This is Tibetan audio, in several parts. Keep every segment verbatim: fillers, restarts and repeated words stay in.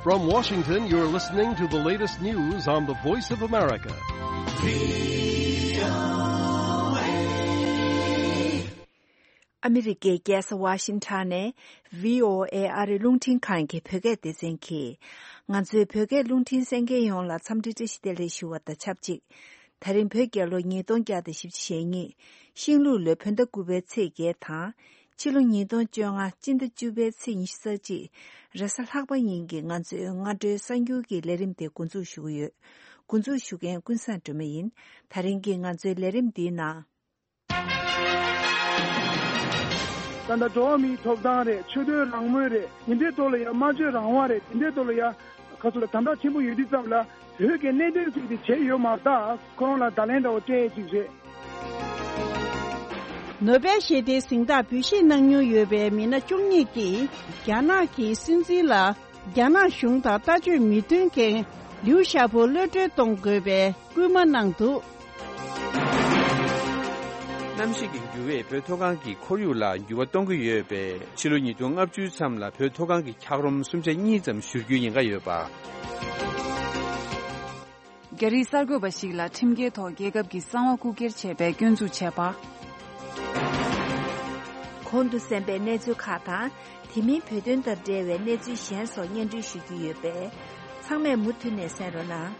From Washington, you're listening to the latest news on the Voice of America. ཨ་མི་རི་ཀའི་རྒྱལ་ས་ཝ་ཤིང་ཊོན་ནས་བྷི་ཨོ་ཨེ་ཨ་རིའི་རླུང་འཕྲིན་ཁང་གི་བོད་སྐད་སྡེ་ཚན་གྱིས། ང་ཚོའི་བོད་སྐད་རླུང་འཕྲིན་གསན་མཁན་ཡོངས་ལ་འཚམས་འདྲི་བཀྲ་ཤིས་བདེ་ལེགས་ཞུ་བ་དང་ཆབས་ཅིག་ད་རིང་བོད་རྒྱལ་ལོ་ཉིས་སྟོང་བརྒྱ་དང་བཞི་བཅུ་ཞེ་གཉིས། ཤིང་ལུག་ལོའི་བོད་ཟླ་དགུ་པའི་ཚེས་བརྒྱད་དང་། ཕྱི་ལོ་ཉིས་སྟོང་བཅོ་ལྔ་སྤྱི་ཟླ་བཅུ་པའི་ཚེས་ཉི་ཤུ་རྩ་གཅིག་རེས་གཟའ་ལྷག་པ་ཉིན་གྱི་ང་ཚོའི་སྔ་དྲོའི་གསར་འགྱུར་གྱི་ལས་རིམ་དེ་འགོ་འཛུགས་ཞུ་གི་ཡོད། འགོ་འཛུགས་ཞུ་མཁན་ཀུན་བཟང་སྒྲོལ་མ་ཡིན། ད་རིང་གི་ང་ཚོའི་ལས་རིམ་འདིའི་ནང་། ད་ལྟ་འགྲོ་བ་མིའི་ཐོབ་ཐང་རེད། ཆོས་དོན་རང་མོས་རེད། དེ་འདྲའི་ཐོག་ལ་ཡང་སྨྲ་བརྗོད་རང་དབང་རེད། དེ་འདྲའི་ཐོག་ལ་ཡང་ཁ་ཚུར་ལ་དམ་དྲག་ཆེན་པོ་ཡོད་དུས་ཙམ་ལ་བོད་ཀྱི་གནད་དོན་ཐོག་དེ་བྱས་ཡོད་མ་རེད། ད་ཁོ་རང་ལ་བརྡ་ལན་འདྲ་བོ་སྤྲད་ཅིག་རེད། ནོ་བེལ་ཞི་བདེའི་གཟེངས་རྟགས་འབུལ་བཞེས་གནང་མྱོང་ཡོད་པའི་མི་སྣ་བཅུ་གཉིས་ཀྱིས་རྒྱ་ནག་གི་སྲིད་འཛིན་ལ། རྒྱ་ནག་གཞུང་དང་ལྟ་སྤྱོད་མི་མཐུན་མཁན་ལིའུ་ཞའོ་པོ་གློད་གྲོལ་གཏོང་དགོས་པའི་སྐུལ་མ་གནང་འདུག། གནམ་གཤིས་ཀྱི་འགྱུར་བས་བོད་མཐོ་སྒང་གི་ཁོར་ཡུག་ལ་འགྱུར་བ་གཏོང་གི་ཡོད་པས། ཕྱི་ལོ་ཉིས་སྟོང་ལྔ་བཅུའི་མཚམས་ལ་བོད་མཐོ་སྒང་གི་འཁྱགས་རོམ་སུམ་ཆ་གཉིས་ཙམ་བཞུར་རྒྱུའི་ཉེན་ཁ་ཡོད་པ། རྒྱ་རིགས་གསར་འགོད་པ་ཞིག་ལ་ཁྲིམས་འགལ་ཐོག་རྒྱལ་ཁབ་ཀྱི་གསང་བ་རྐུ་འཁྱེར་བྱས་པའི་སྐྱོན་འཛུགས་བྱས་པ། གོང་དུ་གསན་པའི་གནས་ཚུལ་ཁག་དང་། དེ་མིན་བོད་དོན་དང་འབྲེལ་བའི་གནས་ཚུལ་གཞན་སོགས་སྙན་སྒྲོན་ཞུ་རྒྱུ་ཡོད་པས། ཚང་མས་མུ་མཐུད་ནས་གསན་རོགས་གནང་།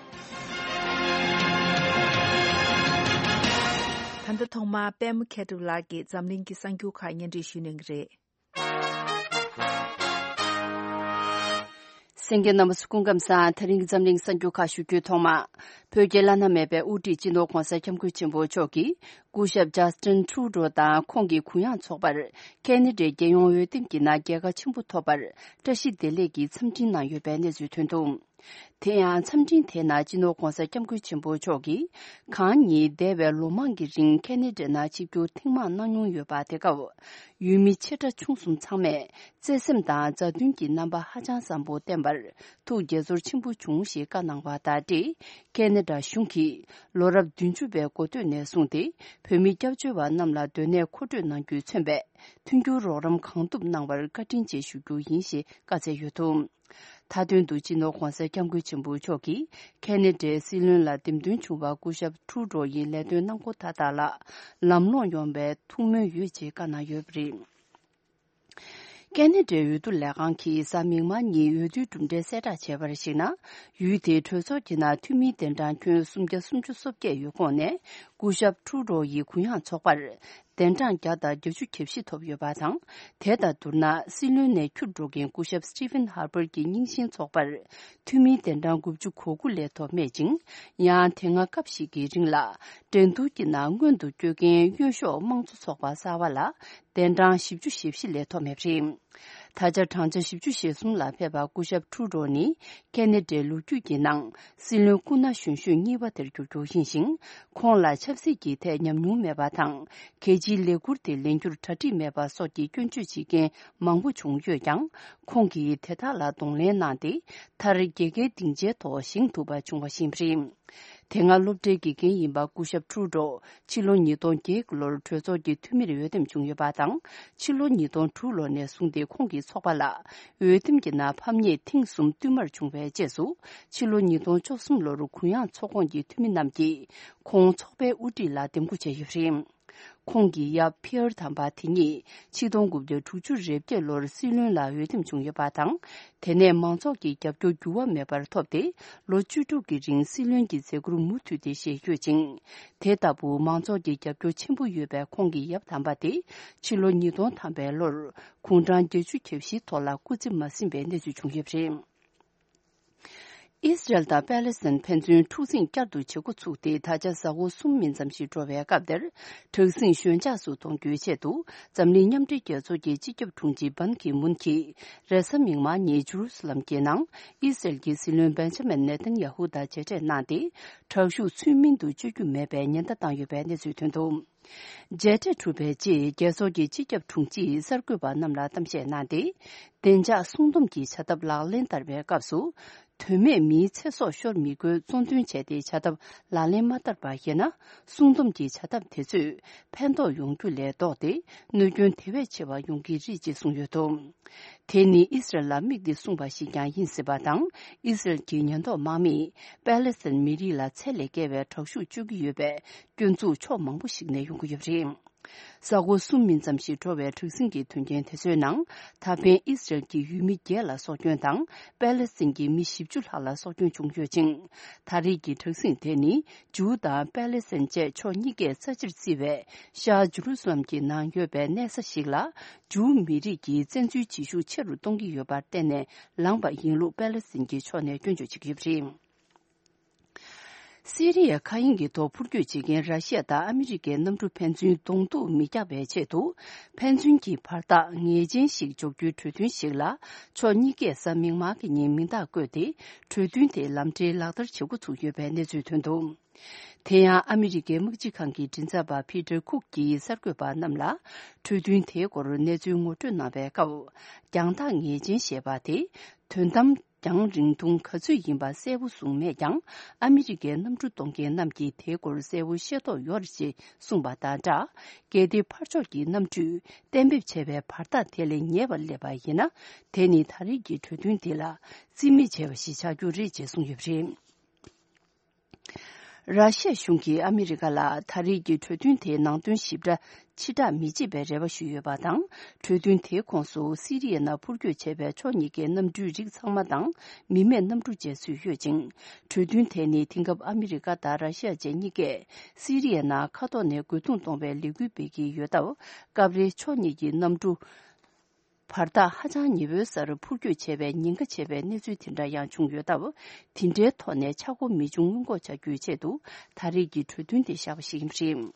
ད་ལྟ་ཐོག་མར་པད་མ་མཁས་གྲུབ་ལགས་ཀྱིས་འཛམ་གླིང་གི་གསར་འགྱུར་ཁག་སྙན་སྒྲོན་ཞུ་གནང་གི་རེད། གསན་མཁན་རྣམ་པ་ཚོ་སྐུ་ཁམས་བཟང་། དེ་རིང་གི་འཛམ་གླིང་གསར་འགྱུར་ཁག་ཞུ་རྒྱུའི་ཐོག་མ། བོད་ཀྱི་བླ་ན་མེད་པའི་དབུ་ཁྲིད་སྤྱི་ནོར་༧གོང་ས་༧སྐྱབས་མགོན་ཆེན་པོ་མཆོག་གིས། སྐུ་ཞབས་ཇཱ་སི་ཊིན་ཊུ་རུ་ཌོ་དང་ཁོང་གི་གུ་ཡངས་ཚོགས་པར་ཁེ་ན་ཌའི་རྒྱལ་ཡོངས་འོས་འདེམས་ཀྱི་ནང་རྒྱལ་ཁ་ཆེན་པོ་ཐོབ་པར་བཀྲ་ཤིས་བདེ་ལེགས་ཀྱི་འཚམས་འཕྲིན་གནང་ཡོད་པའི་གནས་ཚུལ་ཐོན་འདུག། དེ་ཡང་འཚམས་འཕྲིན་དེའི་ནང་སྤྱི་ནོར་༧གོང་ས་༧སྐྱབས་མགོན་ཆེན་པོ་མཆོག་གིས་གང་ཉིད་འདས་པའི་ལོ་མང་གི་རིང་ཁེ་ན་ཌའི་ནང་ཆིབས་བསྒྱུར་ཐེངས་མང་གནང་མྱོང་ཡོད་པ་དེ་སྐབས། ཡུལ་མི་ཆེ་ཕྲ་ཆུང་གསུམ་ཚང་མས་བརྩེ་སེམས་དང་མཛའ་མཐུན་གྱི་རྣམ་པ་ཧ་ཅང་བཟང་པོ་བསྟན་པར་ཐུགས་དགྱེས་ཚོར་ཆེན་པོ་བྱུང་ཞེས་བཀའ་གནང་བ་དང་འབྲེལ། ཁེ་ན་ཌ་གཞུང་གིས་ལོ་རབས་བདུན་ཅུ་པའི་འགོ་སྟོད་ནས་བཟུང་སྟེ་བོད་མི་སྐྱབས་བཅོལ་བ་རྣམས་ལ་སྡོད་གནས་མཁོ་སྤྲོད་གནང་རྒྱུས་མཚོན་པའི་མཐུན་འགྱུར་རོགས་རམ་གང་ཐུབ་གནང་བར་བཀའ་དྲིན་ཆེ་ཞུ་རྒྱུ་ཡིན་ཞེས་བཀའ་སྩལ་ཡོད་འདུག། མཐའ་དོན་དུ་སྤྱི་ནོར་༧གོང་ས་༧སྐྱབས་མགོན་ཆེན་པོ་མཆོག་གིས་ཁེ་ན་ཌའི་སྲིད་བློན་ལ་འདེམས་ཐོན་བྱུང་བར་སྐུ་ཞབས་ཊུ་རུ་ཌོ་ཡི་ལས་དོན་གནང་སྒོ་མཐའ་དག་ལ་ལམ་ལྷོང་ཡོང་བའི་ཐུགས་སྨོན་ཡོད་ཅེས་བཀའ་གནང་ཡོད་པ་རེད། ཁེ་ན་ཌའི་འོས་བསྡུ་ལས་ཁང་གིས་གཟའ་མིག་དམར་ཉིན་འོས་བསྡུའི་གྲུབ་འབྲས་གསལ་བསྒྲགས་བྱས་པར་གཞིགས་ན། ཡུལ་དེའི་གྲོས་ཚོགས་ཀྱི་ནང་འཐུས་མིའི་གདན་གྲངས་ཁྱོན་སུམ་བརྒྱ་སུམ་ཅུ་སོ་བརྒྱད་ཡོད་ཁོངས་ནས་སྐུ་ཞབས་ཊུ་རུ་ཌོ་ཡི་གུ་ཡངས་ཚོགས་པར་གདན་གྲངས་བརྒྱ་དང་བརྒྱད་ཅུ་གྱ་བཞི་ཐོབ་ཡོད་པ་དང་། དེ་དང་བསྡུར་ན་སྲིད་བློན་ནས་འཁྱུར་འགྲོ་མཁན་སྐུ་ཞབས་སི་ཊི་ཕན་ཧར་པར་གྱི་རྙིང་ཞེན་ཚོགས་པར་འཐུས་མིའི་གདན་གྲངས་དགུ་བཅུ་གོ་དགུ་ལས་ཐོབ་མེད་ཅིང་། ཡང་དེ་སྔ་སྐབས་ཤིག་གི་རིང་ལ་འགྲན་བསྡུར་གྱི་ནང་སྔོན་དུ་བསྐྱོད་མཁན་གཡོན་ཕྱོགས་དམངས་གཙོ་ཚོགས་པ་གསར་པ་ལ་གདན་གྲངས་བཞི་བཅུ་ཞེ་བཞི་ལས་ཐོབ་མེད་པ་རེད། ད་ཆ་བགྲང་བྱ་བཞི་བཅུ་ཞེ་གསུམ་ལ་ཕེབས་པ་སྐུ་ཞབས་ཊུ་རུ་ཌོ་ནི་ཁེ་ན་ཌའི་ལོ་རྒྱུས་ཀྱི་ནང་སྲིད་བློན་སྐུ་ན་གཞོན་ཤོས་གཉིས་པ་དེར་གྱུར་རྒྱུ་ཡིན་ཞིང་། ཁོང་ལ་ཆབ་སྲིད་ཀྱི་ཐད་ཉམས་མྱོང་མེད་པ་དང་། གལ་ཆེའི་ལས་འཁུར་དེ་ལེན་རྒྱུར་གྲ་སྒྲིག་མེད་པ་སོགས་ཀྱི་སྐྱོན་བརྗོད་བྱེད་མཁན་མང་པོ་བྱུང་ཡོད་ཀྱང་། ཁོང་གིས་དེ་དག་ལ་གདོང་ལེན་གནང་སྟེ། མཐར་རྒྱལ་ཁའི་སྡིངས་ཆའི་ཐོག་བཞེངས་ཐུབ་པ་བྱུང་བ་ཞིག་རེད། དེ་སྔ་སློབ་གྲྭའི་དགེ་རྒན་ཡིན་པ་སྐུ་ཞབས་ཊུ་རུ་ཌོ་ཕྱི་ལོ་ཉིས་སྟོང་བརྒྱད་ལོར་གྲོས་ཚོགས་ཀྱི་འཐུས་མིར་འོས་འདེམས་བྱུང་ཡོད་པ་དང་། ཕྱི་ལོ་ཉིས་སྟོང་དྲུག་ལོ་ནས་བཟུང་སྟེ་ཁོང་གི་ཚོགས་པ་ལ་འོས་འདེམས་ཀྱི་ནང་ཕམ་ཉེས་ཐེངས་གསུམ་བསྟུད་མར་བྱུང་བའི་རྗེས་སུ། ཕྱི་ལོ་ཉིས་སྟོང་བཅུ་གསུམ་ལོར་གུ་ཡངས་ཚོགས་ཁོངས་ཀྱི་འཐུས་མི་རྣམས་ཀྱིས་ཁོང་ཚོགས་པའི་དབུ་ཁྲིད་ལ་འདེམས་བསྐོ་བྱས་ཡོད་པ་རེད། ཁོང་གི་ཡབ་ཕི་ཨར་དམ་པ་དེ་ཉིད་ཆིག་སྟོང་དགུ་བརྒྱ་དྲུག་ཅུ་རེ་བརྒྱད་ལོར་སྲིད་བློན་ལ་འོས་འདེམས་བྱུང་ཡོད་པ་དང་། དེ་ནས་མང་ཚོགས་ཀྱི་རྒྱབ་སྐྱོར་འགྱུར་བ་མེད་པར་ཐོབ་སྟེ། ལོ་བཅུ་དྲུག་གི་རིང་སྲིད་བློན་གྱི་མཛད་ཁུར་མུ་མཐུད་དེ་བཞེས་ཡོད་ཅིང་། དེ་ལྟ་བུ་མང་ཚོགས་ཀྱི་རྒྱབ་སྐྱོར་ཆེན་པོ་ཡོད་པའི་ཁོང་གི་ཡབ་དམ་པ་དེ་ཕྱི་ལོ་ཉིས་སྟོང་ཐམ་པའི་ལོར་དགུང་གྲངས་བརྒྱད་ཅུ་གྱ་བཞིའི་ཐོག་ལ་སྐུ་ཚེ་མ་ཟིན་པའི་གནས་ཚུལ་བྱུང་ཡོད་པ་རེད། ཨི་སི་རལ་དང་པེ་ལེ་སི་ཐན་ཕན་ཚུན་འཁྲུག་འཛིང་བསྐྱར་དུ་བྱེད་འགོ་ཚུགས་ཏེ། ད་ཆ་གཟའ་འཁོར་གསུམ་མིན་ཙམ་ཞིག་འགྲོ་བའི་སྐབས་དེར། དྲག་ཟིང་ཞོད་འཇགས་སུ་གཏོང་རྒྱུའི་ཆེད་དུ། འཛམ་གླིང་མཉམ་འབྲེལ་རྒྱལ་ཚོགས་ཀྱི་སྤྱི་ཁྱབ་དྲུང་ཆེ་བན་ཁི་མུན་གྱིས། རེས་གཟའ་མིག་དམར་ཉིན་ཇུ་རུ་སི་ལམ་གྱི་ནང་ཨི་སི་རལ་གྱི་སྲིད་བློན་བན་ཇ་མིན་ནེ་ཐན་ཡ་ཧུ་དང་མཇལ་འཕྲད་གནང་སྟེ། དྲག་ཤུགས་ཚུལ་མིན་དུ་སྤྱོད་རྒྱུ་མེད་པའི་ཉེན་བརྡ་བཏང་ཡོད་པའི་གནས་ཚུལ་ཐོན་འདུག། མཇལ་འཕྲད་གྲུབ་པའི་རྗེས། རྒྱལ་ཚོགས་ཀྱི་སྤྱི་ཁྱབ་དྲུང་ཆེས་གསར་འགོད་པ་རྣམས་ལ་གཏམ་བཤད་གནང་སྟེ། བདེ་འཇགས་སྲུང་སྡོམ་གྱི་བྱ་ཐབས་ལག་ལེན་བསྟར་བའི་སྐབས་སུ། དོན་མེད་མིའི་ཚེ་སྲོག་ཤོར་མི་དགོས་གཙོ་འདོན་བྱས་ཏེ་བྱ་ཐབས་ལག་ལེན་མ་བསྟར་པ་ཡིན་ན། སྲུང་སྡོམ་གྱི་བྱ་ཐབས་དེ་ཚོས་ཕན་ཐོགས་ཡོང་རྒྱུ་ལས་ལྡོག་སྟེ་གནོད་སྐྱོན་དེ་བས་ཆེ་བ་ཡོང་གི་རེད་ཅེས་གསུངས་ཡོད་འདུག་དེ་ནི་ཨི་སི་རལ་ལ་དམིགས་ཏེ་གསུངས་པ་ཞིག་ཀྱང་ཡིན་སྲིད་པ་དང་། ཨི་སི་རལ་གྱི་ཉེན་རྟོག་དམག་མིས་པེ་ལེ་སི་ཐན་མི་རིགས་ལ་ཚད་ལས་བརྒལ་བའི་དྲག་ཤུགས་སྤྱོད་ཀྱི་ཡོད་པའི་སྐྱོན་འཛུགས་ཕྱོགས་མང་པོ་ཞིག་ནས་ཡོང་གི་ཡོད་པ་རེད། ས་གོ་གསུམ་མིན་ཙམ་ཞིག་འགྲོ་བའི་དྲག་ཟིང་གི་དོན་རྐྱེན་དེ་ཚོའི་ནང་། ད་ཕན་ཨི་སི་རལ་གྱི་ཡུལ་མི་བརྒྱད་ལ་སྲོག་སྐྱོན་དང་། པེ་ལེ་སི་ཐན་གྱི་མི་བཞི་བཅུ་ལྷག་ལ་སྲོག་སྐྱོན་བྱུང་ཡོད་ཅིང་། ད་རེས་ཀྱི་དྲག་ཟིང་དེ་ནི་ཇུའུ་དང་པེ་ལེ་སི་ཐན་བཅས་ཕྱོགས་གཉིས་ཀས་རྩ་ཆེར་བརྩི་བའི་ཤར་ཇུ་རུ་སུ་ལམ་གྱི་ནང་ཡོད་པའི་གནས་ས་ཞིག་ལ། ཇུའུ་མི་རིགས་ཀྱིས་བཙན་འཛུལ་བྱེད་ཤུགས་ཆེ་རུ་གཏོང་གི་ཡོད་པར་བརྟེན་ནས་ལངས་པ་ཡིན་ལུགས་པེ་ལེ་སི་ཐན་གྱི་ཕྱོགས་ནས་སྐྱོན་བརྗོད་བྱེད་ཀྱི་ཡོད་པ་རེད། སི་རི་ཡའི་མཁའ་དབྱིངས་ཀྱི་ཐོག་འཕུར་སྐྱོད་བྱེད་མཁན་ར་ཤི་ཡ་དང་ཨ་མི་རི་ཀའི་གནམ་གྲུ་ཕན་ཚུན་གདོང་ཐུག་མི་རྒྱག་པའི་ཆེད་དུ། ཕན་ཚུན་གྱི་བར་ཐག་ངེས་ཅན་ཞིག་འཇོག་རྒྱུའི་གྲོས་མཐུན་ཞིག་ལ། ཕྱོགས་གཉིས་ཀས་གཟའ་མིག་དམར་གྱི་ཉིན་མིང་རྟགས་བཀོད་དེ། གྲོས་མཐུན་དེ་ལམ་འབྲས་ལག་བསྟར་བྱེད་འགོ་ཚུགས་ཡོད་པའི་གནས་ཚུལ་ཐོན་འདུག་དེ་ཡང་ཨ་མི་རི་ཀའི་དམག་སྤྱི་ཁང་གི་མགྲིན་ཚབ་པ་ཕི་ཏར་ཁུག་གིས་གསར་འགོད་པ་རྣམས་ལ། གྲོས་མཐུན་དེའི་སྐོར་གནས་ཚུལ་ངོ་སྤྲོད་གནང་བའི་སྐབས། རྒྱང་ཐག་ངེས་ཅན་ཞེས་པ་དེ། དོན་དམ། རྒྱང་རིང་ཐུང་ག་ཚོད་ཡིན་པ་གསལ་པོ་གསུངས་མེད་ཀྱང་། ཨ་མི་རི་ཀའི་གནམ་གྲུ་གཏོང་མཁན་རྣམས་ཀྱིས་དེའི་སྐོར་གསལ་པོ་ཤེས་རྟོགས་ཡོད་རེད་ཅེས་གསུངས་པ་དང་སྦྲགས། གལ་ཏེ་ཕར་ཕྱོགས་ཀྱི་གནམ་གྲུས་གཏན་འབེབས་བྱས་པའི་བར་ཐག་དེ་ལས་ཉེ་བར་སླེབས་པ་ཡིན་ན། དེ་ནི་ད་རེས་ཀྱི་གྲོས་མཐུན་འདི་ལ་རྩིས་མེད་བྱས་པ་ཞིག་ཆགས་རྒྱུ་རེད་ཅེས་གསུངས་ཡོད་པ་རེད། ར་ཤི་ཡ་གཞུང་གིས་ཨ་མི་རི་ཀ་ལ་ད་རེས་ཀྱི་གྲོས་མཐུན་དེའི་ནང་དོན་ཞིབ་ཕྲ་ཕྱིར་བསྒྲགས་མི་བྱེད་པའི་རེ་བ་ཞུས་ཡོད་པ་དང་། གྲོས་མཐུན་དེའི་ཁོངས་སུ་སི་རི་ཡའི་ནང་འཕུར་སྐྱོད་བྱས་པའི་ཕྱོགས་གཉིས་ཀའི་གནམ་གྲུའི་རིགས་ཚང་མ་དང་། མི་མེད་གནམ་གྲུ་བཅས་ཚུད་ཡོད་ཅིང་། གྲོས་མཐུན་དེ་ནི་དེང་སྐབས་ཨ་མི་རི་ཀ་དང་ར་ཤི་ཡ་བཅས་གཉིས་ཀས་སི་རི་ཡའི་ནང་མཁའ་ཐོག་ནས་རྒོལ་རྡུང་གཏོང་བའི་ལས་འགུལ་སྤེལ་གྱི་ཡོད་སྟབས། སྐབས་རེ་ཕྱོགས་གཉིས་ཀྱི་གནམ་གྲུ་བར་ཐག་ཧ་ཅང་ཉེ་བོའི་སར་འཕུར་སྐྱོད་བྱས་པའི་ཉེན་ཁ་ཆེ་བའི་གནས་ཚུལ་དེ་འདྲ་ཡང་བྱུང་ཡོད་སྟབས། དེ་འདྲའི་ཐོག་ནས་ཆག་སྒོ་མི་འབྱུང་སྔོན་འགོག་བྱ་རྒྱུའི་ཆེད་དུ། ད་རེས་ཀྱི་གྲོས་མཐུན་དེ་བཞག་པ་ཞིག་ཡིན་པ་རེད།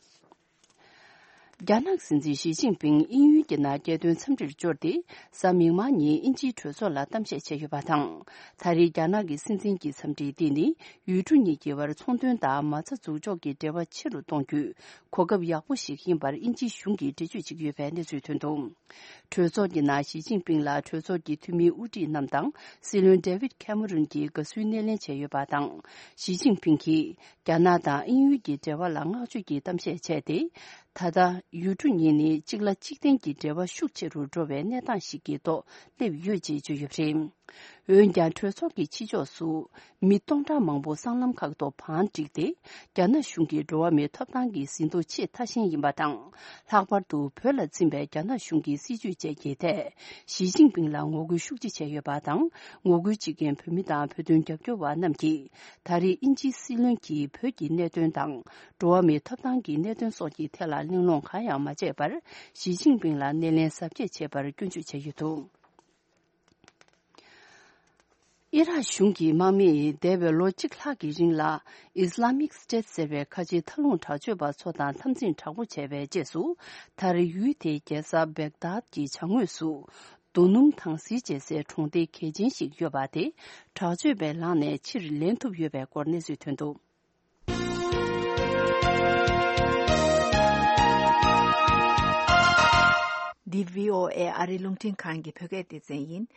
རྒྱ་ནག་སྲིད་འཛིན་ཞི་ཅིན་ཕིང་དབྱིན་ཡུལ་གྱི་ནང་རྒྱལ་དོན་འཚམས་འདྲིར་འབྱོར་ཏེ། གཟའ་མིག་དམར་ཉིན་དབྱིན་ཇིའི་གྲོས་ཚོགས་ལ་གཏམ་བཤད་བྱས་ཡོད་པ་དང་། ད་རེས་རྒྱ་ནག་གི་སྲིད་འཛིན་གྱི་འཚམས་འདྲི་འདི་ནི། ཡུལ་གྲུ་གཉིས་ཀྱི་བར་ཚོང་དོན་དང་མ་རྩ་འཛུགས་འཇོག་གི་འབྲེལ་བ་ཆེ་རུ་གཏོང་རྒྱུའི་གོ་སྐབས་ཡག་པོ་ཞིག་ཡིན་པར་དབྱིན་ཇིའི་གཞུང་གིས་འགྲེལ་བརྗོད་བྱེད་ཀྱི་ཡོད་པའི་གནས་ཚུལ་ཐོན་འདུག་གྲོས་ཚོགས་ཀྱི་ནང་ཞི་ཅིན་ཕིང་ལ་གྲོས་ཚོགས་ཀྱི་འཐུས་མིའི་དབུ་ཁྲིད་རྣམས་དང་། སྲིད་བློན་ཌེ་ཝིད་ཁེ་མ་རོན་གྱིས་དགའ་བསུའི་སྣེ་ལེན་བྱས་ཡོད་པ་དང་། ཞི་ཅིན་ཕིང་གིས་རྒྱ་ནག་དང་དབྱིན་ཡུལ་གྱི་འབྲེལ་བ་ལ་བསྔགས་བརྗོད་ཀྱི་གཏམ་བཤད་བྱས་ཏེ། ད་ལྟ་ཡུལ་གྲུ་གཉིས་ནི་གཅིག་ལ་གཅིག་བརྟེན་གྱི་འབྲེལ་བ་ཤུགས་ཆེ་རུ་འགྲོ་བའི་གནས་སྟངས་ཤིག་གི་ཐོག་སླེབས་ཡོད་ཅེས་བརྗོད་ཡོད་པ་རེད། འོན་ཀྱང་། གྲོས་ཚོགས་ཀྱི་ཕྱི་ཕྱོགས་སུ་མི་སྟོང་ཕྲག་མང་པོ་སྲང་ལམ་ཁག་ཏུ་བང་བསྒྲིགས་ཏེ། རྒྱ་ནག་གཞུང་གིས་འགྲོ་བ་མིའི་ཐོབ་ཐང་གི་ཟིན་ཐོ་ཆེས་མཐའ་ཞེན་ཡིན་པ་དང་། ལྷག་པར་དུ་བོད་ལ་འཛིན་པའི་རྒྱ་ནག་གཞུང་གི་སྲིད་བྱུས་བཅས་ཀྱི་ཐད། ཞི་ཅིན་ཕིང་ལ་ངོ་རྒོལ་ཤུགས་ཆེ་བྱས་ཡོད་པ་དང་། ངོ་རྒོལ་བྱེད་མཁན་བོད་མི་དང་བོད་དོན་རྒྱབ་སྐྱོར་བ་རྣམས་ཀྱིས། ད་རེས་དབྱིན་ཇིའི་སྲིད་བློན་གྱིས་བོད་ཀྱི་གནད་དོན་དང་། འགྲོ་བ་མིའི་ཐོབ་ཐང་གི་གནད་དོན་སོགས་ཀྱི་ཐད་ལ་གླེང་སློང་གང་ཡང་མ་བྱས་པར། ཞི་ཅིན་ཕིང་ལ་སྣེ་ལེན་གཟབ་རྒྱས་བྱས་པར་སྐྱོན་བརྗོད་བྱས་ཡོད་འདུག་ཨི་རག་གཞུང་གི་དམག་མིས་འདས་པའི་ལོ་གཅིག་ལྷག་གི་རིང་ལ། Islamic State ཟེར་བའི་ཁ་ཆེའི་མཐའ་ལྷུང་དྲག་སྤྱོད་པ་ཚོ་དང་འཐབ་འཛིང་དྲག་པོ་བྱས་པའི་རྗེས་སུ། མཐར་ཡུལ་དེའི་རྒྱལ་ས་བེག་དཱད་ཀྱི་བྱང་ངོས་སུ། རྡོ་སྣུམ་དྭངས་བསིལ་ཅེས་སའི་གྲོང་སྡེ་གལ་ཆེན་ཞིག་ཡོད་པ་དེ། དྲག་སྤྱོད་པས་ལངས་ནས་ཕྱིར་ལེན་ཐུབ་ཡོད་པའི་སྐོར་གནས་ཚུལ་ཐོན་འདུག་འདི་བྷི་ཨོ་ཨེ་ཨ་རིའི་རླུང་འཕྲིན་ཁང་གི་བོད་སྐད་སྡེ་ཚན་ཡིན།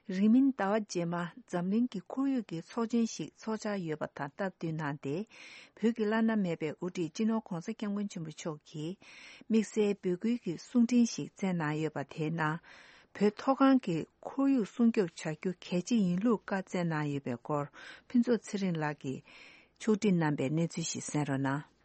རིང་མིན་ཟླ་བ་རྗེས་མ་འཛམ་གླིང་གི་ཁོར་ཡུག་གི་ཚོགས་ཆེན་ཞིག་འཚོགས་འཆར་ཡོད་པ་དང་སྟབས་བསྟུན་གནང་སྟེ། བོད་ཀྱི་བླ་ན་མེད་པའི་དབུ་ཁྲིད་སྤྱི་ནོར་༧གོང་ས་༧སྐྱབས་མགོན་ཆེན་པོ་མཆོག་གིས་དམིགས་བསལ་འབོད་སྐུལ་གྱི་གསུང་འཕྲིན་ཞིག་བསྩལ་གནང་ཡོད་པ་དེའི་ནང་། བོད་མཐོ་སྒང་གི་ཁོར་ཡུག་སྲུང་སྐྱོབ་བྱ་རྒྱུ་གལ་ཆེ་ཡིན་ལུགས་བཀའ་སྩལ་གནང་ཡོད་པའི་སྐོར། ཕུན་ཚོགས་ཚེ་རིང་ལགས་ཀྱིས་ཕྱོགས་སྒྲིག་གནང་པའི་གནས་ཚུལ་ཞིག་གསན་རོགས་གནང་།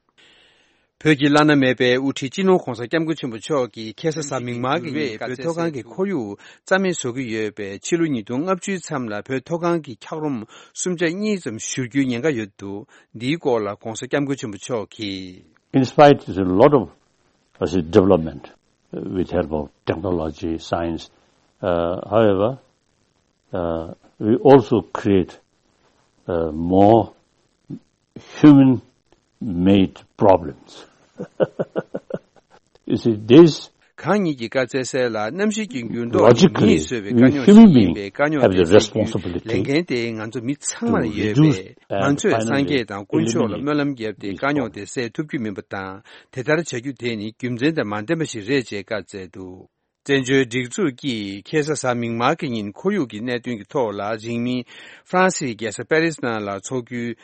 བོད་ཀྱི་བླ་ན་མེད་པའི་དབུ་ཁྲིད་སྤྱི་ནོར་༧གོང་ས་༧སྐྱབས་མགོན་ཆེན་པོ་མཆོག་གིས་ཁ་སང་གཟའ་མིག་དམར་གྱི་ཉིན་བོད་མཐོ་སྒང་གི་ཁོར་ཡུག་རྩ་མེད་བཟོ་གི་ཡོད་པས། ཕྱི་ལོ་ཉིས་སྟོང་ལྔ་བཅུའི་མཚམས་ལ་བོད་མཐོ་སྒང་གི་འཁྱགས་རོམ་སུམ་ཆ་གཉིས་ཙམ་བཞུར་རྒྱུའི་ཉེན་ཁ་ཡོད་འདུག་འདིའི་སྐོར་ལ་༧གོང་ས་༧སྐྱབས་མགོན་ཆེན་པོ་མཆོག་གིས། In spite of a lot of, I say, development with help of technology, science, uh, however, uh, we also create uh, more human-made problems. You see, this གང་ཉིད་ཀྱིས་བཀའ་སྩལ་གསལ་ལ། གནམ་གཤིས་ཀྱི་འགྱུར་ལྡོག་ནི་མིས་བཟོས་པའི་དཀའ་རྙོག་ཞིག་ཡིན་པས། དཀའ་རྙོག་དེ་སེལ་རྒྱུའི་ལས་འགན་དེ་ང་ཚོ་མི་ཚང་མར་ཡོད་པས། ང་ཚོས་སངས་རྒྱས་དང་དཀོན་མཆོག་ལ་སྨོན་ལམ་བརྒྱབ་སྟེ་དཀའ་རྙོག་དེ་སེལ་ཐུབ་རྒྱུ་མིན་པ་དང་། དེ་ལྟར་བྱ་རྒྱུ་དེ་ནི་རྒྱུ་མཚན་དང་མ་ལྡན་པ་ཞིག་རེད་ཅེས་བཀའ་སྩལ་འདུག་བཙན་བྱོལ་སྒྲིག་འཛུགས་ཀྱིས་ཁ་སང་གཟའ་མིག་དམར་གྱི་ཉིན་ཁོར་ཡུག་གི་གནད་དོན་གྱི་ཐོག་ལ་རིང་མིན་ཧྥ་རན་སིའི་རྒྱལ་ས་པེ་རིས་ནང་ལ་འཚོགས་རྒྱུའི་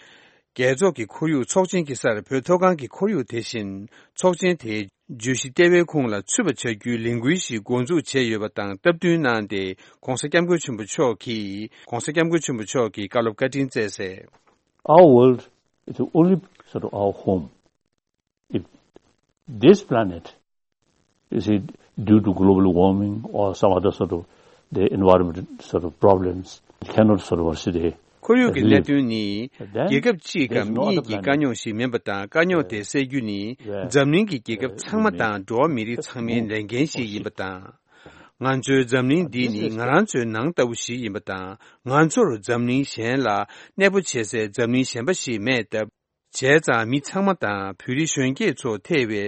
རྒྱལ་ཚོགས་ཀྱི་ཁོར་ཡུག་ཚོགས་ཆེན་གྱི་སར་བོད་མཐོ་སྒང་གི་ཁོར་ཡུག་དེ་བཞིན་ཚོགས་ཆེན་དེའི་བརྗོད་གཞི་ལྟེ་བའི་ཁོངས་ལ་ཚུད་པ་བྱ་རྒྱུའི་ལས་འགུལ་ཞིག་འགོ་འཛུགས་བྱས་ཡོད་པ་དང་སྟབས་བསྟུན་གནང་སྟེ། ྋགོང་ས་ྋསྐྱབས་མགོན་ཆེན་པོ་མཆོག་གིས་ྋགོང་ས་ྋསྐྱབས་མགོན་ཆེན་པོ་མཆོག་གིས་བཀའ་སློབ་བཀའ་དྲིན་བསྩལ་གསལ། Our world is the only sort of our home. If this planet, you see, due to global warming or some other sort of the environment sort of problems, it cannot sort of, what should I say, ཁོར་ཡུག་གི་གནད་དོན་ནི་རྒྱལ་ཁབ་གཅིག་གམ་གཉིས་ཀྱི་དཀའ་རྙོག་ཞིག་མིན་པ་དང་དཀའ་རྙོག་དེ་སེལ་རྒྱུ་ནི་འཛམ་གླིང་གི་རྒྱལ་ཁབ་ཚང་མ་དང་འགྲོ་བ་མི་རིགས་ཚང་མའི་ལས་འགན་ཞིག་ཡིན་པ་དང་། ང་ཚོའི་འཛམ་གླིང་འདི་ནི་ང་རང་ཚོའི་ནང་ལྟ་བུ་ཞིག་ཡིན་པ་དང་། ང་ཚོར་འཛམ་གླིང་གཞན་ལ་གནས་སྤོ་བྱེད་སའི་འཛམ་གླིང་གཞན་པ་ཞིག་མེད་སྟབས། བྱས་ཙང་མི་ཚང་མ་དང་བོད་རིགས་གཞོན་སྐྱེས་ཚོ་ཐེ་བའི་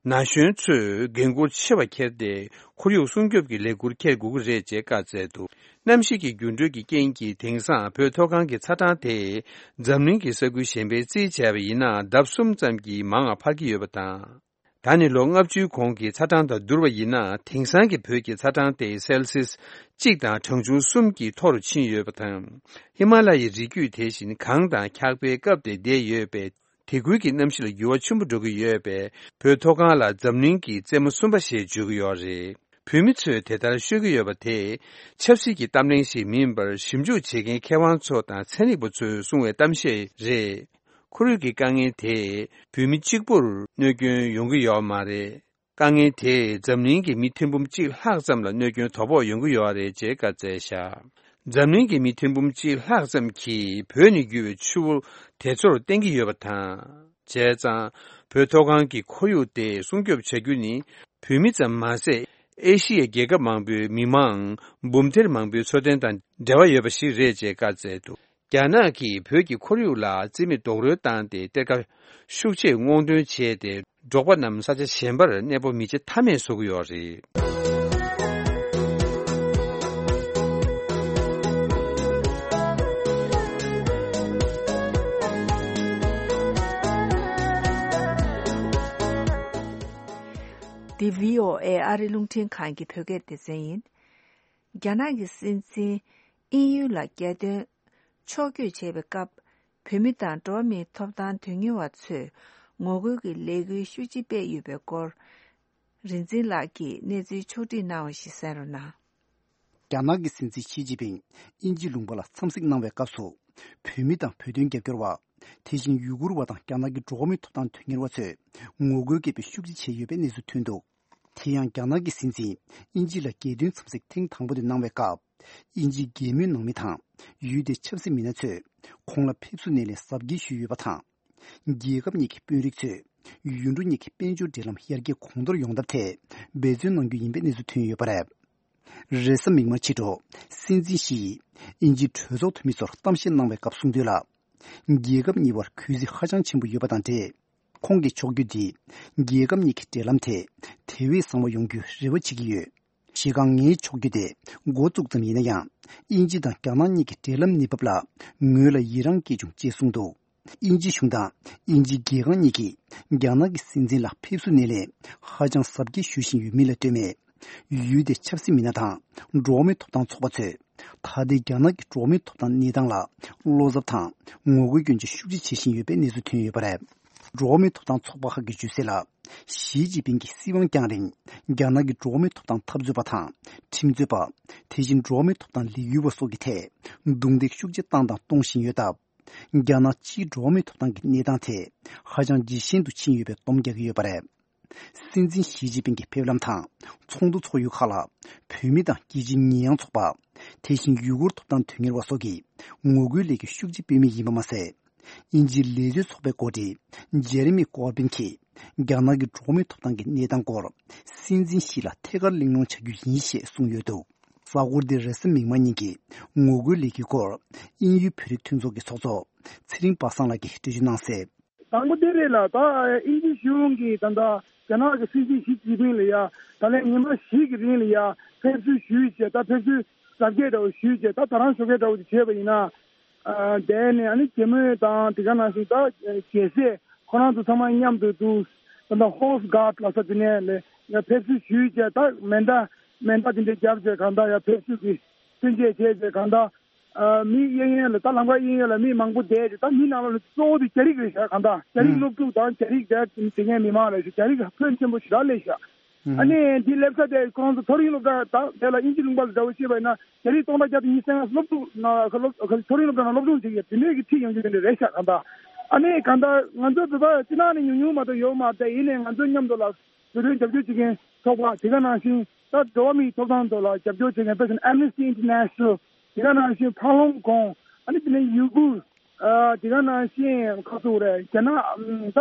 ན་གཞོན་ཚོས་འགན་འཁུར་ཆེ་བ་འཁྱེར་ཏེ་ཁོར་ཡུག་སྲུང་སྐྱོབ་ཀྱི་ལས་འགུལ་འཁྱེར་དགོས་ཀྱི་རེད་ཅེས་བཀའ་སྩལ་འདུག་གནམ་གཤིས་ཀྱི་འགྱུར་འགྲོས་ཀྱི་རྐྱེན་གྱིས་དེང་སང་བོད་མཐོ་སྒང་གི་ཚ་གྲང་དེ་འཛམ་གླིང་གི་ས་ཁུལ་གཞན་པའི་རྩིས་བྱས་པ་ཡིན་ན་ལྡབ་གསུམ་ཙམ་གྱིས་མང་བ་འཕར་གྱི་ཡོད་པ་དང་། ད་ནི་ལོ་ལྔ་བཅུའི་གོང་གི་ཚ་གྲང་དང་བསྡུར་བ་ཡིན་ན་དེང་སང་གི་བོད་ཀྱི་ཚ་གྲང་དེ་སེལ་སིས་གཅིག་དང་གྲངས་ཆུང་གསུམ་གྱིས་མཐོ་རུ་ཕྱིན་ཡོད་པ་དང་། ཧི་མ་ལ་ཡའི་རི་རྒྱུད་དེ་བཞིན་གངས་དང་འཁྱགས་པས་བཀབ་སྟེ་བསྡད་ཡོད་པས། དེ་ཁུལ་གྱི་གནམ་གཤིས་ལ་འགྱུར་བ་ཆེན་པོ་འགྲོ་གི་ཡོད་པས། བོད་མཐོ་སྒང་ལ་འཛམ་གླིང་གི་རྩེ་མོ་གསུམ་པ་ཞེས་བརྗོད་ཀྱི་ཡོད་རེད། བོད་མི་ཚོས་དེ་ལྟར་ཤོད་ཀྱི་ཡོད་པ་དེ་ཆབ་སྲིད་ཀྱི་གཏམ་གླེང་ཞིག་མིན་པར་ཞིབ་འཇུག་བྱེད་མཁན་མཁས་དབང་ཚོ་དང་ཚན་རིག་པ་ཚོས་གསུང་བའི་གཏམ་བཤད་རེད། ཁོར་ཡུག་གི་དཀའ་ངལ་དེས་བོད་མི་གཅིག་པུར་གནོད་སྐྱོན་ཡོང་གི་ཡོད་མ་རེད། དཀའ་ངལ་དེས་འཛམ་གླིང་གི་མི་ཐེར་འབུམ་གཅིག་ལྷག་ཙམ་ལ་གནོད་སྐྱོན་དོ་ཕོག་ཡོང་གི་ཡོད་རེད་ཅེས་བཀའ་སྩལ་བཞག་འཛམ་གླིང་གི་མི་ཐེར་འབུམ་གཅིག་ལྷག་ཙམ་གྱིས་བོད་ནས་རྒྱུ་བའི་ཆུ་བོ་དེ་ཚོར་བརྟེན་གྱི་ཡོད་པ་དང་། བྱས་ཙང་བོད་མཐོ་སྒང་གི་ཁོར་ཡུག་དེ་སྲུང་སྐྱོབ་བྱ་རྒྱུ་ནི་བོད་མི་ཙམ་མ་ཟད། ཨེ་ཤི་ཡའི་རྒྱལ་ཁབ་མང་པོའི་མི་མང་འབུམ་ཐེར་མང་པོའི་འཚོ་རྟེན་དང་འབྲེལ་བ་ཡོད་པ་ཞིག་རེད་ཅེས་བཀའ་སྩལ་འདུག་རྒྱ་ནག་གིས་བོད་ཀྱི་ཁོར་ཡུག་ལ་རྩིས་མེད་རྡོག་རོལ་བཏང་སྟེ་གཏེར་ཁ་ཤུགས་ཆེ་སྔོག་འདོན་བྱས་ཏེ། འབྲོག་པ་རྣམས་ས་ཆ་གཞན་པར་གནས་སྤོ་མི་བྱེད་ཐབས་མེད་བཟོ་གི་ཡོད་རེད། འདི་བྷི་ཨོ་ཨེ་ཨ་རི་རླུང་འཕྲིན་ཁང་གི་བོད་སྐད་སྡེ་ཚན་ཡིན། རྒྱ་ནག་གི་སྲིད་འཛིན་དབྱིན་ཡུལ་ལ་རྒྱལ་དོན་ཕྱོགས་བསྐྱོད་བྱེད་པའི་སྐབས། བོད་མི་དང་འགྲོ་བ་མིའི་ཐོབ་ཐང་དོན་གཉེར་བ་ཚོས་ངོ་རྒོལ་གྱི་ལས་འགུལ་ཤུགས་ཆེ་སྤེལ་ཡོད་པའི་སྐོར། རིག་འཛིན་ལགས་ཀྱིས་གནས་ཚུལ་ཕྱོགས་བསྒྲིགས་གནང་བ་ཞིག་གསན་རོགས་གནང་། རྒྱ་ནག་གི་སྲིད་འཛིན་ཞི་ཅིན་ཕིང་དབྱིན་ཇི་ལུང་པ་ལ་འཚམས་གཟིགས་གནང་བའི་སྐབས་སུ། བོད་མི་དང་བོད་དོན་རྒྱབ་སྐྱོར་བ། དེ་བཞིན་ཡུ་གུར་བ་དང་རྒྱ་ནག་གི་འགྲོ་བ་མིའི་ཐོབ་ཐང་དོན་གཉེར་བ་ཚོས་ངོ་རྒོལ་སྐད་འབོད་ཤུགས་ཆེ་བྱས་ཡོད་པའི་གནས་ཚུལ་ཐོན་འདུག་དེ་ཡང་རྒྱ་ནག་གི་སྲིད་འཛིན་དབྱིན་ཇི་ལ་རྒྱལ་དོན་འཚམས་གཟིགས་ཐེངས་དང་པོ་དེ་གནང་བའི་སྐབས། དབྱིན་ཇིའི་རྒྱལ་མོའི་ནང་མི་དང་ཡུལ་དེའི་ཆབ་སྲིད་མི་སྣ་ཚོས་ཁོང་ལ་ཕེབས་བསུ་སྣེ་ལེན་གཟབ་རྒྱས་ཞུས་ཡོད་པ་དང་། རྒྱལ་ཁབ་གཉིས་ཀྱི་དཔོན་རིགས་ཚོས་ཡུལ་གྲུ་གཉིས་ཀྱི་དཔལ་འབྱོར་འབྲེལ་ལམ་ཡར་རྒྱས་གོང་མཐོར་ཡོང་ཐབས་ཐད་འབད་བརྩོན་གནང་རྒྱུ་ཡིན་པའི་གནས་ཚུལ་ཐོན་ཡོད་པ་རེད། རེས་གཟའ་མིག་དམར་ཕྱི་དྲོ་སྲིད་འཛིན་ཞི་ཡིས་དབྱིན་ཇིའི་གྲོས་ཚོགས་འཐུས་མི་ཚོར་གཏམ་བཤད་གནང་བའི་སྐབས་གསུངས་དོན་ལ། རྒྱལ་ཁབ་གཉིས་བར་གུས་བརྩི་ཧ་ཅང་ཆེན་པོ་ཡོད་པ་དང་འབྲེལ། ཁོང་གིས་ཕྱོགས་བསྐྱོད་འདིས་རྒྱལ་ཁབ་གཉིས་ཀྱི་འབྲེལ་ལམ་དེ་དེ་བས་བཟང་བ་ཡོང་རྒྱུའི་རེ་བ་བྱེད་ཀྱི་ཡོད། གཞི་རྐང་ངའི་ཕྱོགས་བསྐྱོད་དེ་འགོ་བཙུགས་ཙམ་ཡིན་ན་ཡང་། དབྱིན་ཇི་དང་རྒྱ་ནག་གཉིས་ཀྱི་འབྲེལ་ལམ་གནས་བབ་ལ་ངོས་ལ་ཡི་རངས་སྐྱེས་བྱུང་ཅེས་གསུངས་འདུག་དབྱིན་ཇི་གཞུང་དང་དབྱིན་ཇིའི་རྒྱལ་ཁང་གཉིས་ཀྱིས་རྒྱ་ནག་གི་སྲིད་འཛིན་ལ་ཕེབས་བསུ་སྣེ་ལེན་ཧ་ཅང་གཟབ་རྒྱས་ཞུ་བཞིན་ཡོད་མིན་ལ་ལྟོས་མེད། ཡུལ་དེའི་ཆབ་སྲིད་མི་སྣ་དང་འགྲོ་བ་མིའི་ཐོབ་ཐང་ཚོགས་པ་ཚོས་ད་ལྟའི་རྒྱ་ནག་གི་འགྲོ་བ་མིའི་ཐོབ་ཐང་གནས་སྟངས་ལ་བློ་འཚབ་དང་ངོ་རྒོལ་སྐྱོན་བརྗོད་ཤུགས་ཆེ་བྱེད་བཞིན་ཡོད་པའི་གནས་ཚུལ་ཐོན་ཡོད་པ་རེད། འགྲོ་བ་མིའི་ཐོབ་ཐང་ཚོགས་པ་ཁག་གིས་བརྗོད་གསལ་ལ། ཞི་ཅིན་ཕིང་གིས་སྲིད་དབང་བསྐྱངས་རིང་རྒྱ་ནག་གི་འགྲོ་བ་མིའི་ཐོབ་ཐང་འཐབ་རྩོད་པ་དང་ཁྲིམས་རྩོད་པ། དེ་བཞིན་འགྲོ་བ་མིའི་ཐོབ་ཐང་ལས་འགུལ་བ་སོགས་ཀྱི་ཐད་རྡུང་རྡེག་ཤུགས་ཆེ་བཏང་དང་གཏོང་བཞིན་ཡོད་སྟབས། རྒྱ་ནག་སྤྱིའི་འགྲོ་བ་མིའི་ཐོབ་ཐང་གི་གནས་སྟངས་དེ་ཧ་ཅང་ཇེ་ཞན་དུ་ཕྱིན་ཡོད་པའི་སྡོམ་རྒྱག་གི་ཡོད་པ་རེད། སྲིད་འཛིན་ཞི་ཅིན་ཕིང་གི་ཕེབས་ལམ་དང་ཚོགས་འདུ་ཚོགས་ཡུལ་ཁག་ལ་བོད་མི་དང་རྒྱལ་སྤྱིའི་ཉེས་ཡངས་ཚོགས་པ། དེ་བཞིན་ཡུ་གུར་ཐོབ་ཐང་དོན་གཉེར་བ་སོགས་ཀྱིས་ངོ་རྒོལ་ལས་འགུལ་ཤུགས་ཆེ་སྤེལ་མུས་ཡིན་པ་མ་ཟད། དབྱིན་ཇིའི་ལས་བཟོའི་ཚོགས་པའི་འགོ་ཁྲིད་ཇེ་རེ་མི་ཀོར་བིན་གྱིས་རྒྱ་ནག་གི་འགྲོ་བ་མིའི་ཐོབ་ཐང་གི་གནས་སྟངས་སྐོར་སྲིད་འཛིན་ཞི་ལ་ཐད་ཀར་གླེང་སློང་བྱ་རྒྱུ་ཡིན་ཞེས་གསུངས་ཡོད་འདུག་གཟའ་འཁོར་འདིའི་རེས་གཟའ་མིག་དམར་ཉིན་གྱི་ངོ་རྒོལ་ལས་འགུལ་སྐོར་དབྱིན་ཡུལ་བོད་རིགས་མཐུན་ཚོགས་ཀྱི་ཚོགས་གཙོ་ཚེ་རིང་པ་སངས་ལགས་ཀྱིས་འགྲེལ་བརྗོད་གནང་གསལ། དང་པོ་དེ་རེད་ལ། ད་དབྱིན་ཇི་གཞུང་གིས་ད་ལྟ་རྒྱ་ནག་གི་སྲིད་འཛིན་ཞི་ཅིན་ཕིང་ལ་ཡ་ད་ལན་ཉི་མ་བཞི་གི་རིང་ལ་ཡ་ཕེབས་བསུ་ཞུས་བྱས། ད་ཕེབས་བསུ་གཟབ་རྒྱས་འདྲ་བོ་ཞུས་བྱས། ད་ད་རང་ཞོགས་ཀས་འདྲ་བོ་དེ་བྱས་པ་ཡིན་ན། ཨ། དེ་ནས་ཨ་ནི་རྒྱལ་མོ་དང་དེ་ག་ནང་བཞིན་ད་རྒྱལ་སྲས་ཁོ་རང་ཚོ་ཚང་མ་མཉམ་དུ་འདུག་ད་ལྟ་ཧོར་སི་གྷར་ཌི་ལ་ས་དེ་ནས་ལས་ ཡ་ཕེབས་བསུ་ཞུས་བྱས། ད་མེ་མདའ་མེ་མདའ་དེ་འདྲ་བརྒྱབ་བྱས། གང་ལྟར་ཡ་ཕེབས་བསུ་གི་མཚོན་ཆས་བྱས་བྱས། གང་ལྟར་ཨ་མི་གཡས་གཡོན་ལ། ད་ལམ་ཁ་གཡས་གཡོན་ལ་མི་མང་པོ་བསྡད་བྱས། ད་མི་ནང་ལོགས་ལ་གཙོ་བོ་དེ་རྒྱ་རིགས་རེད་ཤག་གང་ལྟར་རྒྱ་རིགས་ཨང་སློབ་ཕྲུག་དང་རྒྱ་རིགས་དེ་དེ་སྔའི་མི་མང་རེད་ཤག་རྒྱ་རིགས་ཕོན་ཆེན་པོ་ཞེ་དྲག་སླེབས་ཤག་ཨ་ནི་འདི་སླེབས་ས་དེ་ཁོང་ཚོ་མཐོ་རིམ་སློབ་གྲྭ། ད་དེ་ལ་དབྱིན་ཇི་ལུང་པ་ལ་འདྲ་བོ་བཤད་པ་ཡིན་ན། རྒྱ་རིགས་སྟོང་ཕྲག་བརྒྱ་དང་ཉི་ཤུ་རྩ་ལྔ་སློབ་ཕྲུག་ན་སློབ་མཐོ་རིམ་སློབ་གྲྭ་ནང་སློབ་སྦྱོང་བྱེད་ཀྱི་ཡོད། དེ་འདྲའི་གི་ཁྲིད་ཡོང་རྒྱུ་དེ་འདྲ་རེད་ཤག་གང་ལྟར་ཨ་ནི་གང་ལྟར་ང་ཚོ་བོད་པ་སྤྱི་བཏང་ནས་ཉུང་ཉུང་མ་གཏོགས་ཡོད་མ་རེད། དེ་ཡིན་ནའི་ང་ཚོ་མཉམ་དུ་ལ་བོད་དོན་རྒྱབ་སྐྱོར་བྱེད་མཁན་ཚོགས་པ། དེ་ག་ནང་བཞིན་ད་འགྲོ་བ་མིའི་ཐོབ་ཐང་ཐོག་ལ་རྒྱབ་སྐྱོར་བྱེད་མཁན། དཔེར་ན་Amnesty International། དེ་ག་ནང་བཞིན་ཕ་ལོང་གོང་། ཨ་ནི་དེ་ནས་ཡུ་གུར། ཨ་དེ་ག་ནང་བཞིན་ག་ཚོད་རེད། རྒྱ་ནག་ད་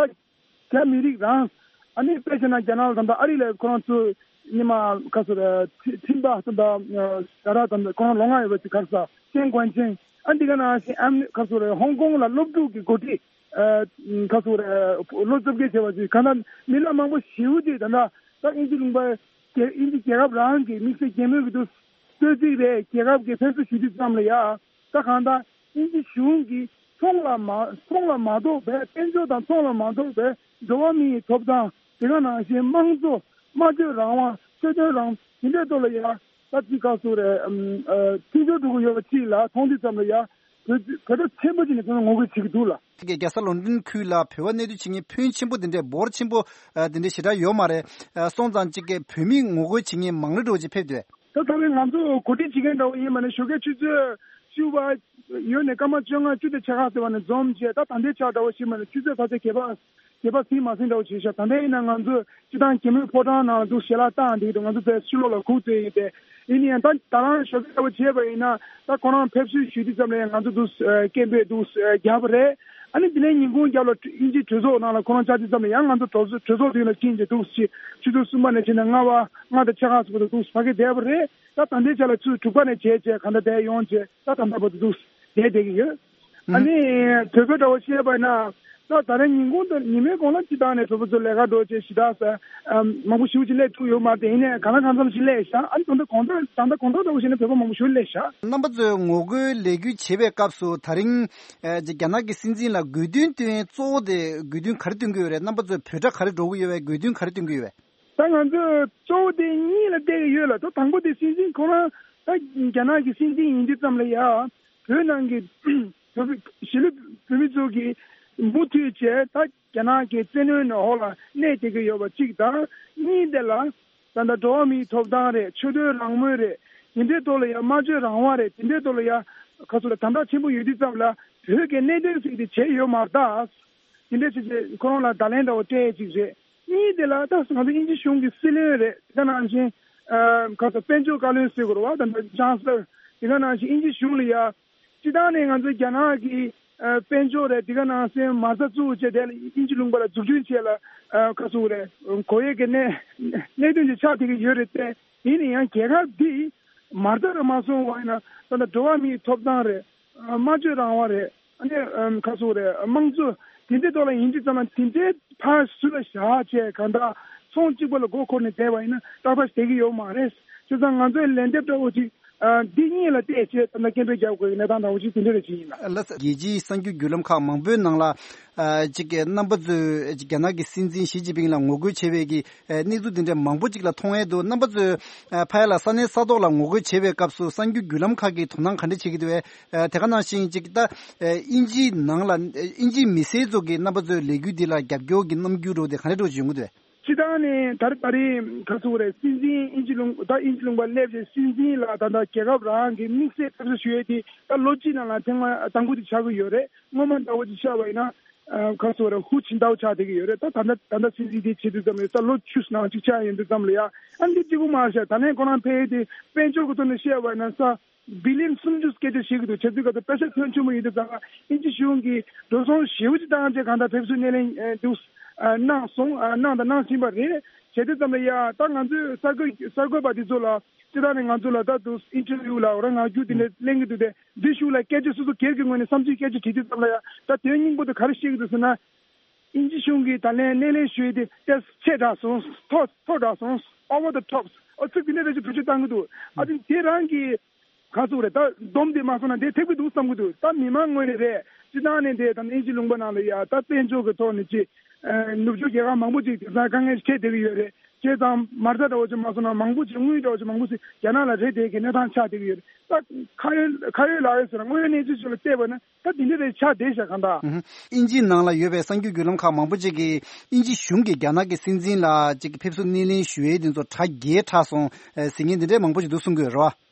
རྒྱ་མི་རིགས་རང་། ཨ་ནི་དཔེ་བྱས་ན་རྒྱ་ནག་ལ་ད་ལྟ་ཨ་རི་ལ་ཁོ་རང་ཚོ་ཉི་མ་ག་ཚོད་རེད། ཁྲི་ཁྲིམས་པ་ད་ལྟ་ཟ་ར་ད་ལྟ་ཁོ་རང་ལོ་ལྔ་ཡོད་པ་ཅིག་ག་རེ་ཟ། ཅན་གོན་ཅན། ཨ་འདི་ག་ནང་བཞིན་ཨ་ནི་ག་ཚོད་རེད། ཧོང་ཀོང་ལ་སློབ་ཕྲུག་གི་འགོ་ཁྲིད་ཨ་ག་ཚོད་རེད། ལོ་བཅོ་བརྒྱད་བྱས་པ་ཅིག་ག་ན་མི་སྣ་མང་པོ་ཞེ་པོ་ཅིག་ད་ལྟ་ད་དབྱིན་ཇི་ལུང་པ་རྒྱལ་དབྱིན་ཇི་རྒྱལ་ཁབ་རང་གི་དམིགས་བསལ་རྒྱལ་མོས་ཀྱི་འདུག་གསོལ་ཚིགས་རེད། རྒྱལ་ཁབ་ཀྱི་ཕེབས་བསུ་ཞུ་དུས་ཙམ་ལ་ཡ། ད་གང་ལྟར་དབྱིན་ཇི་གཞུང་གིས་ཚོང་ལ་མ་ཚོང་ལ་མ་གཏོགས་པའི། དཔལ་འབྱོར་དང་ཚོང་ལ་མ་གཏོགས་པའི་འགྲོ་བ་མིའི་ཐོབ་ཐང་། དེ་ག་ནང་བཞིན་དམངས་གཙོ། སྨྲ་བརྗོད་རང་དབང་། ཆོས་དོན་རང་དབང་། དེ་འདྲའི་ཐོག་ལ་ཡ་ད་ཅི་ག་ཚོད་རེད། ཨམ་ཨ་མཐུན་སྦྱོར་འགྲོ་གི་ཡོད་པ་ཅིག་ལ་མཐོང་དུས་ཙམ་ལ་ཡ་བོད་བོད་ཕྲུག་ཆེན་པོ་ཅིག་ནས་ཚང་མ་ངོ་རྒོལ་བྱེད་ཀྱི་འདུག་ལ། དེ་གའི་རྒྱལ་ས་ལོན་ཌོན་ཁུལ་ལ་བོད་པ་གནས་སྡོད་བྱེད་མཁན་ཕོན་ཆེན་པོ་དེ་འདྲའི་འབོར་ཆེན་པོ་ཨ་དེ་འདྲའི་ཞེ་དྲག་ཡོད་མ་རེད། ཨ་སོང་ཙང་གཅིག་གི་བོད་མི་ངོ་རྒོལ་བྱེད་མཁན་མང་རབས་འདྲ་བོ་ཅིག་ཕེབས་འདུག་ད་ད་རེས་ང་ཚོ་གོ་སྒྲིག་བྱེད་མཁན་འདྲ་བོ་ཡིན་པ་ནི་ཞོགས་ཀའི་ཆུ་ཚོད་བཅུ་པ་ཡོལ་ནས་སྐར་མ་བཅོ་ལྔ་བཅུ་དང་ཕྱེད་ཀ་ཟེར་བ་ནས་འཛོམས་བྱས། ད་ད་ལྟའི་ཆ་འདྲ་བོ་ཞིག་མ་ནི་ཆུ་ཚོད་ཕལ་ཆེར་བརྒྱད་པ་བརྒྱད་པ་ཟིན་མ་ཟིན་འདྲ་བོ་བྱས་ཤག་ད་ལྟ་ཡིན་ན་ང་ཚོ་སྤྱི་བཏང་གད་མོའི་ཕོ་བྲང་ནང་ལ་འདུག་ཞལ་ལག་བཏང་བསྡད་ཀྱི་འདུག་ང་ཚོ་དེ་ཕྱི་ལོགས་ལ་སྒུག་བསྡད་ཡོད་དེ། ཡིན་ན་ཡང་ད་ད་རང་ཞོགས་ཀའི་འདྲ་བོ་བྱས་པ་ཡིན་ན་ད་ཁོ་རང་ཕེབས་བསུ་ཞུ་དུས་ཙམ་ལ་ཡང་ང་ཚོ་འདུག་སྐད་འབོད་འདུག་རྒྱབ་པ་རེད། ཨ་ནི་དེ་ནས་ཉིན་གུང་རྒྱབ་ལ་དབྱིན་ཇིའི་གྲོས་ཚོགས་ནང་ལ་ཁོ་རང་བཅར་དུས་ཙམ་ལ་ཡང་ང་ཚོ་གྲོས་ཚོགས་གྲོས་ཚོགས་དེ་ལ་ཕྱིན་བྱས་འདུག་ཅེས་ཆུ་ཚོད་གསུམ་པ་ནས་ཕྱིན་ན་ལྔ་པ་ལྔ་དང་ཕྱེད་ཀ་ཙམ་བར་དུ་འདུག་ཕ་གིར་བསྡད་པ་རེད། ད་ད་ལྟའི་ཆ་ལ་ཆུ་ཚོད་དྲུག་པ་ནས་བྱས་བྱས་གང་ལྟར་བསྡད་ཡོང་བྱས་ད་ད་ལྟ་བར་དུ་འདུག་བསྡད་བསྡད་ཀྱི་ཡོད། ཨ་ནི་དོལ་པོའི་འདྲ་བོ་བཤད་པ་ན་ད་ད་རེས་ཉིན་གུང་དང་ཉི་མའི་གུང་ལ་སྤྱི་བཏང་ནས་བོད་པ་ཚོ་ལས་ཀ་འགྲོ་བྱས་ཞེ་དྲག་ས་མང་པོ་ཞེ་པོ་ཅིག་སླེབས་ཐུབ་ཡོད་མ་རེད། ཡིན་ནའི་གང་ལ་གང་འཚམ་ཞིག་སླེབས་ཤག་ཨ་ནི་ད་ལྟ་དགོང་དག་ད་ལྟ་དགོང་དག་འདྲ་བོ་བྱས་ན་བོད་པ་མང་པོ་ཞེ་པོ་སླེབས་ཤག་རྣམ་པ་ཚོས་ངོ་རྒོལ་ལས་འགུལ་བྱེད་པའི་སྐབས་སུ་ད་རིང་ཨ་རྒྱ་ནག་གི་སྲིད་འཛིན་ལ་དགོས་འདུན་བཏོན་གཙོ་བོ་དེ་དགོས་འདུན་ག་རེ་བཏོན་གྱི་ཡོད་རེད། རྣམ་པ་ཚོས་བོད་སྒྲ་ག་རེ་སྒྲོག་གི་ཡོད་པས། དགོས་འདུན་ག་རེ་བཏོན་གྱི་ཡོད་པས། ད་ང་ཚོས་གཙོ་བོ་དེ་གཉིས་ལ་བལྟས་ཀྱི་ཡོད་ལ། ད་དང་པོ་དེ་སྲིད་འཛིན་ཁོ་རང་ད་རྒྱ་ནག་གི་སྲིད་འཛིན་ཡིན་དུས་ཙམ་ལ་ཡ་བོད་ནང་གི་བོད་པའི་གཞིས་ལུས་བོད་མི་ཚོ་གི་མུ་མཐུད་བྱས་ད་རྒྱ་ནག་གི་བཙན་གནོན་འོག་ལ་གནས་བསྡད་ཀྱི་ཡོད་པ་གཅིག་དང་། གཉིས་དེ་ལ་ད་ལྟ་འགྲོ་བ་མིའི་ཐོབ་ཐང་རེད། ཆོས་དོན་རང་མོས་རེད། དེ་འདྲའི་ཐོག་ལ་ཡ་སྨྲ་བརྗོད་རང་དབང་རེད། དེ་འདྲའི་ཐོག་ལ་ཡ་ག་ཚོད་ལ་དམ་དྲག་ཆེན་པོ་ཡོད་དུས་ཙམ་ལ་བོད་ཀྱི་གནད་དོན་ཟེར་དེ་བྱས་ཡོད་མ་རེད། ད་དེ་འདྲའི་བྱས་བྱས་ཁོ་རང་ལ་བརྡ་ལན་འདྲ་བོ་སྤྲད་ཅིག་རེད། གཉིས་དེ་ལ་ད་ང་ཚོ་དབྱིན་ཇི་གཞུང་གི་སྲིད་བློན་རེད། དེ་ག་ནང་བཞིན་ཨ་ག་ཚོད་དཔལ་འབྱོར་བཀའ་བློན་ཟེར་དགོས་རེད་བ། ད་ལྟ་ཅང་སི་ལར། དེ་ག་ནང་བཞིན་དབྱིན་ཇི་གཞུང་ལ་ཡ་སྤྱི་བཏང་ནས་ང་ཚོ་རྒྱ་ནག་གི་ཨ་དཔལ་འབྱོར་རེད། དེ་ག་ནང་བཞིན་མ་རྩ་བཙུགས་བྱས་དེ་ལ་དབྱིན་ཇི་ལུང་པ་ལ་འཛུགས་སྐྲུན་བྱས་ལ་ཨ་ག་ཚོད་རེད། གོ་ཡས་ཀྱི་གནད་གནད་དོན་ཅིག་ཆགས་བསྡད་ཀྱི་ཡོད་རེད་དེ། ཡིན་ན་ཡང་རྒྱལ་ཁབ་འདི་མ་རྩ་རུ་མ་སོང་བ་ཡིན་ན་ད་ལྟ་འགྲོ་བ་མིའི་ཐོབ་ཐང་རེད། སྨྲ་བརྗོད་རང་དབང་རེད། ཨ་ནི་ཨམ་ག་ཚོད་རེད། དམངས་གཙོ་དེ་འདྲའི་ཐོག་ལ་ཡིན་དུས་ཙམ་ལ་དེ་འདྲའི་ཕར་ཟུར་ལ་བཞག་བྱས་གང་ལྟར་ཚོང་གཅིག་པ་ལ་མགོ་འཁོར་ནས་བསྡད་པ་ཡིན་ན་ཏག་ཏག་བསྡད་ཀྱི་ཡོད་མ་རེད། བྱས་ཙང་ང་ཚོའི་ལན་འདེབས་འདྲ་བོ་ཅིག་ཨ་འདི་གཉིས་ལ་བལྟས་བྱས་ད་ལྟ་སྐད་འབོད་རྒྱག་དགོས་ཀྱི་གནས་སྟངས་འདྲ་བོ་ཅིག་དེ་འདྲ་རེད་ཅིག་ཡིན་ལ། ལགས་སོ། རྒྱལ་སྤྱིའི་གསར་འགྱུར་བརྒྱུད་ལམ་ཁག་མང་པོའི་ནང་ལ་ཨ་ཅིག་རྣམ་པ་ཚོས་ཅིག་རྒྱ་ནག་གི་སྲིད་འཛིན་ཞི་ཅིན་ཕིང་ལ་ངོ་རྒོལ་བྱེད་པའི་གི་ཨ་གནས་ཚུལ་འདི་འདྲ་མང་པོ་ཅིག་ལ་མཐོང་ཡས་འདུག་རྣམ་པ་ཚོས་ཨ་ཕ་ཡ་ལ་ས་གནས་ས་ཐོག་ལ་ངོ་རྒོལ་བྱེད་པའི་སྐབས་སུ་གསར་འགྱུར་བརྒྱུད་ལམ་ཁག་གིས་དོ་སྣང་ག་འདྲ་བྱེད་ཀྱི་འདུག་བས། ཨ་དེ་ག་ནང་བཞིན་ཅིག་ད་ཨ་དབྱིན་ཇིའི་ནང་ལ་ཨ་དབྱིན་ཇིའི་མི་སེར་ཚོ་གིས་རྣམ་པ་ཚོའི་ལས་འགུལ་འདི་ལ་རྒྱབ་སྐྱོར་གྱི་རྣམ་འགྱུར་འདྲ་བོ་དེ་ག་འདྲ་འདྲ་བོ་ཅིག་ཡོང་གི་འདུག་བས། སྤྱི་བཏང་ནས་ད་རེས་ད་རེས་ག་ཚོད་རེད། སྲིད་འཛིན་དབྱིན་ཇི་ལུང་ད་དབྱིན་ཇི་ལུང་པ་སླེབས་རྗེས་སྲིད་འཛིན་ལ་ད་ལྟ་རྒྱལ་ཁབ་རང་གི་དམིགས་བསལ་ཕེབས་བསུ་ཞུ་ཡས་དེ་ད་ལོ་གཅིག་ནང་ལ་ཐེངས་མ་དང་པོ་དེ་ཆགས་ཀྱི་ཡོད་རེད། སྔོན་མ་འདྲ་བོ་ཅིག་ཆགས་པ་ཡིན་ན་ཨ་ག་ཚོད་རེད། ཧུ་ཆིན་ཏའོ་ཆགས་བསྡད་ཀྱི་ཡོད་རེད། ད་ད་ལྟ་ད་ལྟ་སྲིད་འཛིན་དེ་བྱེད་དུས་ཙམ་ལ་ད་ལོ་བཅུ་ནང་གཅིག་ཆགས་ཡོང་དུས་ཙམ་ལ་ཡ་ཨ་འདི་གཅིག་པུ་མ་རེད་ཤག་ད་ལན་ཁོ་རང་ཕེབས་ཡས་དེ་དཔལ་འབྱོར་གྱི་ཐོག་ནས་བཤད་པ་ཡིན་ན་ས་བི་ལི་ཡན་སུམ་ཅུ་སྐད་ཆ་བཤད་ཀྱི་འདུག་བྱས་དུས་ག་ཚོད་པེ་ས་ཕོན་ཆེན་པོ་ཡིན་དུས་ཙང་དབྱིན་ཇི་གཞུང་གིས་འགྲོ་སོང་ཞེ་པོ་ཅིག་བཏང་བྱས་གང་ལྟར་ཕེབས་བསུ་སྣེ་ལེན་ཨ་འདུག་ཨ་གནང་སོང་། ཨ་གནང་དང་གནང་བཞིན་པ་རེད། བྱས་དུས་ཙམ་ལ་ཡ་ད་ང་ཚོའི་གསར་འགོད་གསར་འགོད་པ་འདི་ཚོ་ལ་སྤྱི་བཏང་ནས་ང་ཚོ་ལ་ད་འདུག་ཨིན་ཊར་བིའུ་ལ་འོ་ར་ངག་རྒྱུགས་དེ་འདྲ་གླེང་གི་འདུག་སྟེ། འདི་གཞུག་ལ་སྐད་ཆ་སོ་སོ་སྒེར་གྱི་ངོས་ནས་བསམ་ཚུལ་སྐད་ཆ་དྲིས་དུས་ཙམ་ལ་ཡ་ད་དོན་སྙིང་པོ་དེ་ག་རེ་བཤད་ཀྱི་འདུག་ཟེར་ན། དབྱིན་ཇི་གཞུང་གིས་ད་ལན་སྣེ་ལེན་ཞུས་ཏེ་ཏོག་ཙམ་ཆེ་དྲགས་སོང་། མཐོ་མཐོ་དྲགས་སོང་། Over the tops། ཨོ་ཚིག་དེ་འདྲ་རེ་ཞིག་བེད་སྤྱོད་བཏང་གི་འདུག་ཨ་ཙི་དེ་རང་གི་ག་ཚོད་རེད། ད་སྡོམ་དེ་མ་སོང་ན་དེ་ཐེབས་ཀྱི་འདུག་བསམ་གྱི་འདུག་ད་མི་མང་ངོས་ནས་རེད། སྤྱི་བཏང་ནས་དེ་ད་དབྱིན་ཇི་ལུང་པ་ནང་ལ་ཡ་ད་དཔལ་འབྱོར་གྱི་ཐོག་ནས་ཅིག་ནུབ་ཕྱོགས་རྒྱལ་ཁབ་མང་པོ་ཅིག་དེང་སང་དཀའ་ངལ་འཕྲད་བསྡད་ཀྱི་ཡོད་རེད། བྱས་ཙང་མ་རྩ་འདྲ་བོ་ཅིག་མ་སོང་ན་མང་པོ་ཅིག་དངུལ་འདྲ་བོ་ཅིག་མང་པོ་ཞིག་རྒྱ་ནག་ལ་རེད་དེ་གི་གནས་སྟངས་ཆགས་བསྡད་ཀྱི་ཡོད་རེད། ད་ཁ་ཡོད་ཁ་ཡོད་ལག་ཡོད་ཟེར་ན་དངོས་ཡོད་གནས་ཚུལ་ཅིག་ལ་བལྟས་པ་ན་ད་དེ་འདྲ་རེད་ཆགས་བསྡད་ཤག་གང་ལྟར། ཨུ་ཧུ། དབྱིན་ཇིའི་ནང་ལ་ཡོད་པའི་གསར་འགྱུར་བརྒྱུད་ལམ་ཁག་མང་པོ་ཅིག་གིས་དབྱིན་ཇི་གཞུང་གིས་རྒྱ་ནག་གི་སྲིད་འཛིན་ལ་ཅིག་ཕེབས་བསུ་སྣེ་ལེན་ཞུ་ཡས་དེ་ཚོ་གྲ་རྒྱས་དྲགས་སོང་ཟེར་མཁན་དེ་འདྲས་མང་པོ་ཅིག་འདུག་གསུང་གི་ཡོད་རེད་བ།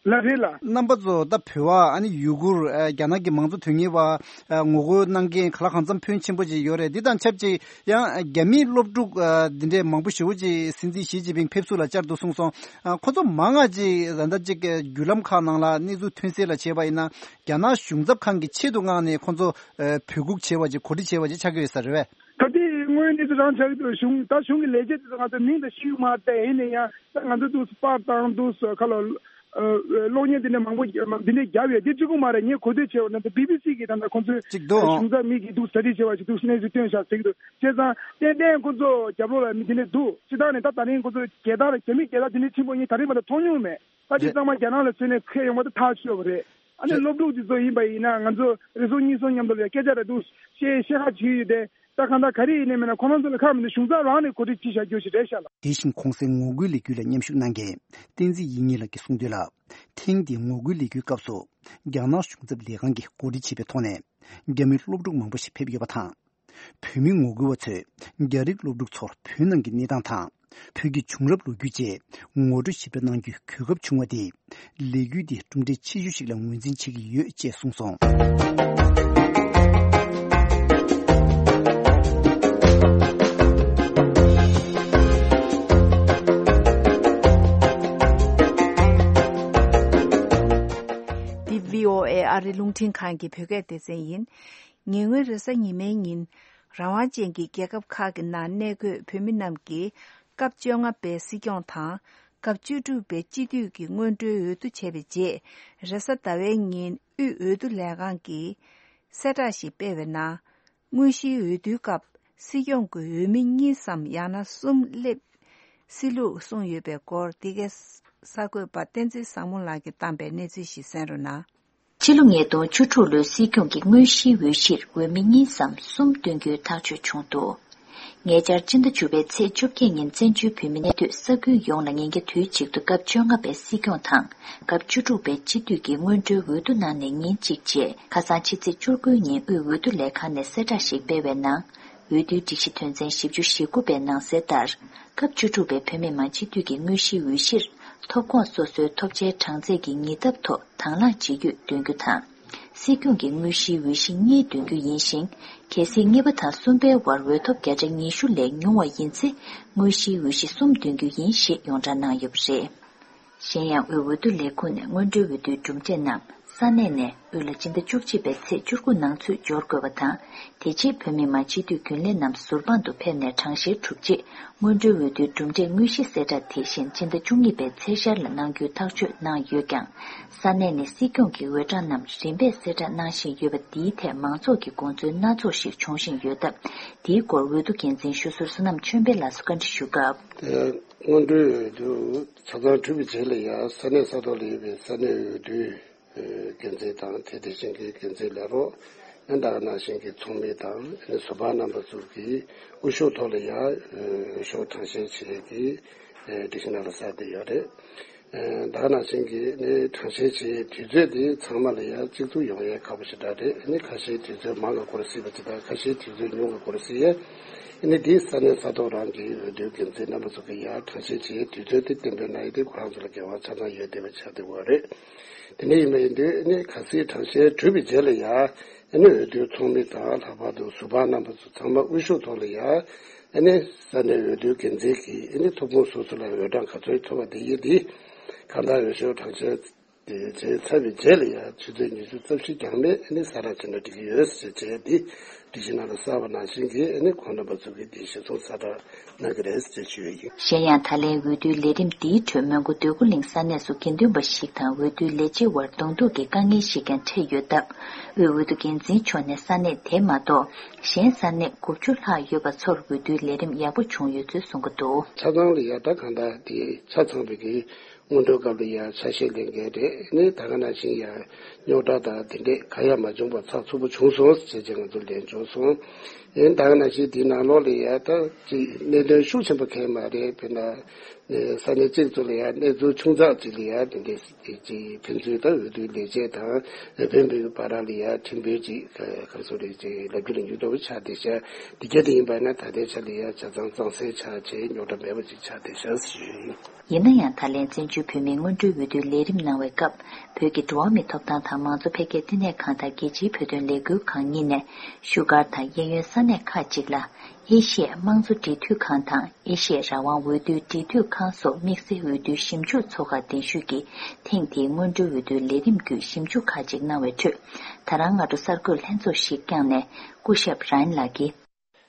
ལགས་རེད་ལགས། རྣམ་པ་ཚོ་ད་བོད་པ་ཨ་ནི་ཡུ་གུར་ཨ་རྒྱ་ནག་གི་མང་གཙོ་དོན་གཉེར་བ་ཨ་ངོ་རྒོལ་གནང་མཁན་ག་ལ་གང་འཚམ་ཕོན་ཆེན་པོ་ཅིག་ཡོད་རེད། འདི་དང་ཆབས་ཅིག་ཡང་རྒྱ་མིའི་སློབ་ཕྲུག་ཨ་འདི་འདྲས་མང་པོ་ཞེ་པོ་ཅིག་སྲིད་འཛིན་ཞི་ཅིན་ཕིང་ཕེབས་བསུ་ལ་བཅར་འདུག་གསུངས་སོང་། ཨ་ཁོ་ཚོ་མང་ང་ཅིག་ད་ལྟ་ཅིག་བརྒྱུད་ལམ་ཁག་ནང་ལ་གནས་ཚུལ་ཐོན་གསལ་ལ་བྱས་པ་ཡིན་ན་རྒྱ་ནག་གཞུང་ཚབ་ཁང་གི་ཆེད་དུ་མངགས་ནས་ཁོ་ཚོ་ཨ་འབོད་འགུག་བྱས་པ་ཅིག་གོ་སྒྲིག་བྱས་པ་ཅིག་ཆགས་ཀྱི་ཡོད་ས་རེད་པས། ད་ལྟའི་དངོས་ཡོད་གནས་ཚུལ་རང་ཆགས་ཀྱི་འདུག་གཞུང་ད་གཞུང་གི་ལས་བྱེད་དེ་ཚོ་ང་ཚོ་མིང་དང་ཤེས་ཀྱི་མ་རེད་དེ་ཡིན་ན་ཡང་ད་ང་ཚོ་འདུག་པར་བཏང་འདུག་ཁ་ལ། གློག་བརྙན་དེ་འདྲ་མང་པོ་འདི་འདྲ་བརྒྱབ་ཡོད་དེ་གཅིག་པུ་མ་རེད། ངས་གོ་ཐོས་བྱས་པ་ན་ད་བི་བི་སི་གིས་ད་ལྟ་ཁོང་ཚོའི་གཅིག་འདུག་ཨང་། གཞུང་ཚབ་མི་གིས་འདུག་གྲ་སྒྲིག་བྱས་པ་ཞིག་འདུག་གནས་ཚུལ་ཐོན་བཞག་ཟེར་གྱི་འདུག་བྱས་ཙང་ཏན་ཏན་ཁོང་ཚོ་རྒྱབ་ལོགས་ལ་མི་དེ་འདྲ་འདུག་སྤྱི་བཏང་ནས་ད་ད་རིང་ཁོང་ཚོ་རྒྱལ་དར་རྒྱ་མི་རྒྱལ་དར་དེ་འདྲ་ཆེན་པོ་ངས་ད་རིང་མ་གཏོགས་མཐོང་མྱོང་མེད། ད་དེ་ཚང་མ་རྒྱ་ནག་ལ་མཚོན་ནས་འཁྱེར་ཡོང་བ་དེ་ཐག་ཆོད་པ་རེད། ཨ་ནི་སློབ་ཕྲུག་དེ་ཚོ་ཡིན་པ་ཡིན་ན་ང་ཚོ་རེ་ཟུང་གཉིས་གསུམ་མཉམ་དུ་ལ་སྐད་ཆ་རེ་འདུག་བཤད་བཤད་ཁ་བྱེད་ཡོད་དེ། ད་གང་ལྟར་ག་རེ་ཡིན་ནའི་མིན་ན་ཁོ་རང་ཚོ་ལ་ཁག་མི་འདུག་གཞུང་ཚབ་རང་ནས་གོ་སྒྲིག་ཅིག་བྱ་རྒྱུ་ཞིག་རེད་ཤག་ལ། དེ་བཞིན་གོང་གསལ་ངོ་རྒོལ་ལས་འགུལ་ལ་མཉམ་ཞུགས་གནང་མཁན་བསྟན་འཛིན་ཡིད་གཉིས་ལགས་ཀྱིས་གསུངས་དོན་ལ། ཐེངས་འདིའི་ངོ་རྒོལ་ལས་འགུལ་སྐབས་སུ་རྒྱ་ནག་གཞུང་ཚབ་ལས་ཁང་གིས་གོ་སྒྲིག་བྱས་པའི་ཐོག་ནས་རྒྱ་མིའི་སློབ་ཕྲུག་མང་པོ་ཞིག་ཕེབས་ཡོད་པ་དང་། བོད་མི་ངོ་རྒོལ་བ་ཚོས་རྒྱ་རིགས་སློབ་ཕྲུག་ཚོར་བོད་ནང་གི་གནས་སྟངས་དང་། བོད་ཀྱི་བྱུང་རབས་ལོ་རྒྱུས་བཅས་ངོ་སྤྲོད་ཞིབ་ཕྲ་གནང་རྒྱུའི་གོ་སྐབས་བྱུང་བ་དེས་ལས་འགུལ་འདི་གྲུབ་འབྲས་ཆེ་ཤོས་ཤིག་ལ་ངོས་འཛིན་བྱེད་ཀྱི་ཡོད་ཅེས་གསུངས་སོང་། འདི་བྷི་ཨོ་ཨེ་ཨ་རིའི་རླུང་འཕྲིན་ཁང་གི་བོད་སྐད་སྡེ་ཚན་ཡིན། ཉེ་སྔོན་རེས་གཟའ་ཉི་མའི་ཉིན། རང་དབང་ཅན་གྱི་རྒྱལ་ཁབ་ཁག་གི་ནང་གནས་འཁོད་བོད་མི་རྣམས་ཀྱིས་སྐབས་བཅོ་ལྔ་པའི་སྲིད་སྐྱོང་དང་། སྐབས་བཅུ་དྲུག་པའི་སྤྱི་འཐུས་ཀྱི་སྔོན་འགྲོའི་འོས་བསྡུ་བྱས་པའི་རྗེས། རེས་གཟའ་ཟླ་བའི་ཉིན་དབུས་འོས་བསྡུ་ལས་ཁང་གིས་གསལ་བསྒྲགས་ཤིག་སྤེལ་བའི་ནང་། དངོས་གཞིའི་འོས་བསྡུའི་སྐབས་སྲིད་སྐྱོང་གི་འོས་མི་གཉིས་སམ་ཡང་ན་གསུམ་སླེབས་སྲིད་ལུགས་གསུངས་ཡོད་པའི་སྐོར། འདི་གའི་གསར་འགོད་པ་བསྟན་འཛིན་བཟང་མོ་ལགས་ཀྱིས་བཏང་པའི་གནས་ཚུལ་ཞིག་གསན་རོགས་གནང་། ཕྱི་ལོ་ཉིས་སྟོང་བཅུ་དྲུག་ལོའི་སྲིད་སྐྱོང་གི་དངོས་གཞིའི་འོས་གཞིར་འོས་མི་གཉིས་སམ་གསུམ་བཏོན་རྒྱུའི་ཐག་གཅོད་བྱུང་འདུག་ཉེ་ཆར་སྤྱི་ཟླ་བཅུ་པའི་ཚེས་བཅོ་བརྒྱད་ཉིན་བཙན་བྱོལ་བོད་མི་གནས་སྡོད་ས་ཁུལ་ཡོངས་ལ་ཉིན་རྒྱ་དུས་གཅིག་ཏུ་སྐབས་བཅོ་ལྔ་པའི་སྲིད་སྐྱོང་དང་སྐབས་བཅུ་དྲུག་པའི་སྤྱི་འཐུས་ཀྱི་སྔོན་འགྲོའི་འོས་བསྡུ་གནང་ནས་ཉིན་གཅིག་རྗེས་ཁ་སང་ཕྱི་ཚེས་བཅུ་དགུ་ཉིན་དབུས་འོས་བསྡུ་ལས་ཁང་ནས་གསལ་བསྒྲགས་ཤིག་སྤེལ་བའི་ནང་། འོས་བསྡུའི་སྒྲིག་གཞི་དོན་ཚན་བཞི་བཅུ་ཞེ་དགུ་པའི་ནང་གསལ་ལྟར། སྐབས་བཅུ་དྲུག་པའི་བོད་མི་མང་སྤྱི་འཐུས་ཀྱི་དངོས་གཞིའི་འོས་གཞིར། ཐོབ་ཁོངས་སོ་སོའི་ཐོབ་ཆའི་གྲངས་ཚད་ཀྱི་ཉིས་ལྡབ་ཐོག་དང་བླངས་བྱེད་རྒྱུ་འདོན་རྒྱུ་དང་། སྲིད་སྐྱོང་གི་དངོས་གཞིའི་འོས་གཞི་གཉིས་འདོན་རྒྱུ་ཡིན་ཞིང་། གལ་སྲིད་གཉིས་པ་དང་གསུམ་པའི་བར་འོས་ཐོབ་བརྒྱ་ཆ་ཉི་ཤུ་ལས་ཉུང་བ་ཡིན་ཚེ། དངོས་གཞིའི་འོས་གཞི་གསུམ་འདོན་རྒྱུ་ཡིན་ཞེས་ཡོངས་གྲགས་གནང་ཡོད་པ་རེད། གཞན་ཡང་། དབུས་འོས་བསྡུ་ལས་ཁུངས་ནས་སྔོན་འགྲོའི་འོས་བསྡུའི་གྲུབ་འབྲས་རྣམས་ས་གནས་ནས་དབུས་ལ་སྤྱི་ཟླ་བཅུ་གཅིག་པའི་ཚེས་བཅུ་དགུ་ནང་ཚུད་འབྱོར་དགོས་པ་དང་། དེ་རྗེས་བོད་མི་མང་སྤྱི་འཐུས་རྒྱུན་ལས་རྣམས་ཟུར་དཔང་དུ་ཕེབས་ནས་གྲངས་བཤེར་གྲུབ་རྗེས། སྔོན་འགྲོའི་འོས་བསྡུའི་གྲུབ་འབྲས་དངོས་གཞི་གསལ་བསྒྲགས་དེ་བཞིན་སྤྱི་ཟླ་བཅུ་གཉིས་པའི་ཚེས་ཤར་ལ་གནང་རྒྱུའི་ཐག་གཅོད་གནང་ཡོད་ཀྱང་། ས་གནས་ནས་སྲིད་སྐྱོང་གི་འོས་གྲངས་རྣམས་རིམ་པས་གསལ་བསྒྲགས་གནང་བཞིན་ཡོད་པ་འདིའི་ཐད་མང་ཚོགས་ཀྱི་དགོངས་ཚུལ་སྣ་ཚོགས་ཤིག་འབྱུང་བཞིན་ཡོད་སྟབས། འདིའི་སྐོར་འོས་བསྡུ་འགན་འཛིན་ཞུ་ཟུར་བསོད་ནམས་ཆོས་འཕེལ་ལགས་སུ་བཀའ་འདྲི་ཞུ་སྐབས། སྔོན་འགྲོའི་འོས་བསྡུ་ཆ་ཚང་གྲུབ་པའི་རྗེས་ལ་ཡང་ས་གནས་ས་ཐོག་ལ་ཡོད་པའི་ས་གནས་འོས་བསྡུའི་འགན་འཛིན་དང་དེ་དེ་བཞིན་གྱི་འགན་འཛིན་ལས་རོགས། ཨ་ནི་ད་ག་ནང་བཞིན་གྱི་ཚོགས་མི་དང་ཨ་ནི་ཟུར་པ་རྣམ་པ་ཚོ་གིས་དབུ་ཤོག་ཐོག་ལ་ཡང་འོས་ཤོག་གྲངས་བཤེར་བྱེད་ཀྱི་སྒྲིག་གཞི་ནང་ལ་གསལ་བསྡད་ཡོད་རེད། ཨ་ད་ག་ནང་བཞིན་གྱི་ཨ་ནི་གྲངས་བཤེར་བྱེད་དུས་ཚོད་དེ་ཚང་མ་ལ་ཡང་གཅིག་མཚུངས་ཡོང་ཡས་ཁག་པོ་ཞེ་དྲག་རེད། ཨ་ནི་ཁ་ཤས་དུས་ཚོད་མང་གི་སྐོར་སྲིད་པ་ཅིག་དང་ཁ་ཤས་དུས་ཚོད་ཉུང་གི་སྐོར་སྲིད་ཡས། ཨ་ནི་འདི་ས་གནས་ས་ཐོག་རང་གི་འོས་བསྡུའི་འགན་འཛིན་རྣམ་པ་ཚོ་གི་ཡང་གྲངས་བཤེར་བྱེད་དུས་ཚོད་དེ་གཏན་འབེབས་གནང་ཡོད་དེ་ཁོ་རང་ཚོ་ལ་འགལ་བ་ཆ་ཚང་ཡོད་བསྡད་པ་ཆགས་བསྡད་ཡོད་རེད། དེ་འདྲ་ཡིན་པ་ཡིན་དུས་ཨ་ནི་གལ་སྲིད་གྲངས་བཤེར་གྲུབ་པའི་རྗེས་ལ་ཡང་ཨ་ནི་འོས་བསྡུའི་ཚོགས་མི་དང་ལྷག་པར་དུ་ཟུར་པ་རྣམ་པ་ཚོ་ཚང་མ་དབུ་ཤོག་ཐོག་ལ་ཡང་ཨ་ནི་ས་གནས་འོས་བསྡུའི་འགན་འཛིན་གྱིས་ཨ་ནི་ཐོབ་ཁུངས་སོ་སོ་ལ་འོས་གྲངས་ག་ཚོད་ཐོབ་པ་དེ་ཡིན་དེ་གང་ལྟར་འོས་ཤོག་གྲངས་བཤེར་དེ་བྱས་ཚར་བའི་རྗེས་ལ་ཡང་ཆུ་ཚོད་ཉི་ཤུ་རྩ་བཞི་ཀྱང་མེད་ཨ་ནི་གསལ་བསྒྲགས་བྱས་ན་འགྲིག་གི་ཡོད་ཟེར་བྱས་དེ་སྒྲིག་གཞི་ནང་ལ་གསལ་བ་ནང་བཞིན་གྱི་ཨ་ནི་ཁོང་རྣམ་པ་ཚོ་གིས་དེ་གཞིར་བཟུང་གསལ་བསྒྲགས་གནང་གི་རེད་ཟེར་ཞུ་ཡ་ཡིན། གཞན་ཡང་། ད་ལན་འོས་བསྡུའི་ལས་རིམ་འདིའི་ཁྲོད་མོན་གྷོ་འདོད་རྒུ་གླིང་ས་གནས་སུ་དགེ་འདུན་པ་ཞིག་དང་འོས་བསྡུའི་ལས་བྱེད་དབར་གདོང་ཐུག་གི་དཀའ་ངལ་ཞིག་ཀྱང་འཕྲད་ཡོད་སྟབས། དབུས་འོས་བསྡུ་འགན་འཛིན་མཆོག་ནས་ས་གནས་དེ་མ་གཏོགས་གཞན་ས་གནས་དགུ་བཅུ་ལྷག་ཡོད་པ་ཚོར་འོས་བསྡུའི་ལས་རིམ་ཡག་པོ་བྱུང་ཡོད་ཚུལ་གསུང་གི་འདུག་ཆ་ཚང་ལ་ཡ་ད་གང་ལྟར་དེ་ཆ་ཚང་བའི་གི་སྔོན་འགྲོའི་སྐབས་ལ་ཡ་ཆ་ཤས་ལེན་མཁན་རེད། ནི་ད་ག་ནང་བཞིན་ཡ་རྙོག་དྲ་དང་དེ་འདྲས་ག་ཡ་མ་བྱུང་བ་ཚགས་ཚུད་པོ་བྱུང་སོང་ཟེར་བྱས་ང་ཚོ་ལན་བྱུང་སོང་། ཡིན་ད་ག་ནང་བཞིན་དེའི་ནང་ལོགས་ལ་ཡ་ད་ཅིག་གནད་དོན་ཤུགས་ཆེན་པོ་གང་ཡང་མ་རེད། དཔེར་ན་ས་གནས་གཅིག་ཙམ་ལ་ཡ་གནས་ཚུལ་ཆུང་ཙག་ཅིག་ལ་ཡ་དེ་འདྲའི་ཅིག་ཕན་ཚུན་ད་འོས་བསྡུའི་ལས་བྱེད་དང་འོས་འཕེན་པའི་བར་ལ་ཡ་ཁྲིམས་དཔོན་ཅིག་ག་ཚོད་རེད་ཅིག་ལབ་རྒྱུ་ལ་འགྱུར་ལྡོག་ཆགས་བསྡད་ཤག་དེ་ག་དེ་ཡིན་པ་ན་ད་ལྟའི་ཆ་ལ་ཡ་ཆ་ཚང་གཙང་སེལ་ཆགས་བྱས་རྙོག་དྲ་མེད་པ་ཅིག་ཆགས་བསྡད་ཤག་ཞུ་ཡིན། ཡིན་ན་ཡང་ད་ལན་བཙན་བྱོལ་བོད་མིའི་སྔོན་འགྲོའི་འོས་བསྡུའི་ལས་རིམ་གནང་བའི་སྐབས་བོད་ཀྱི་འགྲོ་བ་མིའི་ཐོབ་ཐང་དང་མང་གཙོ་འཕེལ་རྒྱས་བསྟི་གནས་ཁང་དང་རྒྱལ་སྤྱིའི་བོད་དོན་ལས་འགུལ་ཁང་གཉིས་ནས་བཞུགས་སྒར་དང་གཡས་གཡོན་ས་གནས་ཁག་ཅིག་ལ་ཨེ་ཤི་ཡའི་དམངས་གཙོ་འབྲེལ་མཐུད་ཁང་དང་ཨེ་ཤི་ཡའི་རང་དབང་འོས་བསྡུའི་འབྲེལ་མཐུད་ཁང་སོགས་དམིགས་བསལ་འོས་བསྡུའི་ཞིབ་འཇུག་ཚོགས་ཁག་གདན་ཞུས་ཀྱིས་ཐེངས་འདིའི་སྔོན་འགྲོའི་འོས་བསྡུའི་ལས་རིམ་བརྒྱུད་ཞིབ་འཇུག་ཁག་ཅིག་གནང་བའི་ཁྲོད་ད་རང་སྔ་དྲོ་གསར་འགོད་ལྷན་ཚོགས་ཤིག་བསྐྱངས་ནས་སྐུ་ཞབས་རཱན་ལགས་ཀྱིས།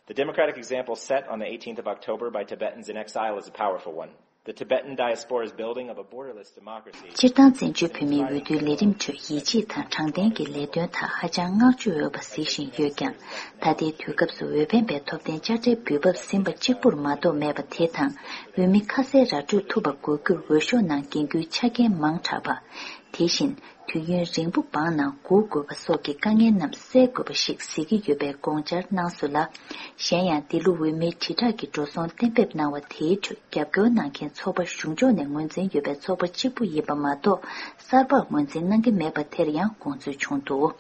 The democratic example set on the eighteenth of October by Tibetans in exile is a powerful one. The Tibetan diaspora's building of a borderless democracy. སྤྱིར་བཏང་བཙན་བྱོལ་བོད་མིའི་འོས་བསྡུའི་ལས་རིམ་ཁྲོད་ཡིད་ཆེས་དང་དྲང་བདེན་གྱི་ལས་དོན་དག་ཧ་ཅང་བསྔགས་བརྗོད་འོས་པ་གཟིགས་བཞིན་ཡོད་ཀྱང་། ད་ལྟའི་དུས་སྐབས་སུ་འོས་འཕེན་པའི་ཐོབ་ཐང་དཔྱ་ཁྲལ་འབུལ་འབབ་ཟིན་པ་གཅིག་པུར་མ་གཏོགས་མེད་པ་དེ་དང་། འོས་མི་ཁ་གསལ་ར་སྤྲོད་ཐུབ་པ་དགོས་རྒྱུར་འོས་ཤོག་ནང་འགན་ཁུར་ཆ་རྐྱེན་མང་དྲགས་པ། དེ་བཞིན། དུས་ཡུན་རིང་པོ་འབངས་ནང་སྒུག་དགོས་པ་སོགས་ཀྱི་དཀའ་ངལ་རྣམས་སེལ་དགོས་པ་ཞིག་གཟིགས་ཀྱི་ཡོད་པའི་དགོངས་འཆར་གནང་སོང་ལ། གཞན་ཡང་འདི་ལོ་འོས་མིའི་དྲིལ་བསྒྲགས་ཀྱི་འགྲོ་སོང་གཏན་འབེབས་གནང་བ་དེའི་ཁྲོད་རྒྱབ་སྐྱོར་གནང་མཁན་ཚོགས་པ་གཞུང་ཕྱོགས་ནས་ངོས་འཛིན་ཡོད་པའི་ཚོགས་པ་གཅིག་པུ་ཡིན་པ་མ་གཏོགས་གསར་པར་ངོས་འཛིན་གནང་གི་མེད་པ་དེར་ཡང་དགོངས་ཚུལ་བྱུང་འདུག་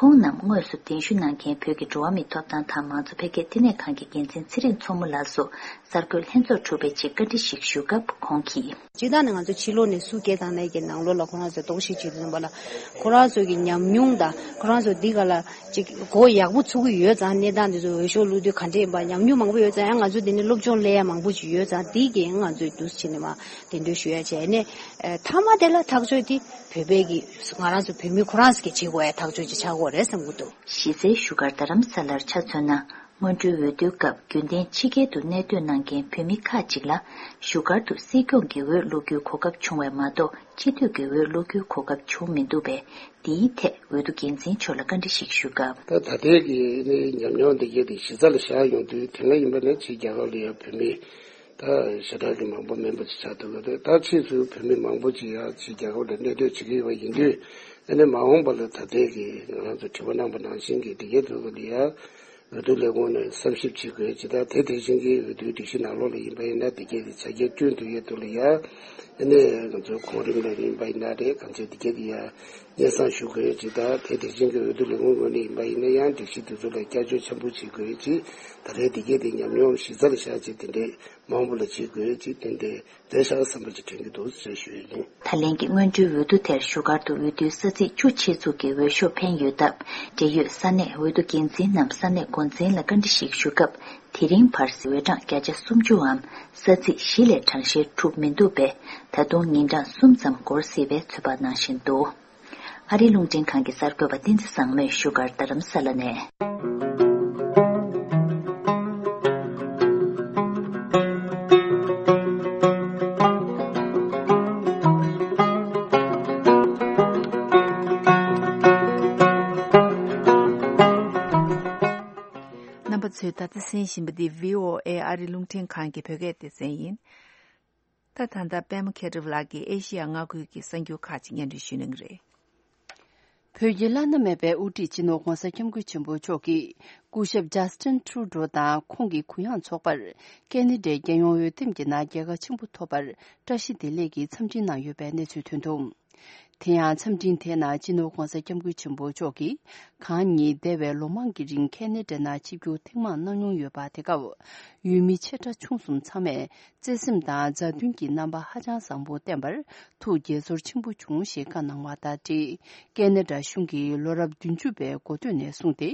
ཁོང་རྣམས་དངོས་སུ་གདན་ཞུ་གནང་མཁན་བོད་ཀྱི་འགྲོ་བ་མིའི་ཐོབ་ཐང་དང་མང་གཙོ་འཕེལ་རྒྱས་བསྟི་གནས་ཁང་གི་འགན་འཛིན་ཚེ་རིང་མཚོ་མོ་ལགས་སུ་གསར་འགོད་ལྷན་ཚོགས་གྲུབ་པའི་རྗེས་བཀའ་འདྲི་ཞིག་ཞུ་སྐབས་ཁོང་གིས། སྤྱིར་བཏང་ནས་ང་ཚོ་ཕྱི་ལོགས་ནས་སུ་སྐད་བཏང་ནའི་གི་ནང་ལོགས་ལ་ཁོ་རང་ཚོས་རྟོག་ཞིབ་བྱེད་དུས་ཙམ་པ་ལ་ཁོ་རང་ཚོ་གི་ཉམས་མྱོང་དང་ཁོ་རང་ཚོ་འདི་ག་ལ་ཅིག་གོ་ཡག་པོ་ཚུགས་ཀྱི་ཡོད་ཙང་གནས་སྟངས་འདི་ཚོ་འོས་ཤོག་བླུགས་དུས་ག་འདྲ་ཡིན་པ་ཉམས་མྱོང་མང་པོ་ཡོད་ཙང་ཡང་ང་ཚོ་འདི་ནས་སློབ་སྦྱོང་ལེན་ཡ་མང་པོ་ཅིག་ཡོད་ཙང་འདི་གི་ང་ཚོས་འདུག་སེ་བྱས་ནས་མ་གདན་འདྲེན་ཞུ་ཡ་བྱས་ནས་མཐའ་མ་དེ་ལ་ཐག་གཅོད་དེ་བོད་པའི་གི་ང་རང་ཚོ་བོད་མི་ཁོ་རང་ཚོ་གི་བྱེད་དགོས་ཡ་ཐག་གཅོད་ཅིག་ཆགས་ཀྱི་ཡོད་རེད་བསམ་གྱི་འདུག་གཞི་རྩའི་བཞུགས་སྒར་རྡ་རམ་ས་ལར་ཆ་མཚོན་ན། སྔོན་འགྲོའི་འོས་བསྡུའི་སྐབས་རྒྱུན་ལྡན་ཕྱི་རྒྱལ་དུ་གནས་སྡོད་གནང་མཁན་བོད་མི་ཁག་ཅིག་ལ་བཞུགས་སྒར་དུ་སྲིད་སྐྱོང་གི་འོས་བླུག་རྒྱུའི་གོ་སྐབས་བྱུང་བས་མ་གཏོགས་སྤྱི་འཐུས་ཀྱི་འོས་བླུག་རྒྱུའི་གོ་སྐབས་བྱུང་མི་འདུག་པས། འདིའི་ཐད་འོས་བསྡུ་འགན་འཛིན་མཆོག་ལ་བཀའ་འདྲི་ཞིག་ཞུས་སྐབས། ད་ད་ལྟའི་གི་ནི་ཉམས་མྱོང་འདི་གས་དེ་གཞི་རྩ་ལ་བཞག་ཡོང་དུས་དེ་སྔ་ཡིན་པ་ན་ཕྱི་རྒྱལ་ཁབ་ལ་ཡང་བོད་མི་ད་ཞེ་དྲག་གི་མང་པོ་མིན་པ་ཅིག་ཆགས་འདུག་ག་ད་ཕྱིས་སུ་བོད་མི་མང་པོ་ཅིག་ཡང་ཕྱི་རྒྱལ་ཁབ་ལ་གནས་སྡོད་བྱེད་ཀྱི་ཡོད་པ་ཡིན་དུས་ཨ་ནི་མ་འོངས་པ་ལ་ད་ལྟའི་གི་ང་རང་ཚོ་དྲི་བ་གནང་པ་ནང་བཞིན་གི་འདི་གས་དུས་ལ་ཡང་། འོས་བསྡུ་ལས་ཁུངས་ནས་བསམ་ཞིབ་བྱེད་དགོས་ཅེས་དང་དེ་དེ་བཞིན་གྱི་འོས་བསྡུའི་སྒྲིག་གཞི་ནང་ལོགས་ལ་ཡིན་པ་ཡིན་ན་དེ་གའི་ཆ་རྐྱེན་བསྐྲུན་ཐུབ་ཡས་དུ་ལ་ཡ། ཨ་ནི་ང་ཚོའི་གོང་རིམ་ལ་ཡིན་པ་ཡིན་ན་རེད་གང་ཚེ་དེ་གའི་དེ་ཡ་སྙན་སེང་ཞུ་དགོས་ཅེས་དང་དེ་དེ་བཞིན་གྱི་འོས་བསྡུ་ལས་ཁུངས་ངོས་ནས་ཡིན་པ་ཡིན་ན་ཡང་སྒྲིག་གཞི་དེ་ཚོ་ལ་བསྐྱར་བཅོས་ཆེན་པོ་བྱེད་དགོས་ཅེས་ད་རེས་དེ་གའི་དེ་ཉམས་མྱོང་གཞི་རྩ་ལ་བཞག་ཅེས་དེ་འདྲས་མང་པོ་ལ་བྱེད་དགོས་ཅེས་དེ་འདྲས། བསྡད་བཞག་བསམ་པ་ཅིག་དྲན་གྱི་འདུག་ཅེས་ཞུ་ཡི་ཡིན། ད་ལན་གྱི་སྔོན་འགྲོའི་འོས་བསྡུ་དེར་བཞུགས་སྒར་དུ་འོས་བསྡུའི་ས་ཚིགས་བཅུ་ཆེད་འཛུགས་ཀྱི་འོས་ཤོག་འཕེན་ཡོད་སྟབས། འབྲེལ་ཡོད་ས་གནས་འོས་བསྡུ་འགན་འཛིན་ནམ་ས་གནས་འགོ་འཛིན་ལ་བཀའ་འདྲི་ཞིག་ཞུ་སྐབས། དེ་རིང་བར་འོས་གྲངས་བརྒྱ་ཆ་སུམ་ཅུའམ་ས་ཚིགས་བཞི་ལས་གྲངས་བཤེར་གྲུབ་མི་འདུག་པས། ད་དུང་ཉིན་གྲངས་གསུམ་ཙམ་འགོར་སྲིད་པའི་ཚོད་དཔག་གནང་བཞིན་འདུག་ཨ་རིའི་རླུང་འཕྲིན་ཁང་གི་གསར་འགོད་པ་བསྟན་འཛིན་བཟང་མོས་བཞུགས་སྒར་རྡ་རམ་ས་ལ་ནས། རྣམ་པ་ཚོས་ད་ལྟ་གསན་བཞིན་པ་འདི་བྷི་ཨོ་ཨེ་ཨ་རིའི་རླུང་འཕྲིན་ཁང་གི་བོད་སྐད་སྡེ་ཚན་ཡིན། ད་ད་ལྟ་པད་མ་མཁས་གྲུབ་ལགས་ཀྱིས་ཨེ་ཤི་ཡ་མངའ་ཁུལ་གྱི་གསར་འགྱུར་ཁག་ཅིག་སྙན་སྒྲོན་ཞུ་གནང་གི་རེད། བོད་ཀྱི་བླ་ན་མེད་པའི་དབུ་ཁྲིད་སྤྱི་ནོར་༧གོང་ས་༧སྐྱབས་མགོན་ཆེན་པོ་མཆོག་གིས་སྐུ་ཞབས་ཇཱ་སི་ཊིན་ཁྲུ་ཌོ་དང་ཁོང་གི་གུ་ཡངས་ཚོགས་པར་ཁེ་ན་ཌའི་རྒྱལ་ཡོངས་འོས་འདེམས་ཀྱི་ནང་རྒྱལ་ཁ་ཆེན་པོ་ཐོབ་པར་བཀྲ་ཤིས་བདེ་ལེགས་ཀྱི་འཚམས་འཕྲིན་གནང་ཡོད་པའི་གནས་ཚུལ་ཐོན་འདུག་དེ་ཡང་འཚམས་འཕྲིན་དེའི་ནང་སྤྱི་ནོར་༧གོང་ས་༧སྐྱབས་མགོན་ཆེན་པོ་མཆོག་གིས་གང་ཉིད་འདས་པའི་ལོ་མང་གི་རིང་ཁེ་ན་ཌ་ནང་ཆིབས་བསྒྱུར་ཐེངས་མང་གནང་མྱོང་ཡོད་པ་དེ་སྐབས་འོས་མི་ཆེ་ཕྲ་ཆུང་གསུམ་ཚང་མས་བརྩེ་སེམས་དང་མཛའ་མཐུན་གྱི་རྣམ་པ་ཧ་ཅང་བཟང་པོ་བསྟན་པར་ཐུགས་དགྱེས་ཚོར་ཆེན་པོ་བྱུང་ཞེས་བཀའ་གནང་བ་དང་འབྲེལ། ཁེ་ན་ཌ་གཞུང་གིས་ལོ་རབས་བདུན་ཅུ་པའི་འགོ་སྟོད་ནས་བཟུང་སྟེ་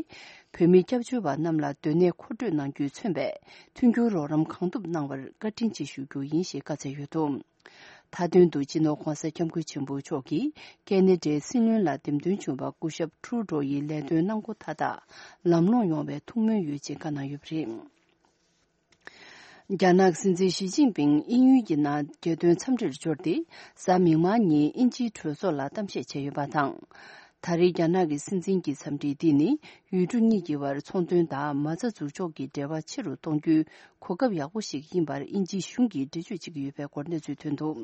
བོད་མི་སྐྱབས་བཅོལ་བ་རྣམས་ལ་སྡོད་གནས་མཁོ་སྤྲོད་གནང་རྒྱུས་མཚོན་པའི་མཐུན་འགྱུར་རོགས་རམ་གང་ཐུབ་གནང་བར་བཀའ་དྲིན་ཆེ་ཞུ་རྒྱུ་ཡིན་ཞེས་བཀའ་སྩལ་ཡོད་འདུག་མཐའ་དོན་དུ་སྤྱི་ནོར་༧གོང་ས་༧སྐྱབས་མགོན་ཆེན་པོ་མཆོག་གིས་ཁེ་ན་ཌའི་སྲིད་བློན་ལ་འདེམས་ཐོན་བྱུང་བ་སྐུ་ཞབས་ཁྲུ་ཌོ་ཡི་ལས་དོན་གནང་སྒོ་མཐའ་དག་ལམ་ལྷོང་ཡོང་བའི་ཐུགས་སྨོན་ཡོད་ཅེས་བཀའ་གནང་ཡོད་པ་རེད། རྒྱ་ནག་སྲིད་འཛིན་ཞི་ཅིན་ཕིང་དབྱིན་ཡུལ་གྱི་ནང་རྒྱལ་དོན་འཚམས་འདྲིར་འབྱོར་ཏེ། གཟའ་མིག་དམར་ཉིན་དབྱིན་ཇིའི་གྲོས་ཚོགས་ལ་གཏམ་བཤད་བྱས་ཡོད་པ་དང་། ད་རེས་རྒྱ་ནག་གི་སྲིད་འཛིན་གྱི་འཚམས་འདྲི་འདི་ནི་ཡུལ་གྲུ་གཉིས་ཀྱི་བར་ཚོང་དོན་དང་མ་རྩ་འཛུགས་འཇོག་གི་འབྲེལ་བ་ཆེ་རུ་གཏོང་རྒྱུའི་གོ་སྐབས་ཡག་པོ་ཞིག་ཡིན་པར་དབྱིན་ཇིའི་གཞུང་གིས་འགྲེལ་བརྗོད་བྱེད་ཀྱི་ཡོད་པའི་སྐོར་གནས་ཚུལ་ཐོན་འདུག་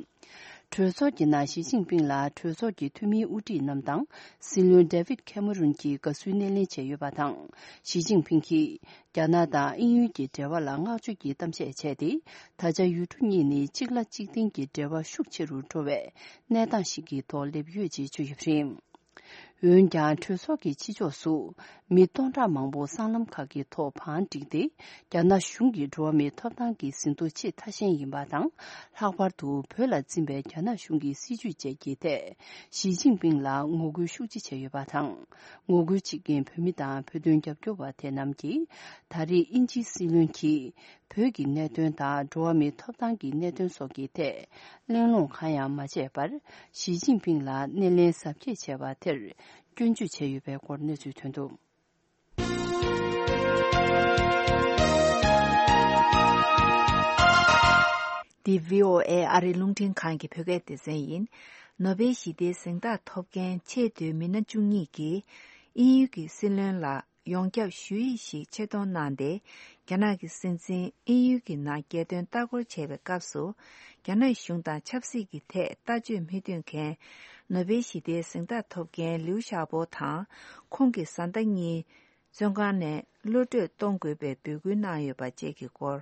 གྲོས་ཚོགས་ཀྱི་ནང་ཞི་ཅིན་ཕིང་ལ་གྲོས་ཚོགས་ཀྱི་འཐུས་མིའི་དབུ་ཁྲིད་རྣམས་དང་སྲིད་བློན་ཌེ་ཝིད་ཁེ་མ་རུན་གྱིས་དགའ་བསུའི་སྣེ་ལེན་བྱས་ཡོད་པ་དང་། ཞི་ཅིན་ཕིང་གིས་རྒྱ་ནག་དང་དབྱིན་ཡུལ་གྱི་འབྲེལ་བ་ལ་བསྔགས་བརྗོད་ཀྱི་གཏམ་བཤད་བྱས་ཏེ། ད་ཆ་ཡུལ་གྲུ་གཉིས་ནི་གཅིག་ལ་གཅིག་བརྟེན་གྱི་འབྲེལ་བ་ཤུགས་ཆེ་རུ་འགྲོ་བའི་གནས་སྟངས་ཤིག་གི་ཐོག་སླེབས་ཡོད་ཅེས་བརྗོད་ཡོད་པ་རེད། འོན་ཀྱང་གྲོས་ཚོགས་ཀྱི་ཕྱི་ཕྱོགས་སུ་མི་སྟོང་ཕྲག་མང་པོ་སྲང་ལམ་ཁག་གི་ཐོག་བང་བསྒྲིགས་ཏེ། རྒྱ་ནག་གཞུང་གི་འགྲོ་བ་མིའི་ཐོབ་ཐང་གི་ཟིན་ཐོ་ཆེས་ཐ་ཞན་ཡིན་པ་དང་། ལྷག་པར་དུ་བོད་ལ་འཛིན་པའི་རྒྱ་ནག་གཞུང་གི་སྲིད་བྱུས་བཅས་ཀྱི་ཐད་ཞི་ཅིན་ཕིང་ལ་ངོ་རྒོལ་ཤུགས་ཆེ་བྱས་ཡོད་པ་དང་། ངོ་རྒོལ་བྱེད་མཁན་བོད་མི་དང་བོད་དོན་རྒྱབ་སྐྱོར་བ་དེ་རྣམས་ཀྱིས། ད་རེས་དབྱིན་ཇིའི་སྲིད་བློན་གྱིས། བོད་ཀྱི་གནད་དོན་དང་འགྲོ་བ་མིའི་ཐོབ་ཐང་གི་གནད་དོན་སོགས་ཀྱི་ཐད་གླེང་སློང་གང་ཡང་མ་བྱས་པར། ཞི་ཅིན་ཕིང་ལ་སྣེ་ལེན་གཟབ་རྒྱས་བྱས་པ་དེར་སྐྱོན་བརྗོད་བྱས་ཡོད་པའི་སྐོར་གནས་ཚུལ་ཐོན་འདུག་འདི་བྷི་ཨོ་ཨེ་ཨ་རིའི་རླུང་འཕྲིན་ཁང་གི་བོད་སྐད་སྡེ་ཚན་ཡིན། ནོ་བེལ་ཞི་བདེའི་གཟེངས་རྟགས་ཐོབ་མཁན་ཆེས་མཐོའི་མི་སྣ་བཅུ་གཉིས་ཀྱིས་དབྱིན་ཡུལ་གྱི་སྲིད་བློན་ལ། ཡོངས་ཁྱབ་ཞུ་ཡིག་ཞིག་ཆེད་གཏོང་གནང་སྟེ། རྒྱ་ནག་གི་སྲིད་འཛིན་དབྱིན་ཡུལ་གྱི་ནང་རྒྱལ་དོན་ལྟ་སྐོར་བྱེད་པའི་སྐབས་སུ། རྒྱ་ནག་གཞུང་དང་ཆབ་སྲིད་ཀྱི་ཐད་ལྟ་སྤྱོད་མི་མཐུན་མཁན། ནོ་བེལ་ཞི་བདེའི་གཟེངས་རྟགས་ཐོབ་མཁན་ལིའུ་ཞའོ་པོ་དང་། ཁོང་གི་བཟའ་ཟླ་གཉིས། བཙོན་ཁང་ནས་གློད་བཀྲོལ་གཏོང་དགོས་པའི་འབོད་སྐུལ་གནང་ཡོད་པ་བཅས་ཀྱི་སྐོར།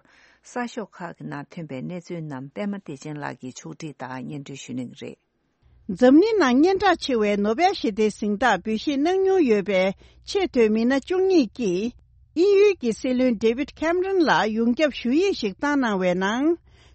གསར་ཤོག་ཁག་གི་ནང་ཐོན་པའི་གནས་ཚུལ་རྣམས་པད་མ་བདེ་ཆེན་ལགས་ཀྱིས་ཕྱོགས་སྒྲིག་དང་སྙན་སྒྲོན་ཞུ་གནང་གི་རེད། འཛམ་གླིང་ནང་སྙན་གྲགས་ཆེ་བའི་ནོ་བེལ་ཞི་བདེའི་གཟེངས་རྟགས་འབུལ་བཞེས་གནང་མྱོང་ཡོད་པའི་ཆེས་མཐོའི་མི་སྣ་བཅུ་གཉིས་ཀྱིས། དབྱིན་ཡུལ་གྱི་སྲིད་བློན་ཌེ་ཝིད་ཁེམ་རོན་ལ་ཡོངས་ཁྱབ་ཞུ་ཡིག་ཞིག་བཏང་གནང་བའི་ནང་།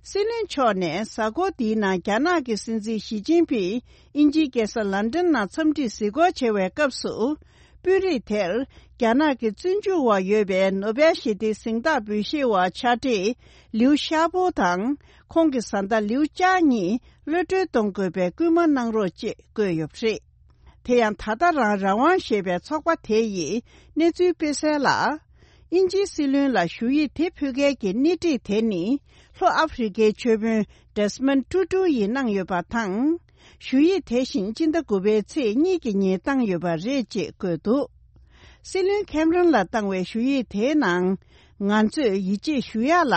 སྲིད་བློན་མཆོག་ནས་གཟའ་འཁོར་འདིའི་ནང་རྒྱ་ནག་གི་སྲིད་འཛིན་ཞི་ཅིན་ཕིང་དབྱིན་ཇིའི་རྒྱལ་ས་ལན་ཀྲན་ནང་འཚམས་འདྲིར་གཟིགས་སྐོར་བྱེད་པའི་སྐབས་སུ། དཔོན་རིགས་དེར་རྒྱ་ནག་གི་བཙོན་འཇུག་འོག་ཡོད་པའི་ནོ་བེལ་ཞི་བདེའི་གཟེངས་རྟགས་འབུལ་བཞེས་པ་ཕྱག་བྲིས་ལིའུ་ཤ་པོ་དང་། ཁོང་གི་བཟའ་ཟླ་ལིའུ་ཅཱ་གཉིས་གློད་བཀྲོལ་གཏོང་དགོས་པའི་སྐུལ་མ་གནང་རོགས་ཅེས་བཀོད་ཡོད་པ་རེད། དེ་ཡང་ད་ལྟ་རང་རང་དབང་ཞེས་པའི་ཚོགས་པ་དེ་ཡིས་གནས་ཚུལ་སྤེལ་གསལ་ལ། དབྱིན་ཇིའི་སྲིད་བློན་ལ་ཞུ་ཡིག་དེ་ཕུལ་མཁན་གྱི་སྣེ་ཁྲིད་དེ་ནི་ལྷོ་ཨ་ཧྥེ་རི་ཁའི་ཆོས་དཔོན་ཌེ་སི་མོན་ཊུ་ཊུ་ཡིས་གནང་ཡོད་པ་དང་། ཞུ་ཡིག་དེ་བཞིན་སྤྱི་ཟླ་དགུ་པའི་ཚེས་གཉིས་ཀྱི་ཉིན་བཏང་ཡོད་པ་རེད་ཅེས་བཀོད་འདུག་སྲིད་བློན་ཁེམ་རོན་ལ་བཏང་བའི་ཞུ་ཡིག་དེའི་ནང་། ང་ཚོས་ཡིད་ཆེས་ཞུ་ཡག་ལ།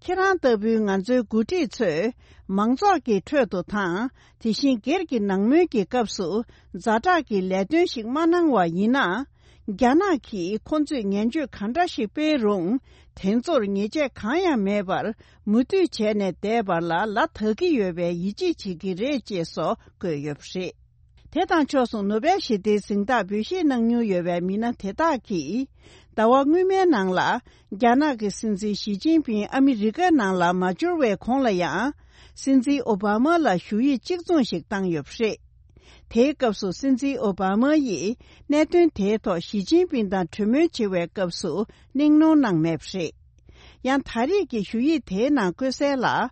ཁྱེད་རང་ལྟ་བུའི་ང་ཚོའི་འགོ་ཁྲིད་ཚོས་མང་ཚོགས་ཀྱི་ཁྲོད་དུ་དང་། དེ་བཞིན་སྒེར་གྱི་ནང་མོལ་གྱི་སྐབས་སུ་ཛ་དྲག་གི་ལས་དོན་ཞིག་མ་གནང་བ་ཡིན་ན། རྒྱ་ནག་གིས་ཁོང་ཚོས་ངན་བྱུས་ག་འདྲ་ཞིག་སྤེལ་རུང་། དེ་ཚོར་ཉེས་ཆད་གང་ཡང་མེད་པར་མུ་མཐུད་བྱས་ནས་བསྡད་པར་ལ་ལ་དག་གི་ཡོད་པའི་ཡིད་ཆེས་བྱེད་ཀྱི་རེད་ཅེས་སོགས་བཀོད་ཡོད་པ་རེད། དེ་དང་ཕྱོགས་མཚུངས་ནོ་བེལ་ཞི་བདེའི་གཟེངས་རྟགས་འབུལ་བཞེས་གནང་མྱོང་ཡོད་པའི་མི་སྣ་དེ་དག་གིས། ཟླ་བ་སྔོན་མའི་ནང་ལ། རྒྱ་ནག་གི་སྲིད་འཛིན་ཞི་ཅིན་ཕིང་ཨ་མི་རི་ཀའི་ནང་ལ་མ་འབྱོར་བའི་གོང་ལ་ཡང་། སྲིད་འཛིན་ཨོ་བྷ་མ་ལ་ཞུ་ཡིག་གཅིག་མཚུངས་ཤིག་བཏང་ཡོད་པ་རེད། དེའི་སྐབས་སུ་སྲིད་འཛིན་ཨོ་བྷ་མ་ཡིས་གནད་དོན་དེའི་ཐོག་ཞི་ཅིན་ཕིང་དང་གྲོས་མོལ་བྱེད་པའི་སྐབས་སུ་གླེང་སློང་གནང་མེད་པ་རེད། ཡང་ད་རེས་ཀྱི་ཞུ་ཡིག་དེའི་ནང་བཀོད་གསལ་ལ།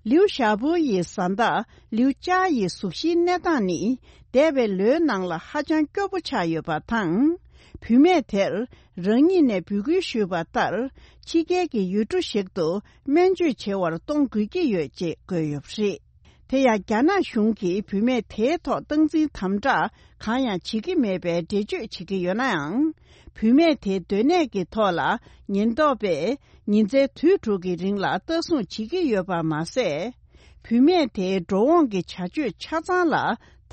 ལིའུ་ཞའོ་པོ་ཡི་བཟའ་ཟླ་ལིའུ་ཅཱ་ཡི་གཟུགས་གཞིའི་གནས་སྟངས་ནི་འདས་པའི་ལོའི་ནང་ལ་ཧ་ཅང་སྐྱོ་པོ་ཆགས་ཡོད་པ་དང་། བུད་མེད་དེར་རང་ཉིད་ནས་འབོད་སྐུལ་ཞུས་པ་ལྟར་ཕྱི་རྒྱལ་གྱི་ཡུལ་གྲུ་ཞིག་ཏུ་སྨན་བཅོས་བྱེད་པར་གཏོང་དགོས་ཀྱི་ཡོད་ཅེས་བཀོད་ཡོད་པ་རེད། དེ་ཡང་རྒྱ་ནག་གཞུང་གིས་བུད་མེད་དེའི་ཐོག་སྟངས་འཛིན་དམ་དྲག་གང་ཡང་བྱེད་ཀྱི་མེད་པའི་འགྲེལ་བརྗོད་བྱེད་ཀྱི་ཡོད་ནའང་། བུད་མེད་དེའི་སྡོད་གནས་ཀྱི་ཐོག་ལ་ཉེན་རྟོག་པས་ཉིན་མཚན་དུས་དྲུག་གི་རིང་ལ་ལྟ་སྲུང་བྱེད་ཀྱི་ཡོད་པ་མ་ཟད། བུད་མེད་དེའི་འགྲོ་འོང་གི་བྱ་སྤྱོད་ཆ་ཚང་ལ་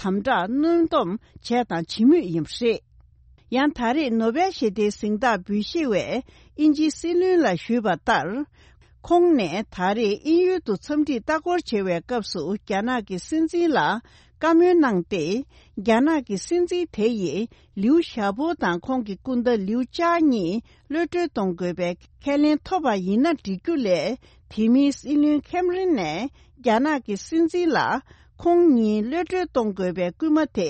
དམ་དྲག་གནོན་སྡོམ་བྱས་དང་བྱེད་མུས་ཡིན་པ་རེད། ཡང་ད་རེས་ནོ་བེལ་ཞི་བདེའི་གཟེངས་རྟགས་འབུལ་བཞེས་པའི་དབྱིན་ཇིའི་སྲིད་བློན་ལ་ཞུས་པ་ལྟར། ཁོང་ནས་ད་རེས་དབྱིན་ཡུལ་དུ་འཚམས་འདྲིར་ལྟ་སྐོར་བྱེད་པའི་སྐབས་སུ་རྒྱ་ནག་གི་སྲིད་འཛིན་ལ་བཀའ་མོལ་གནང་སྟེ། རྒྱ་ནག་གི་སྲིད་འཛིན་དེ་ཡིས་ལིའུ་ཞའོ་པོ་དང་ཁོང་གི་སྐུ་ཟླ་ལིའུ་ཅཱ་གཉིས་གློད་གྲོལ་གཏོང་དགོས་པའི་ཁས་ལེན་ཐོབ་པ་ཡིན་ན་འགྲིག་རྒྱུ་ལས། དེ་མིན་སྲིད་བློན་ཁེམ་རིན་ནས་རྒྱ་ནག་གི་སྲིད་འཛིན་ལ་ཁོང་གཉིས་གློད་གྲོལ་གཏོང་དགོས་པའི་སྐུལ་མ་དེ་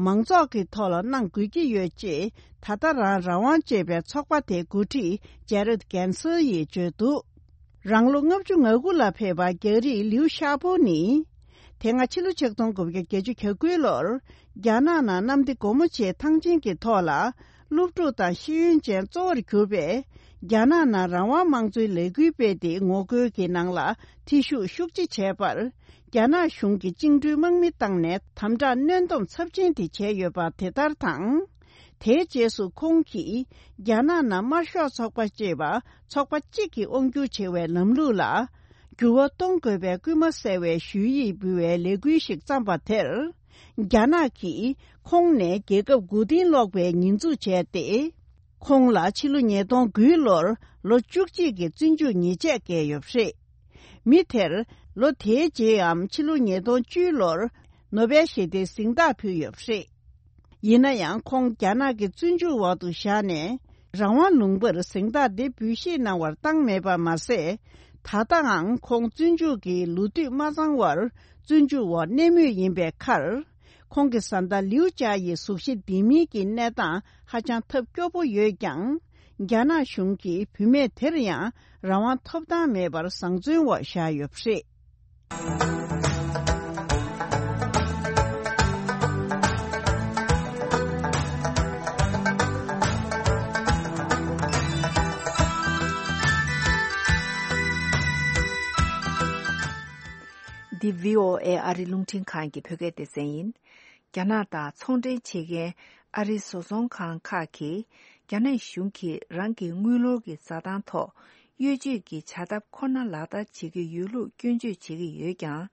མང་ཚོགས་ཀྱི་ཐོག་ལ་གནང་དགོས་ཀྱི་ཡོད་ཅེས་ད་ལྟ་རང་རང་དབང་ཅེས་པའི་ཚོགས་པ་དེའི་འགོ་ཁྲིད་ཇེ་རད་གན་སེར་ཡིས་བརྗོད་འདུག་རང་ལོ་ལྔ་བཅུ་ང་དགུ་ལ་ཕེབས་པ་རྒྱ་རིགས་ལིའུ་ཤ་པོ་ནི། དེ་སྔ་ཕྱི་ལོ་ཆིག་སྟོང་དགུ་བརྒྱ་བརྒྱད་ཅུ་གྱ་དགུའི་ལོར། རྒྱ་ནག་ནང་གནམ་བདེ་སྒོ་མོ་ཆེའི་ཐང་ཆེན་གྱི་ཐོག་ལ། སློབ་ཕྲུག་དང་ཤེས་ཡོན་ཅན་གཙོ་བོར་གྱུར་པས། རྒྱ་ནག་ནང་རང་དབང་དམངས་གཙོའི་ལས་འགུལ་སྤེལ་ཏེ་ངོ་རྒོལ་གྱི་ནང་ལ་ཐེ་ཞུགས་ཤུགས་ཆེ་བྱས་པར། རྒྱ་ནག་གཞུང་གི་བཅིངས་འགྲོལ་དམག་མི་བཏང་ནས་དམ་དྲག་གནོན་སྡོམ་ཚབས་ཆེན་དེ་བྱས་ཡོད་པ་དེ་ལྟར་དང་། དེའི་རྗེས་སུ་ཁོང་གིས་རྒྱ་ནག་ནང་དམར་ཤོག་ཚོགས་པ་ཅེས་པ་ཚོགས་པ་གཅིག་གིས་དབང་སྒྱུར་བྱེད་པའི་ལམ་ལུགས་ལ་འགྱུར་བ་གཏོང་དགོས་པའི་སྐུལ་མ་གསལ་བའི་ཞུ་ཡིག་འབུལ་བའི་ལས་འགུལ་ཞིག་བརྩམས་པ་དེར། རྒྱ་ནག་གིས་ཁོང་ནས་རྒྱལ་ཁབ་མགོ་རྟིང་སློག་པའི་ཉེས་འཛུགས་བྱས་ཏེ། ཁོང་ལ་ཕྱི་ལོ་ཉིས་སྟོང་དགུའི་ལོར་ལོ་བཅུ་གཅིག་གི་བཙོན་འཇུག་ཉེས་ཆད་བཀལ་ཡོད་པ་རེད། མི་དེར་ལོ་དེའི་རྗེས་འམ་ཕྱི་ལོ་ཉིས་སྟོང་བཅུའི་ལོར་ནོ་བེལ་ཞི་བདེའི་གཟེངས་རྟགས་ཕུལ་ཡོད་པ་རེད། ཡིན་ན་ཡང་ཁོང་རྒྱ་ནག་གི་བཙོན་འཇུག་འོག་ཏུ་བཞག་ནས། རང་དབང་ལུང་པར་གཟེངས་རྟགས་འདི་འབུལ་བཞེས་གནང་བར་བཏང་མེད་པ་མ་ཟད། ད་ལྟའང་ཁོང་བཙོན་འཇུག་གི་ལོ་དུས་མ་ཚང་བར་བཙོན་འཇུག་འོག་གནས་མུས་ཡིན་པའི་ཁར། ཁོང་གི་བཟའ་ཟླ་ལིའུ་ཅཱ་ཡི་གཟུགས་གཞི་ལྡན་མིན་གྱི་གནས་སྟངས་ཧ་ཅང་ཐབས་སྐྱོ་པོ་ཡོད་ཀྱང་། རྒྱ་ནག་གཞུང་གིས་བུད་མེད་དེར་ཡང་རང་དབང་ཐོབ་ཐང་མེད་པར་བཟང་བཙོན་འོག་བཞག་ཡོད་པ་རེད། འདི་བྷི་ཨོ་ཨེ་ཨ་རི་རླུང་འཕྲིན་ཁང་གི་བོད་སྐད་སྡེ་ཚན་ཡིན། རྒྱ་ནག་དང་ཚོང་འབྲེལ་བྱེད་མཁན་ཨ་རིའི་བཟོ་ཚོང་ཁང་ཁག་གིས། རྒྱ་ནག་གཞུང་གིས་རང་གི་དངུལ་ལོར་གྱི་འཛའ་ཐང་ཐོག་གཡོ་ཇུས་ཀྱི་བྱ་ཐབས་ཁོ་ན་ལག་བསྟར་བྱེད་ཀྱི་ཡོད་ལུགས་སྐྱོན་བརྗོད་བྱེད་ཀྱི་ཡོད་ཀྱང་།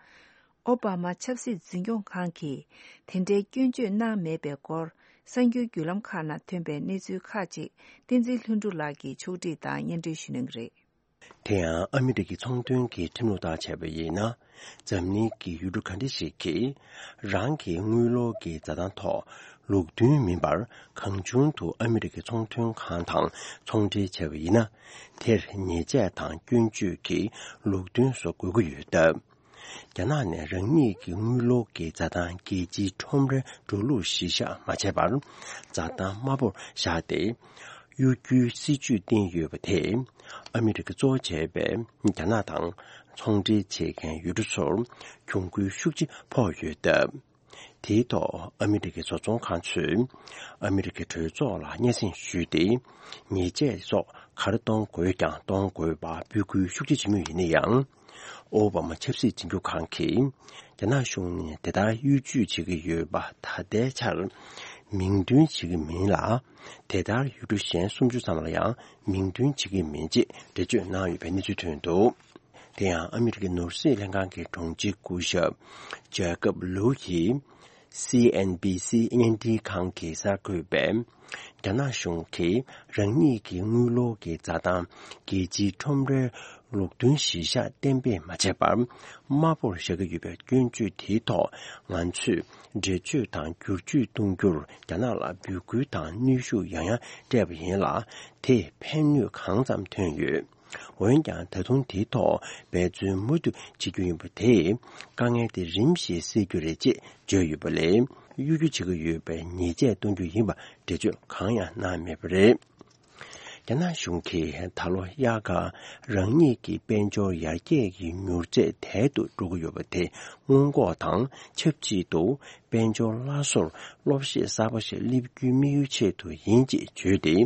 ཨོ་བྷ་མ་ཆབ་སྲིད་འཛིན་སྐྱོང་ཁང་གིས་དེ་འདྲའི་སྐྱོན་བརྗོད་གནང་མེད་པའི་སྐོར། གསར་འགྱུར་བརྒྱུད་ལམ་ཁག་ནང་ཐོན་པའི་གནས་ཚུལ་ཁག་ཅིག་བསྟན་འཛིན་ལྷུན་གྲུབ་ལགས་ཀྱིས་ཕྱོགས་སྒྲིག་དང་སྙན་སྒྲོན་ཞུ་གནང་གི་རེད། དེ་ཡང་ཨ་མི་རི་ཀའི་ཚོང་དོན་གྱི་ཁྲིམས་ལུགས་ལྟར་བྱས་པ་ཡིན་ན། འཛམ་གླིང་གི་ཡུལ་གྲུ་ག་འདྲ་ཞིག་གིས་རང་གི་དངུལ་ལོར་གྱི་འཛའ་ཐང་ཐོག་ལུགས་མཐུན་མིན་པར་གང་བྱུང་དུ་ཨ་མི་རི་ཀའི་ཚོང་དོན་ཁང་དང་ཚོང་འབྲེལ་བྱས་པ་ཡིན་ན། དེར་ཉེས་ཆད་དང་སྐྱོན་བརྗོད་ཀྱི་ལུགས་མཐུན་སོགས་དགོས་ཀྱི་ཡོད་སྟབས། རྒྱ་ནག་ནས་རང་ཉིད་ཀྱི་དངུལ་ལོར་གྱི་འཛའ་ཐང་རྒྱལ་སྤྱིའི་ཁྲོམ་རའི་འགྲོ་ལུགས་གཞིར་བཞག་མ་བྱས་པར། འཛའ་ཐང་དམའ་པོར་བཞག་སྟེ། གཡོ་སྒྱུའི་སྲིད་ཇུས་བསྟན་ཡོད་པ་དེས། ཨ་མི་རི་ཀ་གཙོ་བོ་བྱས་པའི་རྒྱ་ནག་དང་ཚོང་འབྲེལ་བྱེད་མཁན་ཡུལ་གྲུ་ཚོར་གྱོང་གུན་ཤུགས་ཆེ་ཕོག་ཡོད་སྟབས། དེའི་ཐོག་ཨ་མི་རི་ཀའི་བཟོ་ཚོང་ཁང་ཚོས་ཨ་མི་རི་ཀའི་གྲོས་ཚོགས་ལ་སྙན་སེང་ཞུས་ཏེ། ཉེས་ཆད་སོགས་ག་རེ་གཏོང་དགོས་ཀྱང་གཏོང་དགོས་པ་འབོད་སྐུལ་ཤུགས་ཆེ་བྱེད་མུས་ཡིན་ན་ཡང་། ཨོ་བྷ་མ་ཆབ་སྲིད་འཛིན་སྐྱོང་ཁང་གིས་རྒྱ་ནག་གཞུང་ནས་དེ་ལྟར་གཡོ་ཇུས་བྱེད་ཀྱི་ཡོད་པ་ད་ལྟའི་ཆར་མིང་འདོན་བྱེད་ཀྱི་མིན་ལ། དེ་ལྟར་ཡུལ་གྲུ་གཞན་སུམ་ཅུ་ཙམ་ལ་ཡང་མིང་འདོན་བྱེད་ཀྱི་མིན་ཅེས་འགྲེལ་བརྗོད་གནང་ཡོད་པའི་གནས་ཚུལ་ཐོན་འདུག་དེ་ཡང་ཨ་མི་རི་ཀའི་ནོར་སྲིད་ལྷན་ཁང་གི་དྲུང་ཆེ་སྐུ་ཞབས་ཇེ་ཀབ་ལུའུ་ཡིས། སི་ཨེན་བྷི་སི་བརྙན་འཕྲིན་ཁང་གི་གསར་འགོད་པས། རྒྱ་ནག་གཞུང་གིས་རང་ཉིད་ཀྱི་དངུལ་ལོར་གྱི་འཛའ་ཐང་རྒྱལ་སྤྱིའི་ཁྲོམ་རའི་ལུགས་མཐུན་གཞིར་བཞག་གཏན་འབེབས་མ་བྱས་པར། དམའ་པོར་བཞག་གི་ཡོད་པའི་སྐྱོན་བརྗོད་དེའི་ཐོག་ང་ཚོས་འགྲེལ་བརྗོད་དང་བསྒྱུར་བཅོས་གཏོང་རྒྱུར་རྒྱ་ནག་ལ་འབོད་སྐུལ་དང་གནོན་ཤུགས་ཡང་ཡང་སྤྲད་པ་ཡིན་ལ། དེས་ཕན་ནུས་གང་ཙམ་ཐོན་ཡོད། འོན་ཀྱང་ད་དུང་དེའི་ཐོག་འབད་བརྩོན་མུ་མཐུད་བྱེད་རྒྱུ་ཡིན་པ་དེས་དཀའ་ངལ་དེ་རིམ་བཞིན་སེལ་རྒྱུ་རེད་ཅེས་བརྗོད་ཡོད་པ་ལས། གཡོ་སྒྱུ་བྱེད་ཀྱི་ཡོད་པའི་ཉེས་ཆད་གཏོང་རྒྱུ་ཡིན་པ་འགྲེལ་བརྗོད་གང་ཡང་གནང་མེད་པ་རེད། རྒྱ་ནག་གཞུང་གིས་ད་ལོ་དབྱར་ཁར་རང་ཉིད་ཀྱི་དཔལ་འབྱོར་ཡར་རྒྱས་ཀྱི་མྱུར་ཚད་དལ་དུ་འགྲོ་གི་ཡོད་པ་དེ་སྔོན་འགོག་དང་ཆབས་ཅིག་ཏུ། དཔལ་འབྱོར་སླར་གསོར་སློབ་གཞས་གསར་པ་ཞིག་སླེབས་རྒྱུའི་དམིགས་ཡུལ་ཆེད་དུ་ཡིན་ཅེས་བརྗོད་དེ།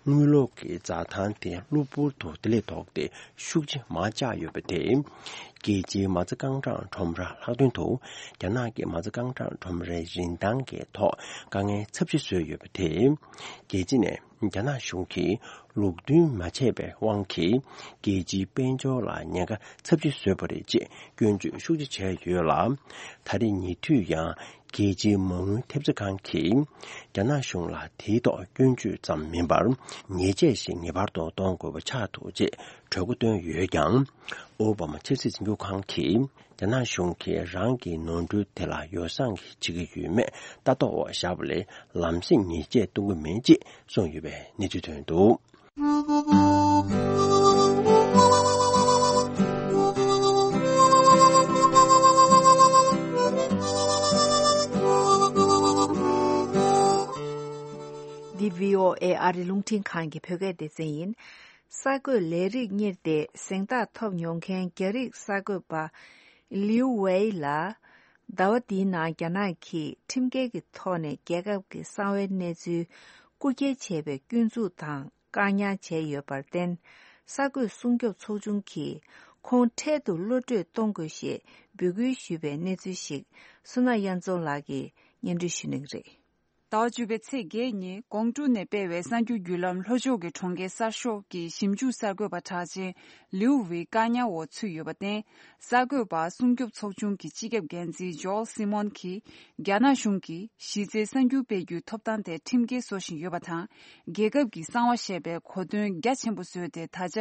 དངུལ་ལོར་གྱི་འཛའ་ཐང་དེ་གློ་བུར་དུ་དེ་ལས་ལྡོག་སྟེ་ཤུགས་ཆེ་མར་བཅག་ཡོད་པ་དེས། རྒྱལ་སྤྱིའི་མ་རྩ་རྐང་གྲངས་ཁྲོམ་ར་ལྷག་དོན་དུ་རྒྱ་ནག་གི་མ་རྩ་རྐང་གྲངས་ཁྲོམ་རའི་རིན་ཐང་གི་ཐོག་དཀའ་ངལ་ཚབས་ཆེ་བཟོས་ཡོད་པ་དེས། རྒྱལ་སྤྱི་ནས། རྒྱ་ནག་གཞུང་གིས་ལུགས་མཐུན་མ་བྱས་པའི་དབང་གིས་རྒྱལ་སྤྱིའི་དཔལ་འབྱོར་ལ་ཉེན་ཁ་ཚབས་ཆེ་བཟོས་པ་རེད་ཅེས་སྐྱོན་བརྗོད་ཤུགས་ཆེ་བྱས་ཡོད་ལ། ད་རེས་ཉེ་དུས་ཡང་རྒྱལ་སྤྱིའི་མ་དངུལ་ཐེབས་རྩ་ཁང་གིས་རྒྱ་ནག་གཞུང་ལ་དེའི་ཐོག་སྐྱོན་བརྗོད་ཙམ་མིན་པར་ཉེས་ཆད་ཞིག་ངེས་པར་དུ་གཏོང་དགོས་པ་ཆགས་འདུག་ཅེས་གྲོས་འགོ་བཏོན་ཡོད་ཀྱང་། ཨོ་བྷ་མ་ཆབ་སྲིད་འཛིན་སྐྱོང་ཁང་གིས། རྒྱ་ནག་གཞུང་གིས་རང་གི་ནོར་འཁྲུལ་དེ་ལ་ཡོ་བསྲང་བྱེད་ཀྱི་ཡོད་མེད་ལྟ་རྟོག་འོག་བཞག་པ་ལས་ལམ་སེང་ཉེས་ཆད་གཏོང་གི་མེད་ཅེས་གསུངས་ཡོད་པའི་གནས་ཚུལ་ཐོན་འདུག་འདི་བྷི་ཨོ་ཨེ་ཨ་རི་རླུང་འཕྲིན་ཁང་གི་བོད་སྐད་སྡེ་ཚན་ཡིན། གསར་འགོད་ལས་རིགས་གཉེར་ཏེ་གཟེངས་རྟགས་ཐོབ་མྱོང་མཁན་རྒྱ་རིགས་གསར་འགོད་པ་ལིའུ་ཝེ་ལ། ཟླ་བ་འདིའི་ནང་རྒྱ་ནག་གིས་ཁྲིམས་འགལ་གྱི་ཐོག་ནས་རྒྱལ་ཁབ་ཀྱི་གསང་བའི་གནས་ཚུལ་ རྐུ་འཁྱེར་བྱས་པའི་སྐྱོན་འཛུགས་དང་བཀག་ཉར་བྱས་ཡོད་པར་བརྟེན། གསར་འགོད་སྲུང་སྐྱོབ་ཚོགས་ཆུང་གིས་ཁོང་འཕྲལ་དུ་གློད་གྲོལ་གཏོང་དགོས་ཞེས་འབོད་སྐུལ་ཞུས་པའི་གནས་ཚུལ་ཞིག་བསོད་ནམས་དབྱངས་འཛོམས་ལགས་ཀྱིས་སྙན་སྒྲོན་ཞུ་གནང་གི་རེད། ཟླ་བ་བཅུ་པའི་ཚེས་བརྒྱད་ཉིན་ཀོང་ཀྲུག་ནས་སྤེལ་བའི་གསར་འགྱུར་བརྒྱུད་ལམ་ལྷོ་ཕྱོགས་ཀྱི་གྲོང་ཁྱེར་གསར་ཤོག་གི་ཞིབ་འཇུག་གསར་འགོད་པ་གྲགས་ཅན་ལིའུ་ཝེ་བཀག་ཉར་འོག་ཚུད་ཡོད་པར་བརྟེན། གསར་འགོད་པ་སྲུང་སྐྱོབ་ཚོགས་ཆུང་གི་སྤྱི་ཁྱབ་འགན་འཛིན་ཇོལ་སི་མོན་གྱིས། རྒྱ་ནག་གཞུང་གིས་གཞི་རྩའི་གསར་འགྱུར་སྤེལ་རྒྱུའི་ཐོབ་ཐང་དེ་ཁྲིམས་འགལ་བཟོ་བཞིན་ཡོད་པ་དང་། རྒྱལ་ཁབ་ཀྱི་གསང་བ་ཞེས་པའི་གོ་དོན་རྒྱ་ཆེན་པོ་བཟོས་ཏེ། ད་ཆ་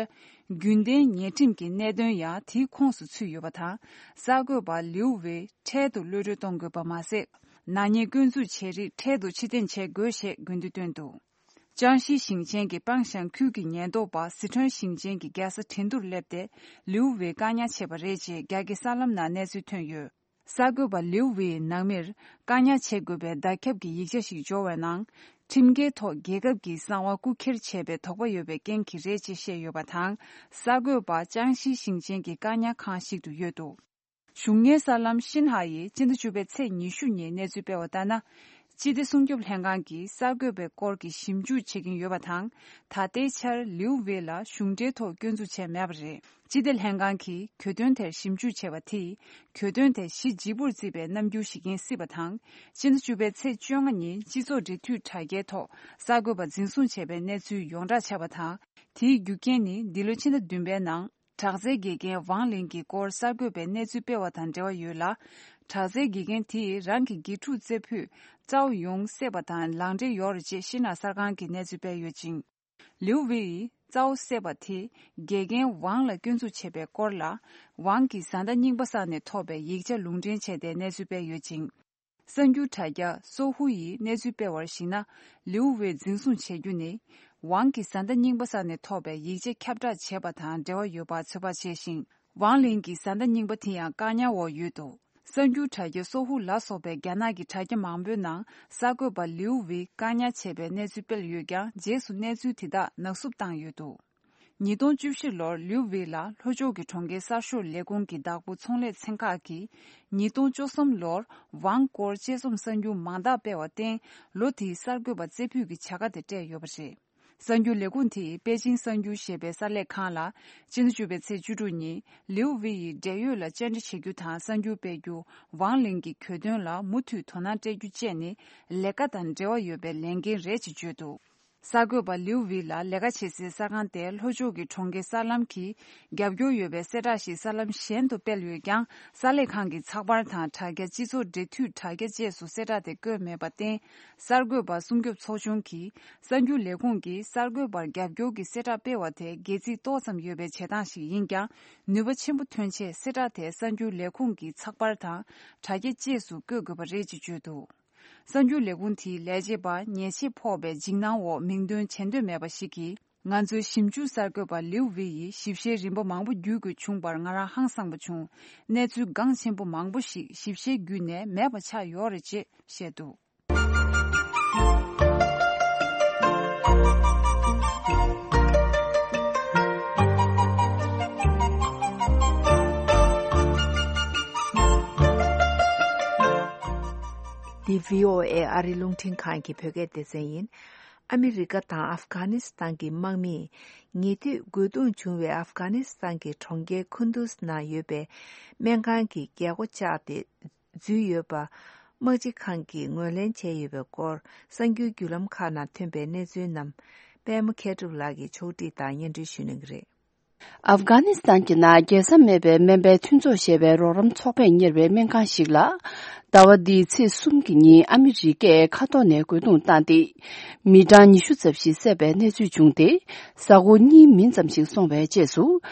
རྒྱུན་ལྡན་ཉེས་ཁྲིམས་ཀྱི་གནད་དོན་ཡང་དེའི་ཁོངས་སུ་ཚུད་ཡོད་པ་དང་། གསར་འགོད་པ་ལིའུ་ཝེ་འཕྲལ་དུ་གློད་གྲོལ་གཏོང་དགོས་པ་མ་ཟད། ནག་ཉེས་སྐྱོན་འཛུགས་བྱས་རིགས་འཕྲལ་དུ་ཕྱིར་འཐེན་བྱེད་དགོས་ཞེས་དགོས་འདུན་བཏོན་འདུག། ཅང་ཞི་ཞིང་ཆེན་གྱི་པང་ཤང་ཁུལ་གྱི་ཉེན་རྟོག་པ་སི་ཁྲོན་ཞིང་ཆེན་གྱི་རྒྱལ་ས་ཁྲིན་ཏུར་སླེབས་ཏེ། ལིའུ་ཝེ་བཀག་ཉར་བྱས་པ་རེད་ཅེས་རྒྱ་སྐད་གསར་ལམ་ནང་གནས་ཚུལ་ཐོན་ཡོད། གསར་འགོད་པ་ལིའུ་ཝེའི་ནང་མིར་བཀག་ཉར་བྱེད་དགོས་པའི་བརྡ་ཁྱབ་ཀྱི་ཡིག་ཆ་ཞིག་འབྱོར་བའི་ནང་། ཁྲིམས་འགལ་ཐོག་རྒྱལ་ཁབ་ཀྱི་གསང་བ་རྐུ་འཁྱེར་བྱས་པའི་དོགས་པ་ཡོད་པའི་རྐྱེན་གྱིས་རེད་ཅེས་བཤད་ཡོད་པ་དང་། གསར་འགོད་པ་ཅང་ཞི་ཞིང་ཆེན་གྱི་བཀག་ཉར་ཁང་ཞིག་ཏུ་ཡོད་འདུག། གཞུང་གཉེར་གསར་ལམ་ཤིན་ཧྭ་ཡིས་སྤྱི་ཟླ་བཅུ་པའི་ཚེས་ཉི་ཤུ་ཉིན་གནས་ཚུལ་སྤེལ་བ་ལྟར་ན། སྤྱི་བདེ་སྲུང་སྐྱོབ་ལྷན་ཁང་གིས་གསར་འགོད་པའི་སྐོར་གྱི་ཞིབ་འཇུག་བྱེད་ཀྱིན་ཡོད་པ་དང་། ད་ལྟའི་ཆར་ལིའུ་ཝེ་ལ་གཞུང་འབྲེལ་ཐོག་སྐྱོན་འཛུགས་བྱས་མེད་པ་རེད། སྤྱི་བདེ་ལྷན་ཁང་གིས་གྱོད་དོན་དེར་ཞིབ་འཇུག་བྱས་པ་དེས། གྱོད་དོན་དེ་གཞི་ལྗིད་པོར་བརྩིས་པའི་རྣམ་འགྱུར་ཞིག་ཡིན་སྲིད་པ་དང་། སྤྱི་ཟླ་བཅུ་པའི་ཚེས་བཅོ་ལྔ་ཉིན་སྤྱི་ཚོགས་འབྲེལ་མཐུད་དྲ་རྒྱའི་ཐོག་གསར་འགོད་པ་འཛིན་བཟུང་བྱས་པའི་གནས་ཚུལ་ཡོངས་གྲགས་ཆགས་པ་དང་། དེའི་རྒྱུ་རྐྱེན་ནི་འདི་ལོའི་ཕྱི་ཟླ་བདུན་པའི་ནང་། དྲག་རྩལ་དགེ་རྒན་ཝང་ལིན་གྱི་སྐོར་གསར་འགོད་པས་གནས་ཚུལ་སྤེལ་བ་དང་འབྲེལ་བ་ཡོད་ལ། དྲག་རྩལ་དགེ་རྒན་དེས་རང་གི་དགེ་ཕྲུག་རྩེ་ཕུད་ཙའོ་ཡུང་བསད་པ་དང་ལག་འབྲེལ་ཡོད་རེད་ཅེས་ཤིན་ཧྭ་གསར་ཁང་གིས་གནས་ཚུལ་སྤེལ་ཡོད་ཅིང་། ལིའུ་ཝེ་ཡིས་ཙའོ་བསད་པ་དེ་དགེ་རྒན་ཝང་ལ་སྐྱོན་འཛུགས་བྱས་པའི་སྐོར་ལ། ཝང་གིས་བཟའ་ཟླ་རྙིང་པ་ས་ནས་ཐོབ་པའི་ཡིག་ཆ་ལུང་འདྲེན་བྱས་ཏེ་གནས་ཚུལ་སྤེལ་ཡོད་ཅིང་། གསར་འགྱུར་དྲ་རྒྱ་སོ་ཧུ་ཡིས་གནས་ཚུལ་སྤེལ་བར་གཞིགས་ན། ལིའུ་ཝེ་འཛིན་བཟུང་བྱེད་རྒྱུ་ནི། ཝང་གིས་བཟའ་ཟླ་རྙིང་པ་ས་ནས་ཐོབ་པའི་ཡིག་ཆ་ཁྱབ་བསྒྲགས་བྱས་པ་དང་འབྲེལ་བ་ཡོད་པ་ཚོད་དཔག་བྱས་ཤིང་། ཝང་ལིན་གྱི་བཟའ་ཟླ་རྙིང་པ་དེ་ཡང་བཀག་ཉར་འོག་ཡོད་འདུག། གསར་འགྱུར་དྲ་རྒྱ་སོ་ཧུ་ལ་སོགས་པའི་རྒྱ་ནག་གི་དྲ་རྒྱ་མང་པོའི་ནང་། གསར་འགོད་པ་ལིའུ་ཝེ་བཀག་ཉར་བྱས་པའི་གནས་ཚུལ་སྤེལ་ཡོད་ཀྱང་། རྗེས་སུ་གནས་ཚུལ་དེ་དག་ནག་བསུབ་བཏང་ཡོད་འདུག། ཉིས་སྟོང་བཅུ་བཞི་ལོར་ལིའུ་ཝེ་ལ་ལྷོ་ཕྱོགས་ཀྱི་གྲོང་ཁྱེར་གསར་ཤོག་ལས་ཁུངས་ཀྱི་བདག་པོ་ཚོང་ལས་ཚན་ཁག་གིས། ཉིས་སྟོང་བཅུ་གསུམ་ལོར་ཝང་སྐོར་དཔྱད་རྩོམ་གསར་འགྱུར་མང་དག་སྤེལ་བར་བརྟེན། ལོ་དེའི་གསར་འགོད་པ་རྩེ་ཕུད་ཀྱི་བྱ་དགའ་དེ་སྤྲད་ཡོད་པ་རེད། གསར་འགྱུར་ལས་ཁུངས་དེས་པེ་ཅིང་གསར་འགྱུར་ཞེས་པའི་གསར་ལས་ཁང་ལ། སྤྱི་ཟླ་བཅུ་པའི་ཚེས་བཅུ་དྲུག་ཉིན་ལིའུ་ཝེ་ཡི་འབྲེལ་ཡོད་ལ་བཅར་འདྲི་བྱེད་རྒྱུ་དང་གསར་འགྱུར་སྤེལ་རྒྱུ། ཝང་ལིན་གྱི་གྱོད་དོན་ལ་མུ་མཐུད་དོ་སྣང་སྤྲད་རྒྱུ་བཅས་ནི་ལས་ཀ་དང་འབྲེལ་བ་ཡོད་པའི་ལས་འགན་རེད་ཅེས་བརྗོད་འདུག། གསར་འགོད་པ་ལིའུ་ཝེ་ལ་ལས་ཀ་བྱེད་སའི་གསར་ཁང་དེ་ལྷོ་ཕྱོགས་ཀྱི་གྲོང་ཁྱེར་གསར་ལམ་གྱི་རྒྱབ་སྐྱོར་ཡོད་པའི་གསལ་བསྒྲགས་ཤིག་གསར་ལམ་གཞན་དུ་སྤེལ་ཡོད་ཀྱང་། གསར་ལས་ཁང་གི་ཚགས་པར་དང་དྲ་རྒྱ། སྤྱི་ཚོགས་འབྲེལ་མཐུད་དྲ་རྒྱ་བཅས་སུ་གསལ་བསྒྲགས་དེ་བཀོད་མེད་པར་བརྟེན། གསར་འགོད་པ་སྲུང་སྐྱོབ་ཚོགས་ཆུང་གpolice གསར་འགྱུར་ལས་ཁུངས་ཀྱིས་གསར་འགོད་པར་རྒྱབ་སྐྱོར་གྱི་གསལ་བསྒྲགས་སྤེལ་བ་དེ་སྒལ་ཚིགས་ཏོག་ཙམ་ཡོད་པའི་བྱེད་སྟངས་ཤིག་ཡིན་ཀྱང་། ནུས་པ་ཆེན་པོ་ཐོན་ཆེད་གསལ་བསྒྲགས་དེ་གསར་འགྱུར་ལས་ཁུངས་ཀྱི་ཚགས་པར་དང་དྲ་རྒྱ་བཅས་སུ་བཀོད་དགོས་པ་རེད་ཅེས་བརྗོད་འདུག། གསར་འགྱུར་ལས་ཁུངས་དེའི་ལས་བྱེད་པ་ཉེས་ཆད་ཕོག་པའི་འཇིགས་སྣང་འོག་མིང་འདོན་བྱེད་འདོད་མེད་པ་ཞིག་གིས། ང་ཚོའི་ཞིབ་འཇུག་གསར་འགོད་པ་ལིའུ་ཝེ་ཡིས་ཞིབ་བཤེར་རིམ་པ་མང་པོ་བརྒྱུད་དགོས་བྱུང་བར་ང་རང་ཧང་སངས་པ་བྱུང་། གནས་ཚུལ་འགངས་ཆེན་པོ་མང་པོ་ཞིག་ཞིབ་བཤེར་བརྒྱུད་ནས་མེད་པ་ཆགས་ཡོད་རེད་ཅེས་བཤད་འདུག། འདི་བྷི་ཨོ་ཨེ་ཨ་རིའི་རླུང་འཕྲིན་ཁང་གི་བོད་སྐད་སྡེ་ཚན་ཡིན། ཨ་མི་རི་ཀ་དང་ཨབ་གྷ་ནི་སི་ཐན་གྱི་དམག་མིས་ཉེ་དུས་རྒོལ་རྡུང་བྱུང་བའི་ཨབ་གྷ་ནི་སི་ཐན་གྱི་གྲོང་ཁྱེར་ཁུན་དུ་སི་ནང་ཡོད་པའི་སྨན་ཁང་གི་རྒྱལ་སྒོ་བཅག་སྟེ་འཛུལ་ཡོད་པ། དམག་སྤྱི་ཁང་གིས་ངོས་ལེན་བྱས་ཡོད་པའི་སྐོར། གསར་འགྱུར་བརྒྱུད་ལམ་ཁག་ནང་ཐོན་པའི་གནས་ཚུལ་རྣམས། པད་མ་མཁས་གྲུབ་ལགས་ཀྱིས་ཕྱོགས་སྒྲིག་དང་སྙན་སྒྲོན་ཞུ་གནང་གི་རེད། ཨབ་གྷ་ནི་སི་ཐན་གྱི་ནང་རྒྱལ་ས་མེད་པའི་སྨན་པའི་མཐུན་ཚོགས་ཞེས་པའི་རོགས་རམ་ཚོགས་པས་གཉེར་བའི་སྨན་ཁང་ཞིག་ལ། ཟླ་བ་འདིའི་ཚེས་གསུམ་གྱི་ཉིན་ཨ་མི་རི་ཀས་མཁའ་ཐོག་ནས་རྒོལ་རྡུང་བཏང་སྟེ། མི་གྲངས་ཉི་ཤུ་ཙམ་ཞིག་བསད་པའི་གནས་ཚུལ་བྱུང་སྟེ། གཟའ་འཁོར་གཉིས་མིན་ཙམ་ཞིག་སོང་བའི་རྗེས་སུ།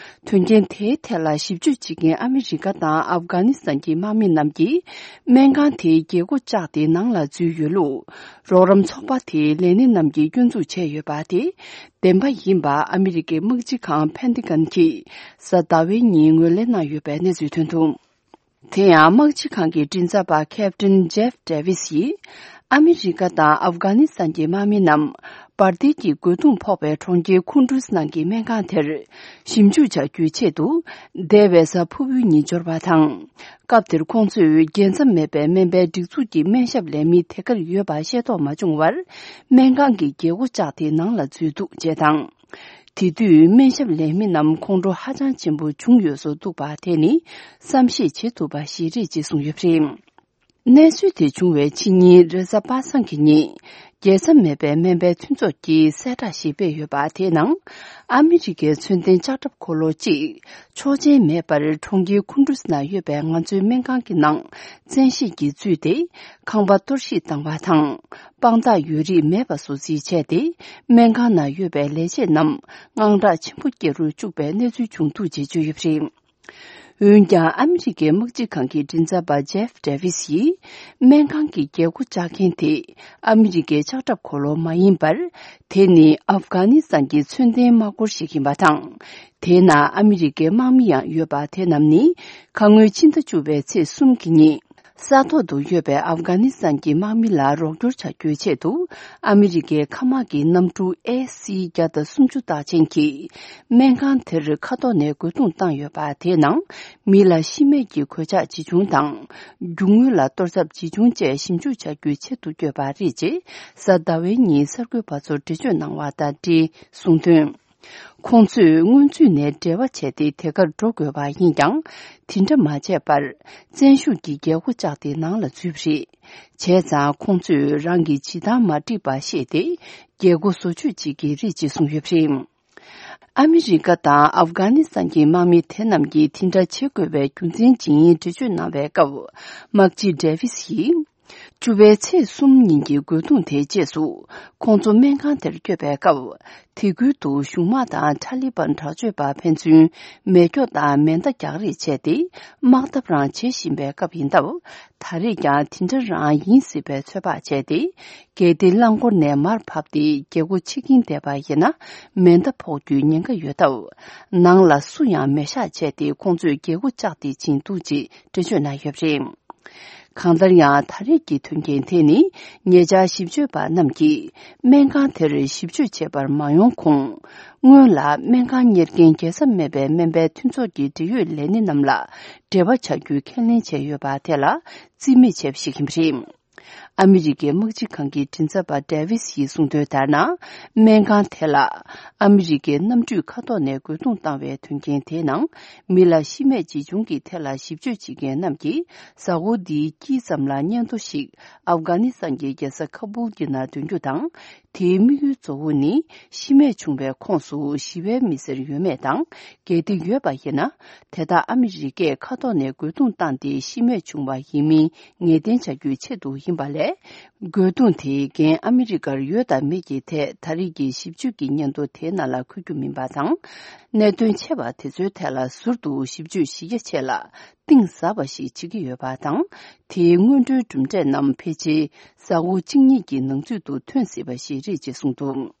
དོན་རྐྱེན་དེའི་ཐད་ལ་ཞིབ་དཔྱོད་བྱེད་མཁན་ཨ་མི་རི་ཀ་དང་ཨབ་གྷ་ནི་སི་ཐན་གྱི་དམག་མི་རྣམས་ཀྱིས། སྨན་ཁང་དེའི་རྒྱལ་སྒོ་བཅག་སྟེ་ནང་ལ་འཛུལ་ཡོད་ལུགས། རོགས་རམ་ཚོགས་པ་དེའི་ལས་སྣེ་རྣམས་ཀྱིས་སྐྱོན་འཛུགས་བྱས་ཡོད་པ་དེ། བདེན་པ་ཡིན་པ་ཨ་མི་རི་ཀའི་དམག་སྤྱི་ཁང་ཕན་ཏི་གན་གྱིས་གཟའ་ཟླ་བའི་ཉིན་ངོས་ལེན་གནང་ཡོད་པའི་གནས་ཚུལ་ཐོན་འདུག། དེ་ཡང་དམག་སྤྱི་ཁང་གི་མགྲིན་ཚབ་པ་ཁེབ་ཏིན་ཇེབ་ཌེ་ཝིས་ཡིས། ཨ་མི་རི་ཀ་དང་ཨབ་གྷ་ནི་སི་ཐན་གྱི་དམག་མི་རྣམས། འབར་མདེལ་གྱི་རྒོལ་རྡུང་ཕོག་པའི་གྲོང་ཁྱེར་ཁུན་ཏུས་ནང་གི་སྨན་ཁང་དེར་ཞིབ་འཇུག་བྱ་རྒྱུའི་ཆེད་དུ། འདས་པའི་གཟའ་ཕུར་བུའི་ཉིན་འབྱོར་བ་དང་། སྐབས་དེར་ཁོང་ཚོས་རྒྱལ་མཚམས་མེད་པའི་སྨན་པའི་སྒྲིག་འཛུགས་ཀྱི་སྨན་ཞབས་ལས་མི་དེ་གར་ཡོད་པ་ཤེས་རྟོགས་མ་བྱུང་བར། སྨན་ཁང་གི་རྒྱལ་སྒོ་བཅག་སྟེ་ནང་ལ་འཛུལ་འདུག་ཅེས་དང་། དེ་དུས་སྨན་ཞབས་ལས་མི་རྣམས་ཁོང་ཁྲོ་ཧ་ཅང་ཆེན་པོ་བྱུང་ཡོད་བཟོ་འདུག་པ་དེ་ནི་བསམ་ཤེས་བྱེད་ཐུབ་པ་ཞིག་རེད་ཅེས་གསུངས་ཡོད་པ་རེད། གནས་ཚུལ་དེ་བྱུང་བའི་ཕྱི་ཉིན་རེས་གཟའ་པ་སངས་ཀྱི་ཉིན། རྒྱལ་མཚམས་མེད་པའི་སྨན་པའི་མཐུན་ཚོགས་ཀྱིས་གསལ་བསྒྲགས་ཤིག་སྤེལ་ཡོད་པ་དེའི་ནང་། ཨ་མི་རི་ཀའི་ཚོན་ལྡན་ལྕགས་ཁྲབ་འཁོར་ལོ་གཅིག་ཆོག་མཆན་མེད་པར་གྲོང་ཁྱེར་ཁུན་ཏུས་ནང་ཡོད་པའི་ང་ཚོའི་སྨན་ཁང་གི་ནང་བཙན་ཤེད་ཀྱིས་འཛུལ་ཏེ། ཁང་པ་གཏོར་བཤིག་བཏང་བ་དང་། དཔང་རྟགས་ཡོད་རིགས་མེད་པ་བཟོ་རྩིས་བྱས་ཏེ། སྨན་ཁང་ནང་ཡོད་པའི་ལས་བྱེད་རྣམས་དངངས་སྐྲག་ཆེན་པོ་སྐྱེ་རུ་བཅུག་པའི་གནས་ཚུལ་བྱུང་འདུག་ཅེས་བརྗོད་ཡོད་པ་རེད། འོན་ཀྱང་ཨ་མི་རི་ཀའི་དམག་སྤྱི་ཁང་གི་མགྲིན་ཚབ་པ་ཇེབ་ཌེ་ཝིས་ཡིས། སྨན་ཁང་གི་རྒྱལ་སྒོ་བཅག་མཁན་དེ་ཨ་མི་རི་ཀའི་ལྕགས་ཁྲབ་འཁོར་ལོ་མ་ཡིན་པར། དེ་ནི་ཨབ་གྷ་ནི་སི་ཐན་གྱི་ཚོན་ལྡན་དམག་འཁོར་ཞིག་ཡིན་པ་དང་། དེའི་ནང་ཨ་མི་རི་ཀའི་དམག་མི་ཡང་ཡོད་པ་དེ་རྣམས་ནི། ཁ་སྔོན་ཕྱི་ཟླ་བཅུ་པའི་ཚེས་གསུམ་གྱི་ཉིན། ས་ཐོག་ཏུ་ཡོད་པའི་ཨབ་གྷ་ནི་སི་ཐན་གྱི་དམག་མི་ལ་རོགས་སྐྱོར་བྱ་རྒྱུའི་ཆེད་དུ། ཨ་མི་རི་ཀའི་མཁའ་དམག་གི་གནམ་གྲུ་ཨེ་སི་བརྒྱ་དང་སུམ་ཅུ་རྟགས་ཅན་གྱིས། སྨན་ཁང་དེར་མཁའ་ཐོག་ནས་རྒོལ་རྡུང་བཏང་ཡོད་པ་དེའི་ནང་། མི་ལ་ཤི་རྨས་ཀྱི་གོད་ཆག་ཇི་བྱུང་དང་། རྒྱུ་དངོས་ལ་གཏོར་ཚབས་ཇི་བྱུང་བཅས་ཞིབ་འཇུག་བྱ་རྒྱུའི་ཆེད་དུ་བསྐྱོད་པ་རེད་ཅེས། གཟའ་ཟླ་བའི་ཉིན་གསར་འགོད་པ་ཚོར་འགྲེལ་བརྗོད་གནང་བ་དང་འབྲེལ་གསུངས་དོན། ཁོང་ཚོས་སྔོན་ཚུད་ནས་འབྲེལ་བ་བྱས་ཏེ་དེ་གར་འགྲོ་དགོས་པ་ཡིན་ཀྱང་། དེ་འདྲ་མ་བྱས་པར། བཙན་ཤུགས་ཀྱིས་རྒྱལ་སྒོ་བཅག་སྟེ་ནང་ལ་འཛུལ་བ་རེད། བྱས་ཙང་ཁོང་ཚོས་རང་གི་བྱེད་སྟངས་མ་འགྲིག་པ་ཤེས་ཏེ། རྒྱལ་སྒོ་བཟོ་བཅོས་བྱེད་ཀྱི་རེད་ཅེས་གསུངས་ཡོད་པ་རེད། ཨ་མི་རི་ཀ་དང་ཨབ་གྷ་ནི་སི་ཐན་གྱི་དམག་མི་དེ་རྣམས་ཀྱིས་དེ་འདྲ་བྱེད་དགོས་པའི་རྒྱུ་མཚན་ཇི་ཡིན་འགྲེལ་བརྗོད་གནང་བའི་སྐབས། དམག་སྤྱི་ཌེ་ཝིས་ཡིས། བཅུ་པའི་ཚེས་གསུམ་ཉིན་གྱི་རྒོལ་རྡུང་དེའི་རྗེས་སུ། ཁོང་ཚོ་སྨན་ཁང་དེར་བསྐྱོད་པའི་སྐབས། དེ་ཁུལ་དུ་གཞུང་དམག་དང་ཐ་ལི་བན་དྲག་སྤྱོད་པ་ཕན་ཚུན་མེ་སྒྱོགས་དང་མེ་མདའ་རྒྱག་རེས་བྱས་ཏེ། དམག་འཐབ་རང་བྱེད་བཞིན་པའི་སྐབས་ཡིན་སྟབས། ད་རེས་ཀྱང་དེ་འདྲ་རང་ཡིན་སྲིད་པའི་ཚོད་དཔག་བྱས་ཏེ། གལ་ཏེ་རླངས་འཁོར་ནས་མར་བབས་ཏེ་རྒྱལ་སྒོ་ཕྱེ་གིན་བསྡད་པ་ཡིན་ན། མེ་མདའ་ཕོག་རྒྱུའི་ཉེན་ཁ་ཡོད་སྟབས། ནང་ལ་སུ་ཡང་མེད་བཞག་བྱས་ཏེ་ཁོང་ཚོས་རྒྱལ་སྒོ་བཅག་སྟེ་ཕྱིན་འདུག་ཅེས་འགྲེལ་བརྗོད་གནང་ཡོད་པ་རེད། གང་ལྟར་ཡང་ད་རེས་ཀྱི་དོན་རྐྱེན་དེ་ནི་ཉེ་ཆར་ཞིབ་དཔྱོད་པ་རྣམས་ཀྱིས་སྨན་ཁང་དེར་ཞིབ་དཔྱོད་བྱེད་པར་མ་ཡོང་གོང་། སྔོན་ལ་སྨན་ཁང་གཉེར་མཁན་རྒྱལ་ས་མེད་པའི་སྨན་པའི་མཐུན་ཚོགས་ཀྱི་འབྲེལ་ཡོད་ལས་སྣེ་རྣམས་ལ་འབྲེལ་བ་བྱ་རྒྱུའི་ཁས་ལེན་བྱས་ཡོད་པ་དེ་ལ་རྩིས་མེད་བྱས་པ་ཞིག་ཡིན་པ་རེད། ཨ་མི་རི་ཀའི་དམག་སྤྱི་ཁང་གི་མགྲིན་ཚབ་པ་ཌེ་ཝིས་ཡིས་གསུངས་དོན་ལྟར་ན། སྨན་ཁང་དེ་ལ་ཨ་མི་རི་ཀའི་གནམ་གྲུས་མཁའ་ཐོག་ནས་རྒོལ་རྡུང་བཏང་བའི་དོན་རྐྱེན་དེའི་ནང་། མི་ལ་ཤི་རྨས་ཇི་བྱུང་གི་ཐད་ལ་ཞིབ་དཔྱོད་བྱེད་མཁན་རྣམས་ཀྱིས། གཟའ་འཁོར་འདིའི་དཀྱིལ་ཙམ་ལ་སྙན་ཐོ་ཞིག་ཨབ་གྷ་ནི་སི་ཐན་གྱི་རྒྱལ་ས་ཁ་བུལ་གྱི་ནང་འདོན་རྒྱུ་དང་། དེའི་དམིགས་ཡུལ་གཙོ་བོ་ནི། ཤི་རྨས་བྱུང་བའི་ཁོངས་སུ་ཞི་བའི་མི་སེར་ཡོད་མེད་དང་། གལ་ཏེ་ཡོད་པ་ཡིན་ན། དེ་དག་ཨ་མི་རི་ཀས་མཁའ་ཐོག་ནས་རྒོལ་རྡུང་བཏང་སྟེ་ཤི་རྨས་བྱུང་བ་ཡིན་མིན་ངེས་གཏན་བྱ་རྒྱུའི་ཆེད་དུ་ཡིན་པ་ལས། རྒོལ་རྡུང་དེའི་འགན་ཨ་མི་རི་ཀར་ཡོད་དམ་མེད་ཀྱི་ཐད་ད་རེས་ཀྱི་ཞིབ་དཔྱོད་ཀྱི་སྙན་ཐོ་དེའི་ནང་ལ་འཁོད་རྒྱུ་མིན་པ་དང་། གནད་དོན་ཆེ་བ་དེ་ཚོའི་ཐད་ལ་ཟུར་དུ་ཞིབ་དཔྱོད་གཞི་རྒྱ་ཆེ་ལ་གཏིང་ཟབ་པ་ཞིག་བྱེད་ཀྱི་ཡོད་པ་དང་། དེའི་སྔོན་འགྲོའི་གྲུབ་འབྲས་རྣམས་ཕལ་ཆེར་གཟའ་འཁོར་གཅིག་གཉིས་ཀྱི་ནང་ཚུད་དུ་ཐོན་སྲིད་པ་ཞིག་རེད་ཅེས་གསུངས་འདུག་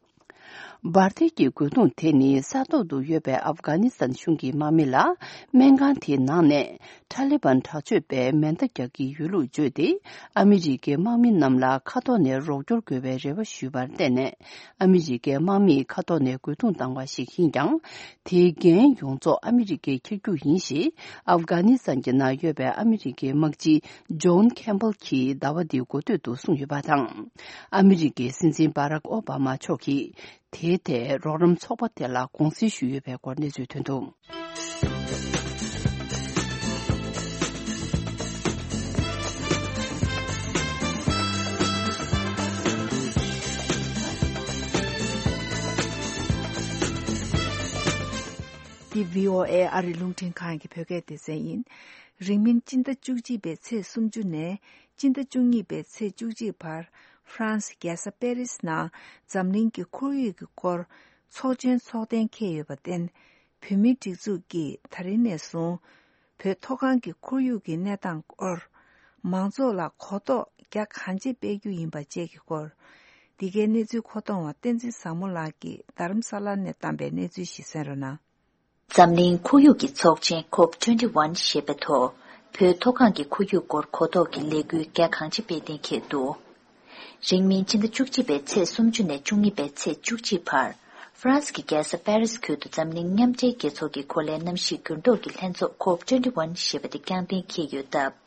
འབར་མདེལ་གྱི་རྒོལ་རྡུང་དེ་ནི་ས་ཐོག་ཏུ་ཡོད་པའི་ཨབ་གྷ་ནི་སི་ཐན་གཞུང་གི་དམག་མི་ལ་སྨན་ཁང་དེའི་ནང་ནས་ཐ་ལི་བན་དྲག་སྤྱོད་པས་མེ་མདའ་རྒྱག་གི་ཡོད་ལུགས་བརྗོད་དེ། ཨ་མི་རི་ཀའི་དམག་མི་རྣམས་ལ་མཁའ་ཐོག་ནས་རོགས་སྐྱོར་དགོས་པའི་རེ་བ་ཞུས་པར་བརྟེན་ནས། ཨ་མི་རི་ཀའི་དམག་མིས་མཁའ་ཐོག་ནས་རྒོལ་རྡུང་བཏང་བ་ཞིག་ཡིན་ཀྱང་། དེའི་འགན་ཡོངས་རྫོགས་ཨ་མི་རི་ཀས་འཁྱེར་རྒྱུ་ཡིན་ཞེས། ཨབ་གྷ་ནི་སི་ཐན་གྱི་ནང་ཡོད་པའི་ཨ་མི་རི་ཀའི་དམག་སྤྱི་ཇོན་ཁེམ་བྷལ་གྱིས་ཟླ་བ་འདིའི་འགོ་སྟོད་དུ་གསུངས་ཡོད་པ་དང་། ཨ་མི་རི་ཀའི་སྲིད་འཛིན་སྦ་རག་ཨོ་བྷ་མ་མཆོག་གིས། དེའི་ཐད་རོགས་རམ་ཚོགས་པ་དེ་ལ་དགོངས་སེལ་ཞུས་ཡོད་པའི་སྐོར་གནས་ཚུལ་ཐོན་འདུག་འདི་བྷི་ཨོ་ཨེ་ཨ་རིའི་རླུང་འཕྲིན་ཁང་གི་བོད་སྐད་སྡེ་ཚན་ཡིན། རིང་མིན་སྤྱི་ཟླ་བཅུ་གཅིག་པའི་ཚེས་སུམ་ཅུ་ནས་སྤྱི་ཟླ་བཅུ་གཉིས་པའི་ཚེས་བཅུ་གཅིག་བར། ཧྥ་རན་སི་རྒྱལ་ས་པེ་རིས་ནང་འཛམ་གླིང་གི་ཁོར་ཡུག་གི་སྐོར་ཚོགས་ཆེན་ཚོགས་གཏན་འཁེལ་ཡོད་པར་བརྟེན། བོད་མིའི་སྒྲིག་འཛུགས་ཀྱིས་ད་རིང་ནས་བཟུང་། བོད་མཐོ་སྒང་གི་ཁོར་ཡུག་གི་གནས་སྟངས་སྐོར། མང་ཚོགས་ལ་གོ་རྟོགས་རྒྱ་གང་ཆེ་སྤེལ་རྒྱུ་ཡིན་པ་བཅས་ཀྱི་སྐོར། འདི་གའི་གནས་ཚུལ་མཁོ་གཏོང་བ་བསྟན་འཛིན་བཟང་མོ་ལགས་ཀྱིས་རྡ་རམ་ས་ལ་ནས་བཏང་པའི་གནས་ཚུལ་ཞིག་གསན་རོགས་གནང་། འཛམ་གླིང་ཁོར་ཡུག་གི་ཚོགས་ཆེན་ཁོབ་ཊུ་ཝེན་ཊི་ཝན་ཞེས་པའི་ཐོག་བོད་མཐོ་སྒང་གི་ཁོར་ཡུག་སྐོར་གོ་རྟོགས་ཀྱི་ལས་འགུལ་རྒྱ་གང་ཆེ་སྤེལ་གཏན་འཁེལ་འདུག་རིང་མིན་ཕྱི་ཟླ་བཅུ་གཅིག་པའི་ཚེས་སུམ་ཅུ་ནས་བཅུ་གཉིས་པའི་ཚེས་བཅུ་གཅིག་བར། ཧྥ་རན་སི་གི་རྒྱལ་ས་པེ་རིས་ཁུལ་དུ་འཛམ་གླིང་མཉམ་འབྲེལ་རྒྱལ་ཚོགས་ཀྱི་གོ་ལའི་གནམ་གཤིས་འགྱུར་ལྡོག་གི་ལྷན་ཚོགས་ཀོབ་ཊུ་ཝེན་ཊི་ཊི་ཞེས་པ་དེ་རྐྱང་གཏན་འཁེལ་ཡོད་སྟབས།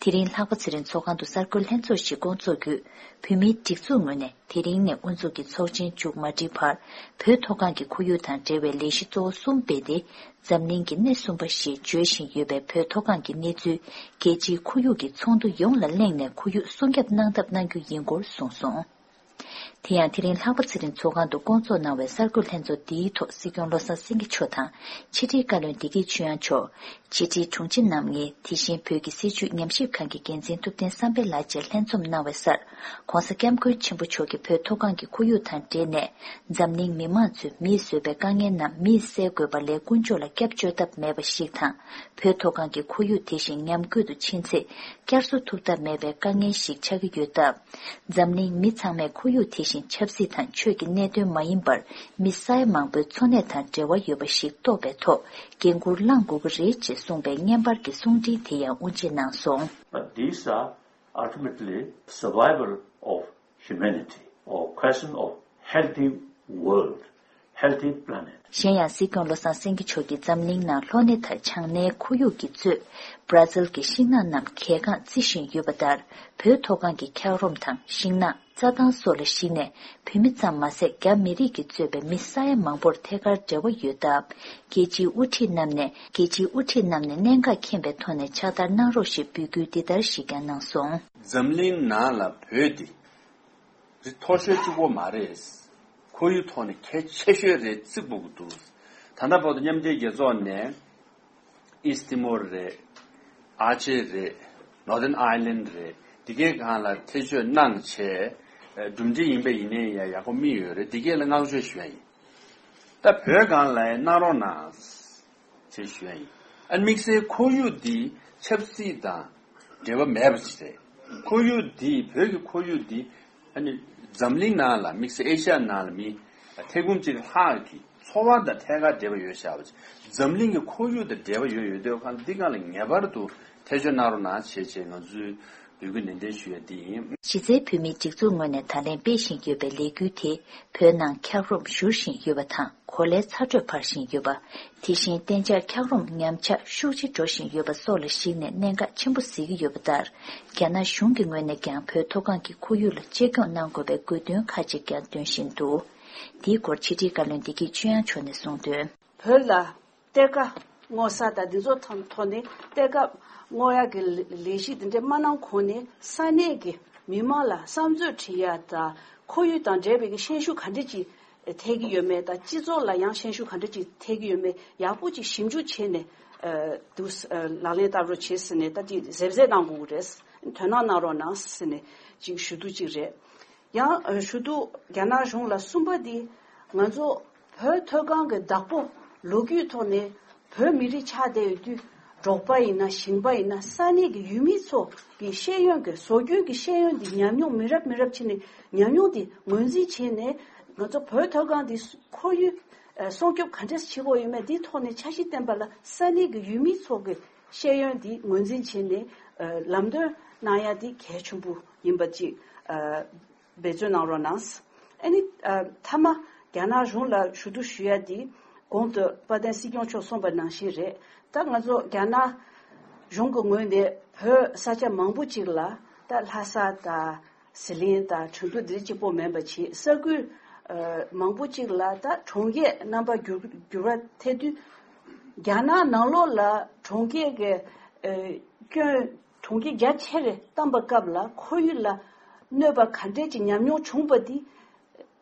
དེ་རིང་ལྷག་པ་ཚེ་རིང་ཚོགས་ཁང་དུ་གསར་འགོད་ལྷན་ཚོགས་ཤིག་བསྐོང་ཚོགས་བརྒྱུད། བོད་མིའི་སྒྲིག་འཛུགས་ངོས་ནས་དེ་རིང་ནས་དབུ་འཛུགས་ཀྱིས་ཚོགས་ཆེན་མཇུག་མ་སྒྲིལ་བར། བོད་མཐོ་སྒང་གི་ཁོར་ཡུག་དང་འབྲེལ་བའི་ལས་གཞི་གཙོ་བོ་གསུམ་སྤེལ་ཏེ། འཛམ་གླིང་གི་སྣེ་གསུམ་པ་ཞེས་བརྗོད་བཞིན་ཡོད་པའི་བོད་མཐོ་སྒང་གི་གནས་ཚུལ། རྒྱལ་སྤྱིའི་ཁོར་ཡུག་གི་ཚོགས་འདུ་ཡོངས་ལ་གླེང་ནས་ཁོར་ཡུག་སྲུང་སྐྱོབ་གནང་ཐབས་གནང་རྒྱུ་ཡིན་སྐོར་གསུངས་སོང་། དེ་ཡང་དེ་རིང་ལྷག་པ་ཚེ་རིང་ཚོགས་ཁང་དུ་བསྐོང་ཚོགས་གནང་བའི་གསར་འགོད་ལྷན་ཚོགས་འདིའི་ཐོག་སྲིད་སྐྱོང་བློ་བཟང་སེང་གེ་མཆོག་དང་ཕྱི་དྲིལ་བཀའ་བློན་བདེ་སྐྱིད་ཆོས་དབྱངས་མཆོག་ཕྱི་དྲིལ་དྲུང་ཆེ་རྣམ་ལྔས་དེ་བཞིན་བོད་ཀྱི་སྲིད་བྱུས་ཉམས་ཞིབ་ཁང་གི་འགན་འཛིན་ཐུབ་བསྟན་བསམ་འཕེལ་ལགས་བཅས་ལྷན་འཛོམས་གནང་བའི་སར། ྋགོང་ས་ྋསྐྱབས་མགོན་ཆེན་པོ་མཆོག་གིས་བོད་མཐོ་སྒང་གི་ཁོར་ཡུག་དང་འབྲེལ་ནས། འཛམ་གླིང་མི་མང་ཚོས་མིས་བཟོས་པའི་དཀའ་ངལ་རྣམས་མིས་སེལ་དགོས་པ་ལས་ཀུན་སྤྱོད་ལ་སྐྱབས་བཅོལ་ཐབས་མེད་པ་ཞིག་དང་། བོད་མཐོ་སྒང་གི་ཁོར་ཡུག་དེ་བཞིན་ཉམས་རྒུད་དུ་ཕྱིན་ཚེ། བསྐྱར་གསོ་ཐུབ་ཐབས་མེད་པའི་དཀའ་ངལ་ཞིག་ཆགས་ཀྱི་ཡོད་སྟབས། འཛམ་གླིང་མི་ཚང་མས་ཁོར་ཡུག་དེ་བཞིན་ཆབ་སྲིད་དང་ཆོས་ཀྱི་གནད་དོན་མ་ཡིན་པར། མི་ས་ཡ་མང་པོའི་འཚོ་གནས་དང་འབྲེལ་བ་ཡོད་པ་ཞིག་རྟོགས་པའི་ཐོག་འགན་འཁུར་བླངས་དགོས་ཀྱི་རེད་ཅེས་གསུངས་པའི་བརྙན་པར་གྱི་གསུང་འཕྲིན་དེ་ཡང་དབུ་འབྱེད་གནང་སོང་། But these are ultimately survival of humanity or question of healthy world, healthy planet. གཞན་ཡང་སྲིད་སྐྱོང་བློ་བཟང་སེང་གེ་མཆོག་གིས་འཛམ་གླིང་ནང་ལྷོ་སྣེ་དང་བྱང་སྣེའི་ཁོར་ཡུག་གིས་གཙོས་བར་ཛིལ་གྱི་ཤིང་ནགས་རྣམས་གས་འགངས་བརྩི་བཞིན་ཡོད་པ་ལྟར། བོད་མཐོ་སྒང་གི་འཁྱགས་རོམ་དང་ཤིང་ནགས། རྩྭ་ཐང་སོགས་ལ་གཞིགས་ནས་བོད་མི་ཙམ་མ་ཟད་རྒྱ་མི་རིགས་ཀྱིས་གཙོས་པའི་མི་ས་ཡ་མང་པོར་ཐད་ཀར་འབྲེལ་བ་ཡོད་སྟབས། རྒྱལ་སྤྱིའི་དབུ་ཁྲིད་རྣམས་ནས་རྒྱལ་སྤྱིའི་དབུ་ཁྲིད་རྣམས་ནས་གནད་འགག་མཁྱེན་པའི་ཐོག་ནས་ཕྱག་བསྟར་གནང་རོགས་ཞེས་འབོད་སྐུལ་འདི་ལྟར་ཞིག་ཀྱང་གནང་སོང་། འཛམ་གླིང་ནང་ལ་བོད་འདི་རི་མཐོ་ཤོས་གཅིག་པོ་མ་རེད། ཁོར་ཡུག་ཐོག་ནས་གལ་ཆེ་ཤོས་རེད་ཚིག་འབུག་འདུག་ད་ལྟ་བར་དུ་མཉམ་འབྲེལ་རྒྱལ་ཚོགས་ནས། ཨིསྟ་ཏི་མོར་རེད། ཨ་ཅེ་རེད། ནོར་དརན་ཨའི་ལན་རེད། འདི་གའི་སྒང་ལ་ཐེ་བྱུས་གནང་བྱས། གྲུབ་འབྲས་ཡིན་པ་ཡིན་ནའི་ཡང་ཡག་པོ་མི་ཡོད་རེད། འདི་གའི་ལ་བསྔགས་བརྗོད་ཞུ་ཡ་ཡིན། ད་བོད་སྒང་ལ་ཡང་གནང་རོགས་གནང་། ཅེས་ཞུ་ཡ་ཡིན། ཨ་དམིགས་བསལ་ཁོར་ཡུག་འདི་ཆབ་སྲིད་དང་འབྲེལ་བ་མེད་པ་ཞིག་རེད། ཁོར་ཡུག་འདི་བོད་ཀྱི་ཁོར་ཡུག་འདི་ཨ་ནི་འཛམ་གླིང་ནང་ལ་དམིགས་བསལ་ཨེ་ཤ་ཡ་ནང་ལ་མི་ཐེར་འབུམ་གཅིག་ལྷག་གི་འཚོ་བ་དང་ཐད་ཀར་འབྲེལ་བ་ཡོད་བཞག་པ་ཅིག་འཛམ་གླིང་གི་ཁོར་ཡུག་དང་འབྲེལ་བ་ཡོད་ཡོད་དུས་ཁ་འདི་སྒང་ལ་ངེས་པར་དུ་ཐེ་བྱུས་གནང་རོགས་གནང་བྱེད་ཅེས་ང་ཚོས་འབོད་སྐུལ་ནན་ཏན་ཞུ་ཡ་འདི་ཡིན། གཞི་རྩའི་བོད་མིའི་སྒྲིག་འཛུགས་ངོས་ནས་ད་ལན་སྤེལ་བཞིན་ཡོད་པའི་ལས་འགུལ་དེ་བོད་ནང་འཁྱགས་རོམ་བཞུར་བཞིན་ཡོད་པ་དང་། གོ་ལའི་ཚ་དྲོད་འཕར་བཞིན་ཡོད་པ། དེ་བཞིན་གཏན་འཇགས་འཁྱགས་རོམ་ཉམས་ཆག་ཤུགས་ཆེ་འགྲོ་བཞིན་ཡོད་པ་སོགས་ལ་གཞིགས་ནས་གནད་འགག་ཆེན་པོ་གཟིགས་ཀྱི་ཡོད་པ་ལྟར། རྒྱ་ནག་གཞུང་གི་ངོས་ནས་ཀྱང་བོད་མཐོ་སྒང་གི་ཁོར་ཡུག་ལ་གཅེས་སྐྱོང་གནང་དགོས་པའི་དགོས་འདུན་ཁག་ཅིག་ཀྱང་འདོན་བཞིན་འདུག་འདིའི་སྐོར་ཕྱི་དྲིལ་བཀའ་བློན་བདེ་སྐྱིད་ཆོས་དབྱངས་མཆོག་ནས་གསུངས་དོན། བོད་ལ་གཏེར་ཁ་སྔོག་ས་དང་འདི་ཚོ་ཐོག་ཐོག་ནས་གཏེར་ཁ་སྔོག་ཡག་གི་ལས་གཞི་འདི་འདྲ་མ་གནང་གོང་ནས་ས་གནས་ཀྱི་མི་མང་ལ་བསམ་ཚུལ་དྲི་ཡ་དང་ཁོར་ཡུག་དང་འབྲེལ་བའི་གི་ཤན་ཤུགས་ག་འདྲ་ཅིག་ཐེབས་ཀྱི་ཡོད་མེད་དང་སྤྱི་ཚོགས་ལ་ཡང་ཤན་ཤུགས་ག་འདྲ་ཅིག་ཐེབས་ཀྱི་ཡོད་མེད་ཡག་པོ་ཅིག་ཞིབ་འཇུག་བྱས་ནས་ཨ་འདུག་ཨ་ལག་ལེན་བསྟར་རོགས་བྱེད་ཟེར་ནས་ད་ཅིག་གཟབ་གཟབ་གནང་དགོས་ཀྱི་རེད། དོ་སྣང་གནང་རོགས་གནང་ཟེར་ནས་ཅིག་ཞུ་གཏུག་ཅིག་རེད། ཡང་ཞུ་གཏུག་རྒྱ་ནག་གཞུང་ལ་གསུམ་པ་འདི་ང་ཚོ་བོད་མཐོ་སྒང་གི་བདག་པོ་ལོ་རྒྱུས་ཐོག་ནས་བོད་མི་རིགས་ཆགས་བསྡད་ཡོད་དུས་འབྲོག་པ་ཡིན་ན་ཞིང་པ་ཡིན་ན་ས་གནས་ཀྱི་ཡུལ་མི་ཚོ་གི་ཤེས་ཡོན་གྱི་བཟོ་སྐྲུན་གྱི་ཤེས་ཡོན་འདི་ཉམས་མྱོང་མི་རབས་མི་རབས་ཕྱིན་ནས་ཉམས་མྱོང་འདི་ངོས་འཛིན་བྱས་ནས་ང་ཚོ་བོད་མཐོ་སྒང་འདི་ཁོར་ཡུག་སྲུང་སྐྱོབ་ག་འདྲས་བྱེད་དགོས་ཡོད་མེད་འདི་ཐོག་ནས་འཆར་གཞི་བཏིང་པ་ལ་ས་གནས་ཀྱི་ཡུལ་མི་ཚོ་གི་ཤེས་ཡོན་འདི་ངོས་འཛིན་བྱས་ནས་ལམ་སྟོན་གནང་ཡ་འདི་གལ་ཆེན་པོ་ཡིན་པ་ཅིག་འབད་བརྩོན་གནང་རོགས་གནང་། ཨ་ནི་ཨ་མཐའ་མ་རྒྱ་ནག་གཞུང་ལ་ཞུ་གཏུག་ཞུ་ཡ་འདི་གོང་དུ་དཔལ་ལྡན་སྲིད་སྐྱོང་མཆོག་གསུངས་པ་ནང་བཞིན་རེད། ད་ང་ཚོ་རྒྱ་ནག་གཞུང་གི་ངོས་ནས་བོད་ས་ཆ་མང་པོ་ཅིག་ལ་ད་ལྷ་ས་དང་ཟི་ལིང་དང་ཁྲིན་ཏུའུ་འདི་གཅིག་པོ་མིན་པ་བྱས་ས་ཁུལ་ཨ་མང་པོ་ཅིག་ལ་ད་གྲོང་ཁྱེར་རྣམ་པ་འགྱུར་འགྱུར་བ་ཐེབས་དུས་རྒྱ་ནག་ནང་ལོགས་ལ་གྲོང་ཁྱེར་གྱི་ཨ་སྐྱོན། གྲོང་ཁྱེར་རྒྱ་ཆེ་རུ་བཏང་པའི་སྐབས་ལ་ཁོར་ཡུག་ལ་གནོད་པ་ག་འདྲས་ཀྱི་ཉམས་མྱོང་བྱུང་པ་འདི་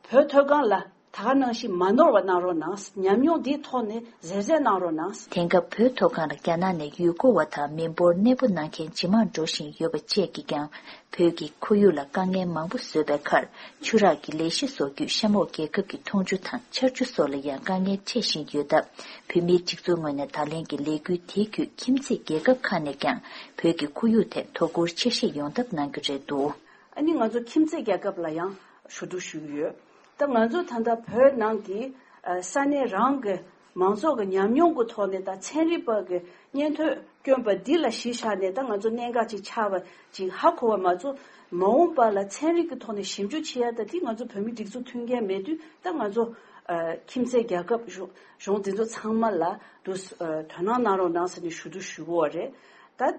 བོད་མཐོ་སྒང་ལ་ད་ག་ནང་བཞིན་མ་ནོར་བ་གནང་རོགས་གནང་། ཉམས་མྱོང་འདིའི་ཐོག་ནས་གཟབ་གཟབ་གནང་རོགས་གནང་། དེང་སྐབས་བོད་མཐོ་སྒང་ལ་རྒྱ་ནག་ནས་ཡུལ་སྐོར་བ་དང་མི་འབོར་གནས་སྤོ་གནང་མཁན་ཇེ་མང་འགྲོ་བཞིན་ཡོད་པ་བཅས་ཀྱིས་ཀྱང་བོད་ཀྱི་ཁོར་ཡུག་ལ་དཀའ་ངལ་མང་པོ་བཟོས་པའི་ཁར་ཆུ་རགས་ཀྱི་ལས་གཞི་བཟོ་རྒྱུས་གཤམ་འོག་རྒྱལ་ཁབ་ཀྱི་འཐུང་ཆུ་དང་ཆར་ཆུ་སོགས་ལ་ཡང་དཀའ་ངལ་འཕྲད་བཞིན་ཡོད་སྟབས། བོད་མིའི་སྒྲིག་འཛུགས་ངོས་ནས་ད་ལན་གྱི་ལས་འགུལ་དེའི་བརྒྱུད་ཁྱིམ་མཚེས་རྒྱལ་ཁབ་ཁག་ནས་ཀྱང་བོད་ཀྱི་ཁོར་ཡུག་ཐད་དོ་ཁུར་ཆེ་བཞེས་ཡོང་ཐབས་གནང་རྒྱུ་རེད་འདུག་ཨ་ནི་ང་ཚོ་ཁྱིམ་མཚེས་རྒྱལ་ཁབ་ལ་ཡང་ཞུ་གཏུག་ཞུ་གི་ཡོད། ད་ང་ཚོ་ད་ལྟ་བོད་ནང་གི་ཨ་ས་གནས་རང་གི་མང་ཚོགས་ཀྱི་ཉམས་མྱོང་གི་ཐོག་ནས་ད་ཚན་རིག་པ་གི་སྙན་ཐོས་ བསྐྱོན་པ་འདི་ལ་གཞི་བཞག་ནས་ད་ང་ཚོ་གནད་འགག་ཅིག་ཆགས་པ་ཅིག་ཧ་གོ་བ་མ་གཏོགས། མ་འོངས་པ་ལ་ཚན་རིག་གི་ཐོག་ནས་ཞིབ་འཇུག་བྱེད་ཡ་ད་འདི་ང་ཚོ་བོད་མི་སྒྲིག་འཛུགས་མཐུན་རྐྱེན་མེད་དུས་ད་ང་ཚོ་ཨ་ཁྱིམ་མཚེས་རྒྱལ་ཁབ་གཞུང་གཞུང་འདི་ཚོ་ཚང་མ་ལ་དུ་ཨ་དོ་སྣང་གནང་རོགས་གནང་ཟེར་ནས་ཞུ་གཏུག་ཞུ་གི་ཡོད་རེད། ད་ཨ་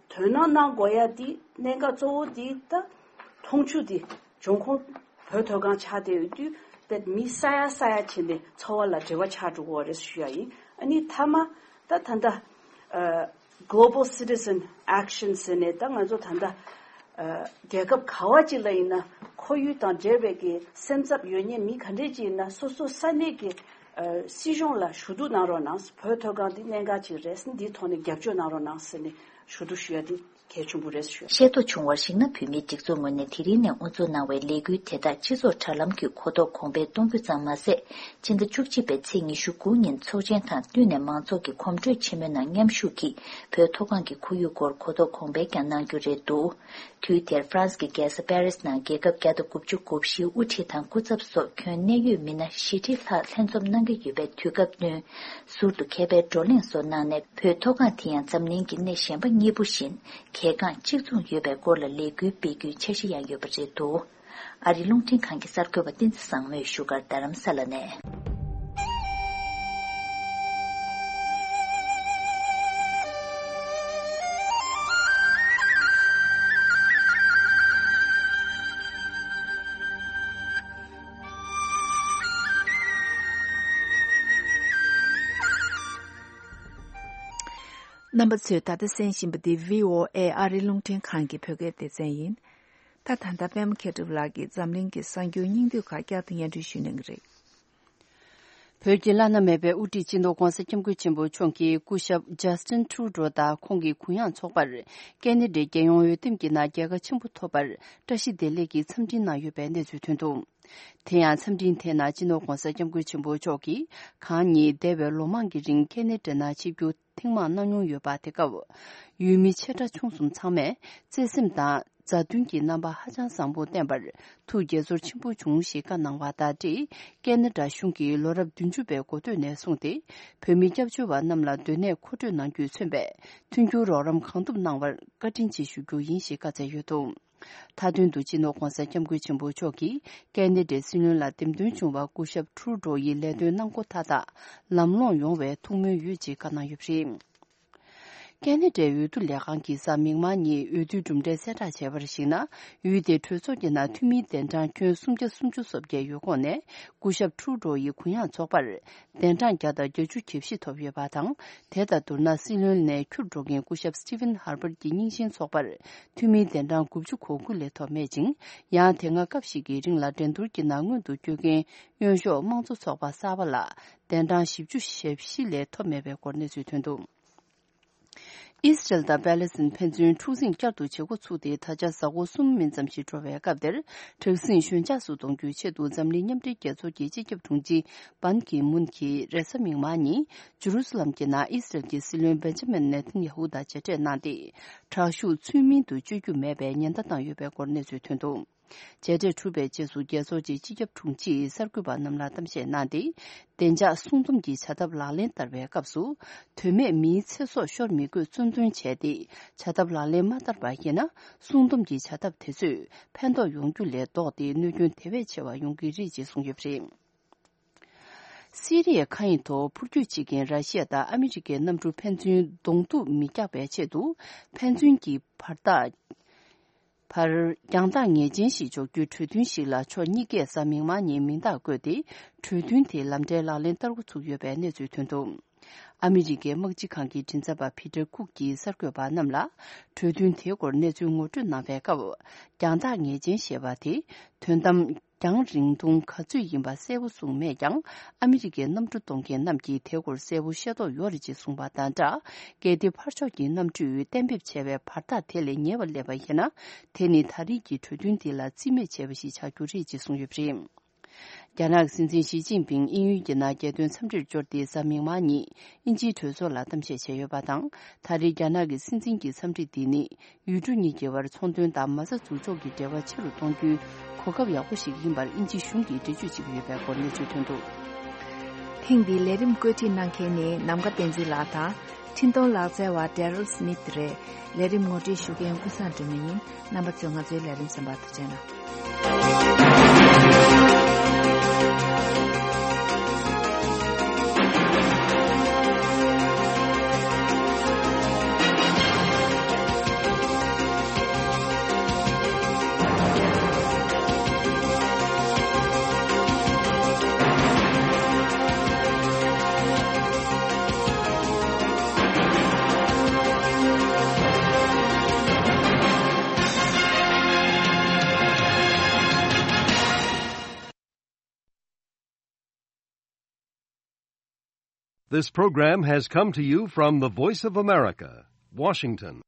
དོ་སྣང་གནང་དགོས་ཡ་འདི་གནད་འགག་གཙོ་བོ་འདི་ད་འཐུང་ཆུ་འདི་འབྱུང་ཁུངས་བོད་མཐོ་སྒང་ཆགས་བསྡད་ཡོད་དུས་ད་མི་ས་ཡ་ས་ཡ་བྱས་ནས་འཚོ་བ་ལ་འབྲེལ་བ་ཆགས་འགྲོ་གི་ཡོད་རེད་ཞུ་ཡ་ཡིན། ཨ་ནི་མཐའ་མ་ད་ད་ལྟ་ཨ་Global Citizen Action ཟེར་ནས་ད་ང་ཚོ་ད་ལྟ་ཨ་རྒྱལ་ཁབ་ག་བ་ཅིག་ལ་ཡིན་ན་ཁོར་ཡུག་དང་འབྲེལ་བའི་གི་སེམས་འཚབ་ཡོད་མཁན་མི་ག་འདྲས་ཅིག་ཡིན་ན་སོ་སོ་ས་གནས་ཀྱི་ཨ་སྲིད་གཞུང་ལ་ཞུ་གཏུག་གནང་རོགས་གནང་། བོད་མཐོ་སྒང་འདི་གནད་འགག་ཅིག་རེད། འདིའི་ཐོག་ནས་རྒྱབ་སྐྱོར་གནང་རོགས་གནང་ཟེར་ནས་ཞུ་གཏུག་ཞུ་ཡ་འདི་གལ་ཆེན་པོ་རེད་ཞུ། ཤེས་རྟོགས་བྱུང་བར་གཞིགས་ན། བོད་མིའི་སྒྲིག་འཛུགས་ངོས་ནས་དེ་རིང་ནས་དབུ་འཛུགས་གནང་བའི་ལས་འགུལ་དེ་དག་སྤྱི་ཚོགས་དྲ་ལམ་གྱི་གོ་རྟོགས་གོང་འཕེལ་གཏོང་རྒྱུ་ཙམ་མ་ཟད། ཕྱི་ཟླ་བཅུ་གཅིག་པའི་ཚེས་ཉི་ཤུ་དགུ་ཉིན་ཚོགས་ཆེན་དང་བསྟུན་ནས་མང་ཚོགས་ཀྱི་གོམ་བགྲོད་ཆེན་མོའི་ནང་མཉམ་ཞུགས་ཀྱིས་བོད་མཐོ་སྒང་གི་ཁོར་ཡུག་སྐོར་གོ་རྟོགས་གོང་འཕེལ་ཀྱང་གནང་རྒྱུ་རེད་འདུག་དུས་དེར་ཧྥ་རན་སི་གི་རྒྱལ་ས་པེ་རིས་ནང་རྒྱལ་ཁབ་བརྒྱ་དང་དགུ་བཅུ་གོ་བཞིའི་དབུ་ཁྲིད་དང་སྐུ་ཚབ་སོགས་ཁྱོན་གནད་ཡོད་མི་སྣ་བཞི་ཁྲི་ལྷག་ལྷན་འཛོམས་གནང་གི་ཡོད་པའི་དུས་སྐབས་བསྟུན། ཟུར་དུ་མཁས་པའི་བགྲོ་གླེང་སོགས་གནང་ནས། བོད་མཐོ་སྒང་དེ་ཡང་འཛམ་གླིང་གི་གནས་གཞན་པ་གཉིས་པོ་བཞིན་གལ་འགངས་གཅིག་མཚུངས་ཡོད་པའི་སྐོར་ལ་ལས་འགུལ་སྤེལ་རྒྱུའི་འཆར་གཞི་ཡང་ཡོད་པ་རེད་འདུག་ཨ་རིའི་རླུང་འཕྲིན་ཁང་གི་གསར་འགོད་པ་བསྟན་འཛིན་བཟང་མོས་བཞུགས་སྒར་རྡ་རམ་ས་ལ་ནས། རྣམ་པ་ཚོས་ད་ལྟ་གསན་བཞིན་པ་འདི་བྷི་ཨོ་ཨེ་ཨ་རིའི་རླུང་འཕྲིན་ཁང་གི་བོད་སྐད་སྡེ་ཚན་ཡིན། ད་ད་ལྟ་པད་མ་མཁས་གྲུབ་ལགས་ཀྱིས་འཛམ་གླིང་གི་གསར་འགྱུར་སྙིང་བསྡུས་ཁག་བསྐྱར་དུ་སྙན་སྒྲོན་ཞུ་གནང་གི་རེད། བོད་ཀྱི་བླ་ན་མེད་པའི་དབུ་ཁྲིད་སྤྱི་ནོར་༧གོང་ས་༧སྐྱབས་མགོན་ཆེན་པོ་མཆོག་གིས་སྐུ་ཞབས་ཇཱ་སི་ཊིན་ཊུ་རུ་ཌོ་དང་ཁོང་གི་གུ་ཡངས་ཚོགས་པར་ཀེ་ན་ཌའི་རྒྱལ་ཡོངས་འོས་འདེམས་ཀྱི་ནང་རྒྱལ་ཁ་ཆེན་པོ་ཐོབ་པར་བཀྲ་ཤིས་བདེ་ལེགས་ཀྱི་འཚམས་འཕྲིན་གནང་ཡོད་པའི་གནས་ཚུལ་ཐོན་འདུག་དེ་ཡང་འཚམས་འཕྲིན་དེའི་ནང་སྤྱི་ནོར་༧གོང་ས་༧སྐྱབས་མགོན་ཆེན་པོ་མཆོག་གིས་གང་ཉིད་འདས་པའི་ལོ་མང་གི་རིང་ཀེ་ན་ཌ་ནང་ཆིབས་བསྒྱུར་ཐེངས་མང་གནང་མྱོང་ཡོད་པ། དེ་སྐབས་ཡུལ་མི་ཆེ་ཕྲ་ཆུང་གསུམ་ཚང་མས་བརྩེ་སེམས་དང་མཛའ་མཐུན་གྱི་རྣམ་པ་ཧ་ཅང་བཟང་པོ་བསྟན་པར་ཐུགས་དགྱེས་ཚོར་ཆེན་པོ་བྱུང་ཞེས་བཀའ་གནང་བ་དང་འབྲེལ། ཀེ་ན་ཌ་གཞུང་གིས་ལོ་རབས་བདུན་ཅུ་པའི་འགོ་སྟོད་ནས་བཟུང་སྟེ་བོད་མི་སྐྱབས་བཅོལ་བ་རྣམས་ལ་སྡོད་གནས་མཁོ་སྤྲོད་གནང་རྒྱུས་མཚོན་པའི་མཐུན་འགྱུར་རོགས་རམ་གང་ཐུབ་གནང་བར་བཀའ་དྲིན་ཆེ་ཞུ་རྒྱུ་ཡིན་ཞེས་བཀའ་སྩལ་ཡོད་འདུག་མཐའ་དོན་དུ་སྤྱི་ནོར་༧གོང་ས་༧སྐྱབས་མགོན་ཆེན་པོ་མཆོག་གིས་ཀེ་ན་ཌའི་སྲིད་བློན་ལ་འདེམས་ཐོན་བྱུང་བ་སྐུ་ཞབས་ཊུ་རུ་ཌོ་ཡིས་ལས་དོན་གནང་སྒོ་མཐའ་དག་ལམ་ལྷོང་ཡོང་བའི་ཐུགས་སྨོན་ཡོད་ཅེས་བཀའ་གནང་ཡོད་པ་རེད། ཀེ་ན་ཌའི་འོས་བསྡུ་ལས་ཁང་གིས་གཟའ་མིག་དམར་ཉིན་འོས་བསྡུའི་གྲུབ་འབྲས་གསལ་བསྒྲགས་བྱས་པར་གཞིགས་ན། འོས་དེ་གྲོས་ཚོགས་ཀྱི་ནང་འཐུས་མིའི་གདན་གྲངས་ཁྱོན་སུམ་བརྒྱ་སུམ་ཅུ་སོ་བརྒྱད་ཡོད་ཁོངས་ནས་སྐུ་ཞབས་ཊུ་རུ་ཌོ་ཡི་གུ་ཡངས་ཚོགས་པར་གདན་གྲངས་བརྒྱ་དང་བརྒྱད་ཅུ་གྱ་བཞི་ཐོབ་ཡོད་པ་དང་། དེ་དང་བསྡུར་ན་སྲིད་བློན་ནས་འཁྱུར་འགྲོ་མཁན་སྐུ་ཞབས་སི་ཊི་ཝན་ཧར་པར་གྱི་རྙིང་ཞེན་ཚོགས་པར་འཐུས་མིའི་གདན་གྲངས་དགུ་བཅུ་གོ་དགུ་ལས་ཐོབ་མེད་ཅིང་། ཡང་དེ་སྔ་སྐབས་ཤིག་གི་རིང་ལ་འགྲན་བསྡུར་གྱི་ནང་སྔོན་དུ་བསྐྱོད་མཁན་གཡོན་ཕྱོགས་དམངས་གཙོ་ཚོགས་པ་གསར་པ་ལ་གདན་གྲངས་བཞི་བཅུ་ཞེ་བཞི་ལས་ཐོབ་མེད་པའི་སྐོར་གནས་ཚུལ་ཐོན་འདུག་ཨི་སི་རལ་དང་པེ་ལེ་སི་ཐན་ཕན་ཚུན་འཁྲུག་འཛིང་བསྐྱར་དུ་བྱེད་འགོ་ཚུགས་ཏེ་ད་ཆ་གཟའ་འཁོར་གསུམ་མིན་ཙམ་ཞིག་འགྲོ་བའི་སྐབས་དེར། དྲག་ཟིང་ཞོད་འཇགས་སུ་གཏོང་རྒྱུའི་ཆེད་དུ་འཛམ་གླིང་མཉམ་འབྲེལ་རྒྱལ་ཚོགས་ཀྱི་སྤྱི་ཁྱབ་དྲུང་ཆེ་པན་ཀི་མུན་གྱིས་རེས་གཟའ་མིག་དམར་ཉིན་ཇུ་རུ་སུ་ལམ་གྱི་ནང་ཨི་སི་རལ་གྱི་སྲིད་བློན་བེན་ཇ་མིན་ནེ་ཐན་ཡ་ཧུ་དང་མཇལ་འཕྲད་གནང་སྟེ། དྲག་ཤུགས་ཚུལ་མིན་དུ་གཅོད་རྒྱུ་མེད་པའི་ཉེན་བརྡ་བཏང་ཡོད་པའི་སྐོར་གནས་ཚུལ་ཐོན་འདུག་མཇལ་འཕྲད་གྲུབ་པའི་རྗེས་སུ་རྒྱལ་ཚོགས་ཀྱི་སྤྱི་ཁྱབ་དྲུང་ཆེས་གསར་འགོད་པ་རྣམས་ལ་གཏམ་བཤད་གནང་སྟེ། བདེ་འཇགས་སྲུང་སྡོམ་གྱི་བྱ་ཐབས་ལག་ལེན་བསྟར་བའི་སྐབས་སུ། དོན་མེད་མིའི་ཚེ་སྲོག་ཤོར་མི་དགོས་གཙོ་འདོན་བྱས་ཏེ། བྱ་ཐབས་ལག་ལེན་མ་བསྟར་པ་ཡིན་ན། སྲུང་སྡོམ་གྱི་བྱ་ཐབས་དེ་ཚོས་ཕན་ཐོགས་ཡོང་རྒྱུ་ལས་ལྡོག་སྟེ་གནོད་སྐྱོན་དེ་བས་ཆེ་བ་ཡོང་གི་རེད་ཅེས་གསུངས་ཡོད་པ་རེད། སི་རི་ཡའི་མཁའ་དབྱིངས་ཐོག་འཕུར་སྐྱོད་བྱེད་མཁན་ར་ཤི་ཡ་དང་ཨ་མི་རི་ཀའི་གནམ་གྲུ་ཕན་ཚུན་གདོང་ཐུག་མི་རྒྱག་པའི་ཆེད་དུ། ཕན་ཚུན་གྱི་བར་ཐག་བར་རྒྱང་ཐག་ངེས་ཅན་ཞིག་འཇོག་རྒྱུའི་གྲོས་མཐུན་ཞིག་ལ་ཕྱོགས་གཉིས་ཀས་གཟའ་མིག་དམར་ཉིན་མིང་རྟགས་བཀོད་དེ། གྲོས་མཐུན་དེ་ལམ་འབྲས་ལག་ལེན་བསྟར་འགོ་ཚུགས་ཡོད་པའི་གནས་ཚུལ་ཐོན་འདུག་ཨ་མི་རི་ཀའི་དམག་སྤྱི་ཁང་གི་མགྲིན་ཚབ་པ་ཕི་ཏར་ཁུག་གིས་གསར་འགོད་པ་རྣམས་ལ། གྲོས་མཐུན་དེའི་སྐོར་གནས་ཚུལ་ངོ་སྤྲོད་གནང་བའི་སྐབས། རྒྱང་ཐག་ངེས་ཅན་ཞེས་པ་དེ། དོན་དམ། རྒྱང་རིང་ཐུང་ག་ཚོད་ཡིན་པ་གསལ་པོ་གསུངས་མེད་ཀྱང་། ཨ་མི་རི་ཀའི་གནམ་གྲུ་གཏོང་མཁན་རྣམས་ཀྱིས་དེའི་སྐོར་གསལ་པོ་ཤེས་རྟོགས་ཡོད་རེད་ཅེས་གསུངས་པ་དང་སྦྲགས། གལ་ཏེ་ཕར་ཕྱོགས་ཀྱི་གནམ་གྲུས་གཏན་འབེབས་བྱས་པའི་བར་ཐག་དེ་ལས་ཉེ་བར་སླེབས་པ་ཡིན་ན། དེ་ནི་ད་རེས་ཀྱི་གྲོས་མཐུན་འདི་ལ་རྩིས་མེད་བྱས་པ་ཞིག་ཆགས་རྒྱུ་རེད་ཅེས་གསུངས་ཡོད་པ་རེད། རྒྱ་ནག་གི་སྲིད་འཛིན་ཞི་ཅིན་ཕིང་དབྱིན་ཡུལ་གྱི་ནང་རྒྱལ་དོན་འཚམས་འདྲིར་འབྱོར་ཏེ་གཟའ་མིག་དམར་ཉིན་དབྱིན་ཇིའི་གྲོས་ཚོགས་ལ་གཏམ་བཤད་བྱས་ཡོད་པ་དང་། ད་རེས་རྒྱ་ནག་གི་སྲིད་འཛིན་གྱི་འཚམས་འདྲི་འདི་ནི། ཡུལ་གྲུ་གཉིས་ཀྱི་བར་ཚོང་དོན་དང་མ་རྩ་འཛུགས་ཕྱོགས་ཀྱི་འབྲེལ་བ་ཆེ་རུ་གཏོང་རྒྱུའི་གོ་སྐབས་ཡག་པོ་ཞིག་ཡིན་པར་དབྱིན་ཇི་གཞུང་གིས་འགྲེལ་བརྗོད་བྱེད་ཀྱི་ཡོད་པའི་སྐོར་གནས་ཚུལ་ཐོན་འདུག་ཐེངས་འདིའི་ལས་རིམ་བཀོད་སྒྲིག་གནང་མཁན་ནི་ནམ་མཁའ་བསྟན་འཛིན་ལགས་དང་། འཕྲིན་གཏོང་ལག་རྩལ་བ་Daryl Smith་རེད། ལས་རིམ་ངོ་སྤྲོད་ཞུ་མཁན་ཀུན་བཟང་སྒྲོལ་མ་ཡིན། རྣམ་པ་ཚོས་ང་ཚོའི་ལས་རིམ་གསན་པར་ཐུགས་རྗེ་གནང་། This program has come to you from the Voice of America, Washington.